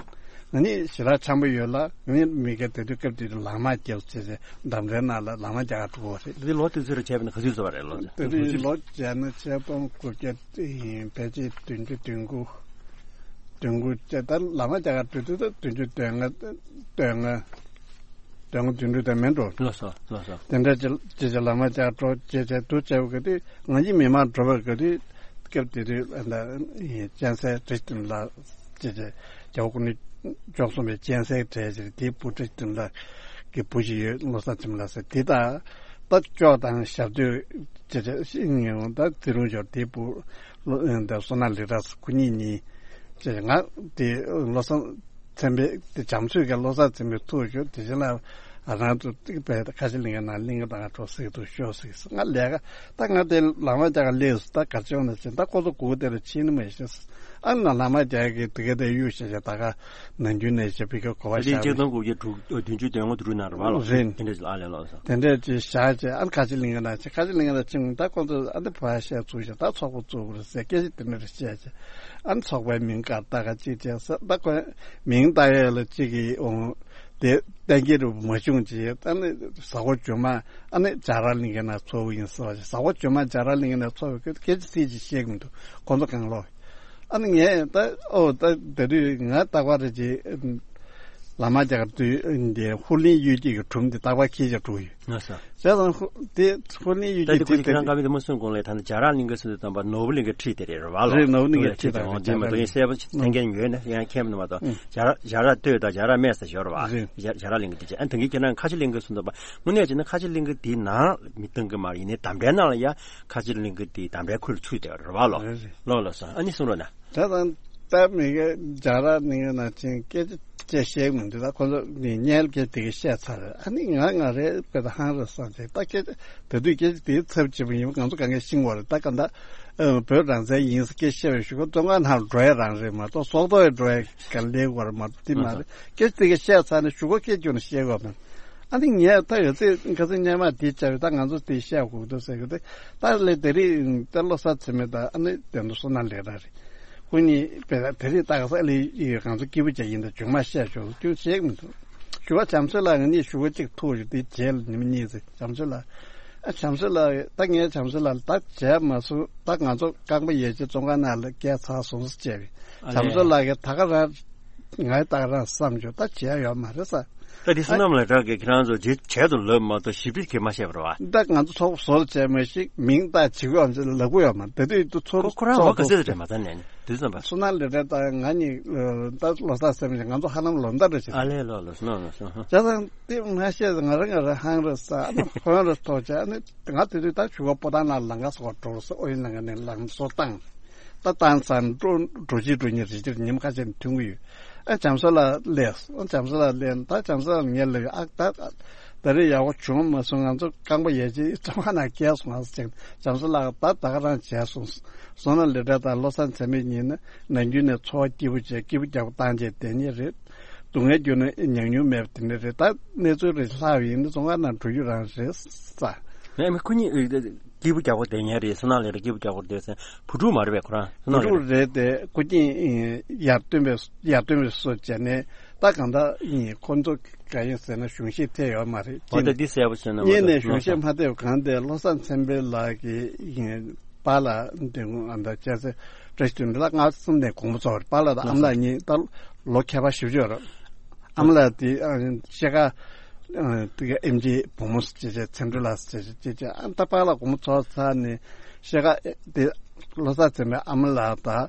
ང་ནི་ཞེ་དྲག་འཆམ་པོ་ཡོད་ལ་ང་ནི་མི་སྒེར་དེ་དུས་སྐབས་དེ་དུས་ལག་དམར་རྒྱབ་ཟེར་ཟེར་འདམ་རའི་ནང་ལ་ལག་དམར་རྒྱག་ག་འགྲོ་གི་རེད། དེ་ལོ་དེ་ཚོ་རུ་བྱས་པ་ན་ག་ཚོད་ཚོད་པ་རེད་ལོ། དེ་དུས་ལོ་བྱས་ན་ཆིག་སྟོང་དགུ་བརྒྱ་ཕལ་ཆེར་བདུན་ཅུ་དོན་དགུ། དོན་དགུ་བྱས་ད་ལག་དམར་རྒྱག་ག་འགྲོ་དུས་ད་བདུན་ཅུ་དོན་ལྔ་དོན་ལྔ། དོན་ལྔ་དོན་དགུ་དོན་དྲུག་དེ་མིན་འགྲོ། ལགས་སོ་ལགས་སོ། དེ་འདྲ་ཅིག་ཅིག་ཅིག་ལག་དམར་རྒྱག་འགྲོ་ཅེས་བྱས་འདུག་བྱས་པ་ག་དུས་ང་ཡི་མི་མང་འགྲོ་བ་ག་དུས་སྐབས་དེ་དུས་ཨ་ད་སྤྱན་གསལ་བཀྲ་ཤིས་དོན་ལགས་ཅེས་བྱས་རྒྱལ་བ་སྐུ་ཕྲེང་བཅུ་གསུམ་པའི་སྤྱན་གསལ་གྲས་ཅིག་རེད། དེའི་བུ་བཀྲ་ཤིས་དོན་ལགས་ཀྱི་བུ་ཞིག་ཡོད། བློ་བཟང་བྱམས་ལགས་ཟེར་དེ་ད་ད་ཅོག་དང་ཞབས་སྟོད་ཅེས་བྱས་ཤིང་ངེས་འོང་ད་དེ་རུང་ཞོར་དེའི་བུ་བློ་ད་བསོད་ནམས་ལེགས་གྲགས་ཁོ་གཉིས་གཉིས་ཅེས་ང་དེ་བློ་བཟང་ཚན་པས་དེ་བྱམས་བཟོད་ཀྱི་བློ་བཟང་ཚན་པས་ཐུག་ཞུ་དེ་བཞིན་ལ་རང་ཚོ་ཏིག་པའི་ཁ་ཆེ་གླིང་ག་ནང་གླིང་ག་དང་འགྲོ་སྲིད་དུ་ཤོག་ཟིག་ང་ལས་ཀ་ད་ང་དེ་ལག་དམར་རྒྱག་ག་སླེབས་སུ་ད་གར་ཅོང་ན་ཕྱིན་ད་ཁོ་ཚོ་སྒུག་དེ་ལ་ཕྱིན་ནི་མ་ཤེས་ཨ་ན་ལག་དམར་རྒྱག་གི་དེ་ག་དེ་གཡུག་ཤ་ཤ་ད་ག་ནང་རྒྱུན་ནས་ཤ་པི་ཀ་གོ་བ་ཤ་ཆིག་སྟོང་དགུ་བརྒྱ་དྲུག་བདུན་ཅུ་དོན་ལྔ་དྲུག་ནང་རེད་བ་ལོ། རེད། དེ་འདྲ་ཅིག་ཨ་ལས་ལོ་སོ། དེ་འདྲ་ཅིག་བཞག་བྱས་ཨ་ཁ་ཆེ་གླིང་ག་ནང་ཕྱིན་ཁ་ཆེ་གླིང་ག་ནང་ཕྱིན་ད་ཁོ་ཚོ་ཨ་ནི་བ་ཤ་ཚུགས་ཤ་ད་ཚོགས་པ་བཙུགས་རེད་ཟེར་སྐད་ཆ་དེ་འདྲ་རེ་བཤད་བྱས། ཨ་ནི་ཚོགས་པའི་མིང་ག་ད་ག་ཅིག་བྱས་ས་ད་ཁོས་མིང་བཏགས་ཡས་ལ་ཅིག་གིས་འོང་དེ་གཏན་འཁེལ་རུ་མ་བྱུང་ཅིག་ཨ་ནི་གཟའ་འཁོར་རྗེས་མ་ཨ་ནི་རྒྱ་ར་གླིང་ག་ན་ཚོགས་ཡིན་ཟེར་བ་ཅིག་གཟའ་འཁོར་རྗེས་མ་རྒྱ་ར་གླིང་ག་ན་ཚོགས་པའི་སྐད་ཆ་སྲིད་ཅིག་བཤད་གི་མི་འདུག་ཁོང་ཚོ་གང་ལོག་ཨ་ནི་ངས་ད་ཨོ་ད་དེ་དུས་ང་རྟག་པར་རེ་ཅིག་ལམ་རྒྱག་དུས་འདི་ཧུར་ལེན་གཡུལ་འགྱེད་ཀྱི་སྒྲུང་འདི་རྟག་པར་ཁྱེར་བྱས་འགྲོ་ཡོད། ང་ས། བྱས་ཙང་ཧུ་དེ་ཧུར་ལེན་གཡུལ་ད་འགྱེད་དེ་ཁོ་དེ་ཚོ་ཁྱེད་རང་བཀའ་མོལ་དེ་མ་གསུངས་གོང་ལ་ད་ནི་རྒྱ་ར་གླིང་ག་སུ་དེ་དམ་པ་ནོར་བུ་གླིང་ག་ཁྲིད་དེ་རེད་རེད་བ་ལོ། རེད་ནོར་བུ་གླིང་ག་ཁྲིད་དེ་རེད་དེ་མ་གཏོགས་ངས་གསལ་པོ་ཐན་མཁན་ཡོད་ན་ཡང་མཁྱེན་མི་འདུག་མ་གཏོགས་རྒྱ་ར་རྒྱ་ར་སྟོད་དང་རྒྱ་ར་སྨད་ས་ཞོར་བ་རེད། རྒྱ་ར་གླིང་ག་དེ་བྱས་ཨ་ནི་ད་གིན་ཁྱེད་རང་ཁ་ཆེ་གླིང་ག་སུ་དམ་པ་དངོས་གནས་བྱས་ན་ཁ་ཆེ་གླིང་ག་དེའི་ནང་མི་གཏོང་གི་མ་རེད། ཡིན་ནའི་དམ་པའི་ནང་ལ་ཡ་ཁ་ཆེ་གླིང་ག་དེ་དམ་པའི་ཁུལ་ཚུད་དེ་རེད་བ་ལོ། རེད་རེད། ལོ་ལོ་སོ་ཨ་ནི་གསུང་རོགས་གནང་། ད་དང་ད་མི་ག་རྒྱ་ར་གླིང་ག་ནང་ཕྱིན་སྐད་ཆ་ཅེས་བཤད་མི་འདུག་ད་ཁོ་ཚོ་ནི་སྙན་སྐད་དེ་ག་བཤད་ཚར་རེད། ཨ་ནི་ང་ང་རེད་དཔེ་ད་ཧང་རེད་བསམ་བྱས་ད་སྐད་ཆ་ད་དུས་སྐད་ཆ་དེའི་ཚབ་བྱེད་པ་ཡིན་པ་ང་ཚོ་གང་གས་ཤེས་དགོས་རེད། ད་ག་ད་ཨ་བོད་རང་བཙན་ཡིན་ཟེར་སྐད་བཤད་པའི་གཞུག་གུ་བཙོན་ཁང་ནང་འགྲོ་ཡ་རང་རེད་མ་གཏོགས་སྲོག་ཐོག་ཡ་འགྲོ་ཡ་ག་ལེ་དགོས་རེད་མ་གཏོགས་དེ་མ་རེད། སྐད་ཆ་དེ་ག་བཤད་ཚར་ནས་གཞུག་གུ་སྐད་སྐྱོན་ནས་བཤད་དགོས་མ་རེད། ཨ་ནི་ངས་ད་ཡོད་ཚད་ཁ་སང་སྔོན་མ་དེ་བྱ་བའི་ད་ང་ཚོ་དེ་བཤད་དགོས་འདུག་ཟེར་གི་འདུག་ད་ལས་དེ་རིང་ད་བློ་གསར་ཚེ་མེད་ད་ཨ་ནི་དེ་འདུག་བསོད་ནམས་ལེགས་གྲགས་རེད། ཁོ་གཉིས་དཔེ་ད་དེ་རིང་ད་ག་ས་ཨ་ལས་ཡི་ང་ཚོ་སྐྱིད་པོ་བྱས་ཡིན་ད་ཇུང་མ་བཤད་ཆོག་རྒྱུ་བྱེད་མི་འདུག་ཞུ་བ་བྱམས་བཟོད་ལགས་ང་གཉིས་ཞུ་བ་གཅིག་ཐུག་ཞུ་དེ་རྗེས་ལ་ཉི་མ་གཉིས་ཚེ་བྱམས་བཟོད་ལགས་ཨ་བྱམས་བཟོད་ལགས་ད་ངས་བྱམས་བཟོད་ལགས་ད་བྱས་མ་སོང་ད་ང་ཚོ་རྐང་པ་ཡལ་རྗེས་བཙོན་ཁང་ནང་ལ་བསྐྱལ་ཚར་སོང་ཟེར་བྱས་པས་བྱམས་བཟོད་ལགས་ཀྱིས་ད་ག་རང་ངའི་ལྟར་རང་བསམ་བྱུང་ད་བྱས་ཡོད་མ་རེད་ས། ད་དེ་བསོད་ནམས་ལ་གྲགས་ཀྱི་ཁྱེད་རང་ཚོ་རྗེས་བྱས་དུ་ལབ་མ་གཏོགས་ཞིབ་ཕྲ་གི་མ་བཤད་པར་བ། ད་ང་ཚོ་ཚོགས་བཟོ་བྱས་མ་ཞིག་མིང་བཏགས་བྱེད་དགོས་ཨམ་ཅི་ལབ་གི་ཡོད་མ་དེ་དུས་དུ་ཚོར་ཁོ་ཁོ་རང་ཚོགས་འོ་ག་ཚད་དུ་དྲན་མ་ཚར་ནས་ནི་དུས་ཙམ་པ། བསོད་ནམས་ལེགས་གྲགས་དང་ང་གཉིས་ད་ལོ་གསར་སེམས་ཀྱི་ང་ཚོ་ཧ་ལམ་ལོ་ཟླ་འདྲ་ཞིག་ཨ་ལས་ལོ་ལོ་སོ་ནོ་ནོ་སོ་ཧ། བྱས་ཙང་དེ་མ་བཤད་ང་རང་ང་རང་ཧང་རེད་ས་ཨ་ནི་ཧོན་རེད་ཐོག་བྱས་ཨ་ནི་ང་དེ་དུས་ད་ཞུ་བ་པོ་ཏང་ནང་ལང་ག་སོགས་འགྲོ་རུ་ས་ཨོ་ཡིན་ལང་ག་ནས་ལང་སོ་བཏང་། ད་བཏང་ཚར་འགྲོ་འགྲོ་ཅི་འགྲོ་ཉི་རི་ཅིར་ཉིན་ཁ་ཤས་ཐུང་གི་ཡོད། ཨ་བྱམས་བཟོ་ལགས་སླེབས་སོང་། བྱམས་བཟོ་ལགས་སླེབས་ནས་ད་བྱམས་བཟོ་ལགས་ངས་ལབ་ཡོད། ཨ་ད་ད་རེས་ཡག་པོ་བྱུང་མ་སོང་། ང་ཚོ་རྐང་པ་ཡལ་རྗེས་བཙོན་ཁང་ནང་བསྐྱལ་སོང་ཨ་ཟེར་ཅིག་བྱམས་བཟོ་ལགས་ད་ད་ག་རང་བྱས་སོང་། སོང་ན་ལས་གྲྭ་དང་བློ་བཟང་ཚེ་རིང་གཉིས་ནི་ནམ་རྒྱུན་ནས་འཚོ་བ་སྐྱིད་པོ་བྱས་སྐྱིད་པོ་རྒྱག་པོ་བཏང་བྱས་བསྡད་མཁན་རེད། སྡུག་བསྔལ་བརྒྱུད་ནས་ཉམས་མྱོང་མེད་པ་དེ་འདྲ་རེད། ད་གནས་ཚུལ་རེ་ལྷག་ཡིན་ན་བཙོན་ཁང་ནང་འགྲོ་རྒྱུ་རང་རེད་ས། ངས་མི་ཁོ་གཉིས་སྐྱིད་པོ་རྒྱག་པོ་བསྡད་མཁན་རེད། སོ་ནང་ལས་རེད། སྐྱིད་པོ་རྒྱག་པོ་བསྡད་ས་བུ་ཕྲུག་མ་རེད་པས་ཁོ་རང་། སོ་བུ་ནང་ལས་ཕྲུག་རེད། རེད་དེ་སྐུ་རྐྱེན་ཡར་སྟོན་པའི་ཡར་སྟོན་པའི་སོ་བྱས་ནས་ད་གང་ལྟར་ཡིན། ཁོ་ཚོ་ག་ཡིན་ཟེར་ན་གཞུང་བཞེས་ཐེབས་ཡོད་མ་རེད། འོ་ད་འདི་གསལ་པོ་བྱས་ན་གཉིས་ནས་གཞུང་བཞེས་མ་ཐེབས་གང་དེ་བློ་བཟང་ཚེ་འཕེལ་ལགས་ཀྱི་ཡིན་པཱ་ལགས་འདི་ཨ་ད་བཅས་ཚེ་བཀྲ་ཤིས་དོན་ལ་སྔ་ཙམ་ནས་དགོངས་པ་རྫོགས་རེད། པཱ་ལགས་དང་ཨ་མ་ལགས་གཉིས་ད་ལོ་ཁྱད་པར་ཞེ་པོ་ཅིག་ཡོད་རེད། ཨ་མ་ལགས་དེ་ཨ་ཤེལ་དཀར་ཨ་དེ་ག་ཨེམ་ཆི་བུ་མོ་ཟེར་བྱས་བྱས་ཚེམ་དྲུད་ལགས་ཟེར་བྱས་བྱས་བྱས་ཨ་ད་པཱ་ལགས་དགོངས་པ་རྫོགས་ཚར་ནས་ཤེལ་དཀར་དེ་བློ་བཟང་ཚེ་རིང་ཨ་མ་ལགས་དང་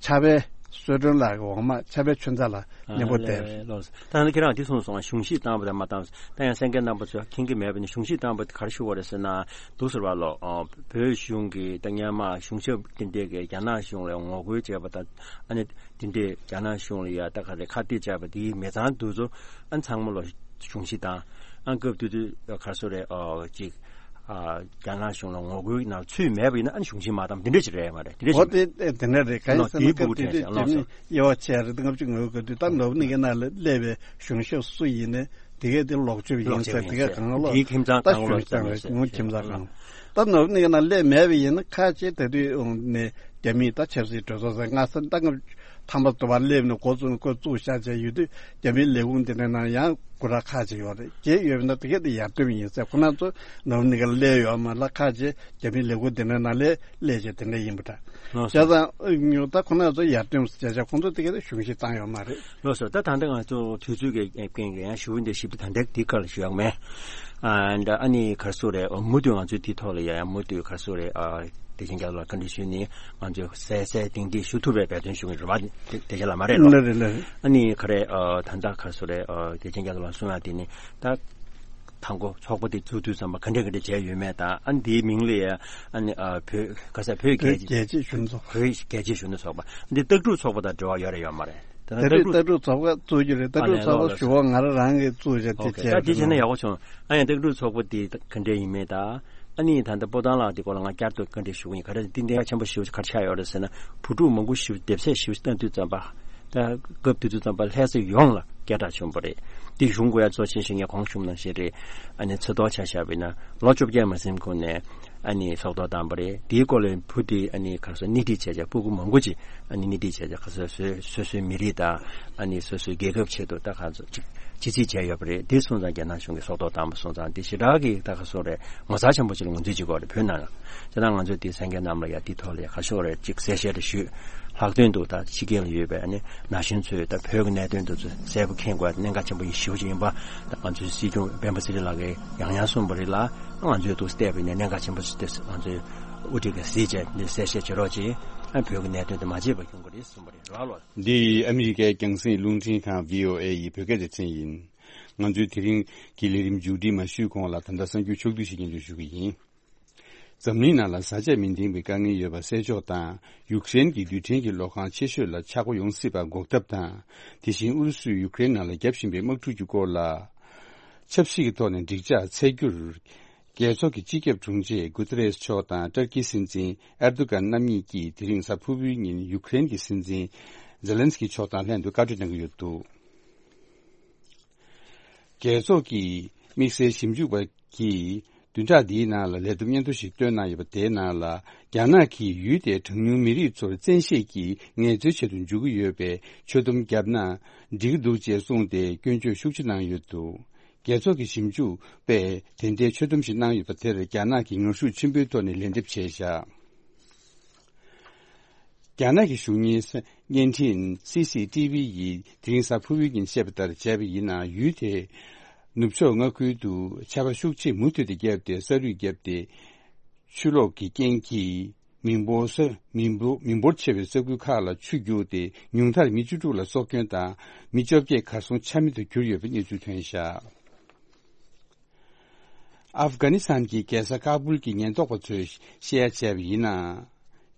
ཕྱག་དཔེ་བསོད་སྒྲོན་ལགས་ཀྱི་འོག་མ་ཕྱག་དཔེ་ཆོས་མཛད་ལགས་མཉམ་པོ་བསྡད། ལགས་སོ། ད་ནི་ཁྱེད་རང་འདི་གསུངས་སོང་། གཞུང་བཞེས་བཏང་པ་དང་མ་བཏང་། ད་ཡང་གསན་མཁན་རྣམ་པ་ཚོས་མཁྱེན་གྱི་མེད་པ་ནི་གཞུང་བཞེས་བཏང་པ་དེ་ག་རེ་ཞུ་བ་རེད་ཟེར་ན། འདུག་ཟེར་བ་ལོ། ཨ་བོད་གཞུང་གིས་ད་སྔོན་མ་གཞུང་ཞབས་དེ་འདྲས་ཀྱིས་རྒྱ་ནག་གཞུང་ལ་ངོ་རྒོལ་བྱས་པ་དང་། ཨ་ནི་དེ་འདྲས་རྒྱ་ནག་གཞུང་ལ་ཡ་ད་ག་རེ་ཁ་གཏད་བྱས་པ་དེའི་མི་ཚང་དེ་ཚོ་ཨ་ཚང་མ་ལོ་གཞུང་བཞེས་བཏང་། ཨ་སྐབས་དེ་དུས་ག་རེ་ཟེར་རེད། ཨ་ཅིག་ཨ་རྒྱ་ནག་གཞུང་ལ་ངོ་རྒོལ་གྱི་ནང་ཚུད་མེད་པ་ཡིན་ན་ཨ་ནི་གཞུང་བཞེས་མ་བཏང་། དེ་འདྲས་ཅིག་རེད་མ་རེད། དེ་འདྲས་འོ་ཅིག་དེ་དེ་འདྲ་རེད། ག་ཡིན་ཟེར་ན་སྐབས་དེ་དུས་རྒྱ་མི་དབྱེ་བ་ཕྱེ་རེད། ལྔ་བཅུ་ང་དགུ་ག་དུས་ད་ནོར་བུ་གླིང་གའི་ནང་ལ་སླེབས་པའི་གཞུང་ཞབས་སུ་ཡིན་ནའི་དེ་གས་དེ་ལོག་སྤྱོད་ཡིན་ཟེར། དེ་གས་གང་ལོག་དེའི་ཁྱིམ་ཚང་ད་གང་ལོག་གཞུང་ཞབས་ཡིན་ཟེར། ངོ་ཁྱིམ་ཚང་གང་ད་ནོར་བུ་གླིང་གའི་ནང་སླེབས་མེད་པ་ཡིན་ན་ཁ་ཅིག་ད་དུས་ནས་རྒྱ་མིས་ད་ཆབ་སྲིད་གྲོས་ཚོགས་ཟེར་ང་ས་ད་ང་ཐམ་པ་དུ་བ་སླེབས་ནས་འགོ་བཙུགས་འགོ་བཙུགས་བཞག་བྱས་ཡོད་དུས་རྒྱ་མིའི་ལས་ཁུངས་དེ་འདྲའི་ནང་ཡང་སྐུ་དྲག་ཁག་ཅིག་ཡོད་རེད། དེ་ཡོད་པ་ན་དེ་གས་དེ་ཡར་སྟོན་ཡིན་ཟེར། ཁོ་རང་ཚོ་ནོར་བུ་གླིང་ག་ལ་སླེབས་ཡོད་མ་རེད། ཁག་ཅིག་རྒྱ་མིའི་ལས་ཁུངས་དེ་འདྲའི་ནང་སླེབས་སླེབས་བྱས་དེ་འདྲ་ཡིན་པ་འདྲ། ལགས་སོ། བྱས་ཙང་ད་ཁོ་རང་ཚོ་ཡར་སྟོན་ཟེར་བྱས་ཁོང་ཚོ་དེ་གས་དེ་གཞུང་བཞེས་བཏང་ཡོད་མ་རེད། ལགས་སོ། ད་ད་ལྟ་ང་ཚོ་དུས་ཚོད་ཀྱི་རྐྱེན་གྱིས་ཡང་ཞུ་འདི་ཞིབ་ཏུ་ད་ལྟ་འདི་སྐོར་ལ་ཞུ་ཡག་མེད། ཨ་འདྲ་ཨ་ནི་ག་རེ་ཟེར་རེད། མུ་མཐུད་ང་ཚོས་འདི་ཐོག་ལ་ཡ་ཡང་མུ་མཐུད་ག་རེ་ཟེར་རེད། ཨ་བདེ་ཆེན་རྒྱ་མཚོ་ལགས་བཀའ་འདྲི་ཞུས་ནས་ང་ཚོས་གསལ་གསལ་ཏིང་ཏིང་ཞུ་ཐུབ་པའི་འབད་བརྩོན་ཞུ་གི་རེད་པ། བདེ་ཆེན་ལགས་མ་རེད་ལོ། ལགས་རེད་ལགས་རེད། ཨ་ནི་ག་རེ་ཨ་ད་ལྟ་ག་རེ་ཟེར་རེད། ཨ་བདེ་ཆེན་རྒྱ་མཚོ་ལགས་གསུང་ཡག་དེ་ནི་ད། དང་པོ་ཚོགས་པ་དེ་བཙུགས་དུས་ཙམ་པ་ག་འདྲས་ག་འདྲས་བྱས་ཡོད་མེད་དང་། ཨ་ནི་དེའི་མིང་ལ་ཡ་ཨ་ནི་ཨ་བོད་ག་ས་བོད་རྒྱལ་རྒྱལ་གཅེས་གཞོན་ནུ་ཚོགས་པ། བོད་རྒྱལ་གཅེས་གཞོན་ནུ་ཚོགས་པ་འདི་ལྟ་གྲུབ་ཚོགས་པ་དང་འབྲེལ་བ་ཡོད་རེད་ཡོད་མ་རེད། དེ་ལྟ་ན་ལྟ་གྲུབ་ལྟ་གྲུབ་ཚོགས་པ་བཙུགས་རྒྱུ་རེད། ལྟ་ཨ་གྲུབ་ནས་ཚོགས་ལོ་པ་ལོ་ཞུ་བ་ང་རང་རང་གིས་བཙུགས་བྱས་དེ་ཨོ་ཁེ། བྱས་ད་དེ་བྱས་ན་ཡག་པོ་བྱུང་། ཨ་ཡང་ལྟ་གྲུབ་ཚོགས་པ་དེ་ག་འདྲས་ཡིན་མེད་དང་། ཨ་ནི་ད་ལྟ་སྤོ་ཐང་ལགས་དེ་སྐོར་ལ་ང་བསྐྱར་དུ་བཀའ་འདྲི་ཞུ་གི་ཡིན། ག་རེ་འདི་འདི་ཡ་ཆེན་པོ་ཞེ་པོ་ག་རེ་ཆགས་ཡོད་རེད་ཟེར་ན། བུ་ཕྲུག་མང་པོ་ཞེ་པོ་སྡེབ་ཚད་ཞེ་པོ་བཏང་དུས་ཙམ་པ། ད་སྐབས་དེ་དུས་ཙམ་པ་ལྷ་ས་ཡོངས་ལ་སྐད་གྲགས་ཆེན་པོ་རེད། འདི་གཞུང་གི་ཡ་གཙོ་ཆེན་ཞིག་ངས་གོང་ཞུས་ནང་བཞིན་རེད། ཨ་ནི་ཚེ་ཐོག་ཆ་བཞག་པ་ཡིན་ན་ལོ་བཅོ་བརྒྱད་མ་ཟིན་གོང་ནས་ཨ་ནི་ཚོགས་གཏོགས་བཏང་བ་རེད། དེའི་སྐོར་ལ་བུ་དེ་ཨ་ནི་ག་རེ་ཟེར་སྣེ་ཁྲིད་བྱས་བྱས་སྤུ་གུ་མང་པོ་ཅིག་ཨ་ནི་སྣེ་ཁྲིད་བྱས་བྱས་ག་རེ་ཟེར་སོ་སོའི་མི་རིགས་དང་ཨ་ནི་སོ་སོའི་རྒྱལ་ཁབ་ཆེད་དུ་ད་ག་རེ་ཟེར་ཅིག་ཅི་ཚིག་བྱས་ཡོད་པ་རེད། དེ་སོང་ཙང་རྒྱ་ནག་གཞུང་གིས་ཚོགས་གཏོགས་བཏང་བ་སོང་ཙང་དེ་ཞེ་དྲག་གི་ད་ག་རེ་ཟེར་རེད། ངོ་མཚར་ཆེན་པོ་ཅིག་ལ་ངོས་འཛིན་བྱེད་དགོས་རེད་བོད་ནང་ལ། བྱས་ཙང་ང་ཚོས་དེ་གསན་མཁན་རྣམས་ལ་ཡ་དེ་ཐོག་ལ་ཡ་ག་རེ་ཟེར་རེད་ཅིག་གསལ་བཤད་རེ་ཞུས། ལྷག་དོན་དུ་ད་ཕྱི་རྒྱལ་ལ་ཡོད་པའི་ཨ་ནི་ན་གཞོན་ཚོས་ད་བོད་ཀྱི་གནད་དོན་དེ་ཚོ་གསལ་པོ་མཁྱེན་དགོས་པ་གནད་འགག་ཆེན་པོ་ཞེ་པོ་ཅིག་ཡིན་པ། ད་ང་ཚོའི་སྲིད་སྐྱོང་སྤེན་པ་ཚེ་རིང་ལགས་ཀྱིས་ཡང་ཡང་གསུངས་པ་རེད་ལ། ང་ཚོས་འདུག་བལྟས་པ་ཡིན་ན་གནད་འགག་ཆེན་པོ་ཞིག་དེ་ང་ཚོས་དབུ་ཁྲིད་ཀྱིས་གཟིགས་བྱས་འདི་གསལ་བཤད་བྱེད་རོགས་གྱིས། ཨ་བོད་ཀྱི་གནད་དོན་དེ་མ་བརྗེད་པ་སྐྱོང་དགོས་རེད་གསུངས་པ་རེད། རེད་བ་ལགས། འདི་ཨ་མི་རི་ཀའི་རྒྱང་སྲིང་རླུང་འཕྲིན་ཁང་བྷི་ཨོ་ཨེ་ཡི་བོད་སྐད་སྡེ་ཚན་ཡིན། ང་ཚོའི་དེ་རིང་གི་ལས་རིམ་མཇུག་སྒྲིལ་མ་ཞུས་གོང་ལ་ད་ལྟ་གསར་འགྱུར་ཕྱོགས་བསྡུས་ཤིག་སྙན་སྒྲོན་ཞུ་གི་ཡིན། འཛམ་གླིང་ནང་ལ་བཟའ་བཅའ་མི་ལྡན་པའི་དཀའ་ངལ་ཡོད་པ་སེལ་ཕྱོགས་དང་། ཡུཀ་རེན་གྱི་རྡུལ་ཕྲན་གྱི་ལོག་ཁང་ཆེ་ཤོས་ལ་ཆག་སྒོ་ཡོང་སྲིད་པ་འགོག་ཐབས་དང་། དེ་བཞིན་ཨུ་རུ་སུས་ཡུཀ་རེན་ནང་ལ་བརྒྱབ་བཞིན་པའི་དམག་འཁྲུག་གི་སྐོར་ལ། ཆབ་སྲིད་ཀྱི་ཐོག་ནས་འགྲིག་འཇགས་འཚོལ་རྒྱུར། རྒྱལ་ཚོགས་ཀྱི་སྤྱི་ཁྱབ་དྲུང་ཆེ་གུ་ཏེ་རེས་མཆོག་དང་ཏུར་ཀིའི་སྲིད་འཛིན་ཨེར་དོ་གྷན་རྣམ་གཉིས་ཀྱིས་དེ་རིང་གཟའ་ཕུར་བུའི་ཉིན་ཡུཀ་རེན་གྱི་སྲིད་འཛིན་ཛེ་ལན་སི་ཀི་མཆོག་དང་ལྷན་དུ་བཀའ་གྲོས་གནང་གི་ཡོད་འདུག་རྒྱལ་ཚོགས་ཀྱི་དམིགས་བསལ་ཞིབ་འཇུག་པ་གིས་བདུན་ཕྲག་འདིའི་ནང་ལ་ལས་བསྡོམས་སྙན་ཐོ་ཞིག་བཏོན་གནང་ཡོད་པ། དེའི་ནང་ལ་རྒྱ་ནག་གིས་ཡུལ་དེའི་གྲངས་ཉུང་མི་རིགས་ཚོར་བཙན་ཤེད་ཀྱིས་ངལ་རྩོལ་བྱེད་དུ་འཇུག་གི་ཡོད་པས་ཆོད་སྡོམ་བརྒྱབ་ན་འགྲིག་གི་འདུག་ཅེས་གསུངས་ཏེ་སྐྱོན་བརྗོད་ཤུགས་ཆེ་གནང་ཡོད་འདུག་རྒྱལ་ཚོགས་ཀྱི་ཞིབ་འཇུག་པས་དེ་འདྲའི་ཆོད་སྡོམ་ཞིག་གནང་ཡོད་པ་དེར་རྒྱ་ནག་གིས་ངར་ཤུགས་ཆེན་པོའི་ཐོག་ནས་ལན་འདེབས་བྱས་བཞག་རྒྱ་ནག་གི་གཞུང་གཉེར་བརྙན་འཕྲིན་སི་སི་ཊི་ཝི་ཡིས་དེ་རིང་གཟའ་ཕུར་བུའི་ཉིན་བཤད་པ་ལྟར་བྱས་པ་ཡིན་ན། ཡུལ་དེའི་ནུབ་ཕྱོགས་མངའ་ཁུལ་དུ་ཆར་པ་ཤུགས་ཆེ་མུ་མཐུད་དུ་བརྒྱབ་སྟེ་ས་རུད་བརྒྱབ་སྟེ། ཆུ་ལོག་གི་རྐྱེན་གྱིས་མི་འབོར་ས་མི་འབོར་མི་འབོར་ཆེ་བའི་ས་ཁུལ་ཁག་ལ་ཆུ་རྒྱུགས་ཏེ་ཉུང་མཐར་མི་བཅུ་དྲུག་ལ་སྲོག་སྐྱོན་དང་མི་བཅོ་བརྒྱད་གར་སོང་ཆ་མེད་དུ་གྱུར་ཡོད་པའི་གནས་ཚུལ་ཐོན་བཞག་ཨབ་གྷ་ནི་སི་ཐན་གྱི་རྒྱལ་ས་ཀ་བུལ་གྱི་ཉེན་རྟོག་པ་ཚོས་བཤད་ཡ་བྱས་པ་ཡིན་ན།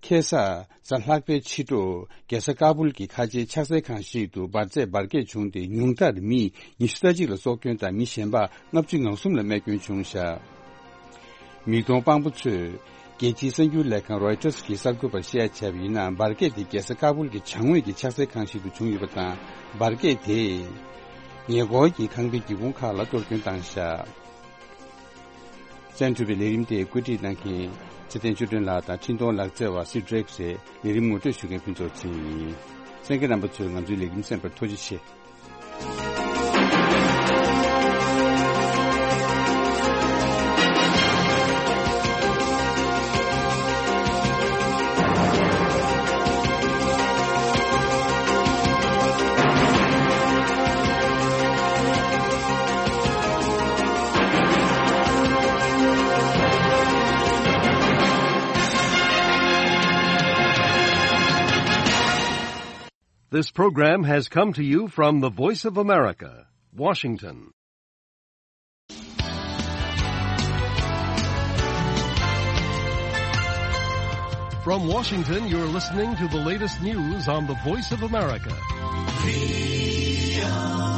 ཁ་སང་གཟའ་ལྷག་པའི་ཕྱི་དྲོ་རྒྱལ་ས་ཀ་སྦུལ་གྱི་ཁ་ཆེའི་ཕྱག་འཚལ་ཁང་ཞིག་ཏུ་འབར་རྫས་འབར་གས་བྱུང་སྟེ་ཉུང་མཐར་མི་ཉི་ཤུ་རྩ་གཅིག་ལ་སྲོག་སྐྱོན་དང་མི་གཞན་པ་ལྔ་བཅུ་ང་གསུམ་ལ་རྨས་སྐྱོན་བྱུང་བཞག་མིག་མཐོང་དཔང་པོ་ཚོས་རྒྱལ་སྤྱིའི་གསར་འགྱུར་ལས་ཁང་རོའི་ཊར་གྱི་གསར་འགོད་པར་བཤད་ཡ་བྱས་པ་ཡིན་ན། འབར་གས་དེ་རྒྱལ་ས་ཀ་སྦུལ་གྱི་བྱང་ངོས་ཀྱི་ཕྱག་འཚལ་ཁང་ཞིག་ཏུ་བྱུང་ཡོད་པ་དང་། འབར་གས་དེས་ཉེ་འཁོར་གྱི་ཁང་པའི་སྒེའུ་ཁུང་ཁག་ལ་གཏོར་སྐྱོན་བཏང་བཞག་གསན་གྲུབ་པའི་ལས་རིམ་དེ་བཀོད་སྒྲིག་གནང་མཁན་ཚེ་བརྟན་ཆོས་སྒྲོན་ལགས་དང་འཕྲིན་གཏོང་ལག་རྩལ་བ་སི་ཌྲེག་རེད། ལས་རིམ་ངོ་སྤྲོད་ཞུ་མཁན་ཕུན་ཚོགས་ཚེ་རིང་ཡིན། གསན་མཁན་རྣམ་པ་ཚོས་ང་ཚོའི་ལས་རིམ་གསན་པར་ཐུགས་རྗེ་ཆེ། This program has come to you from the Voice of America, Washington. From Washington, you're listening to the latest news on the Voice of America.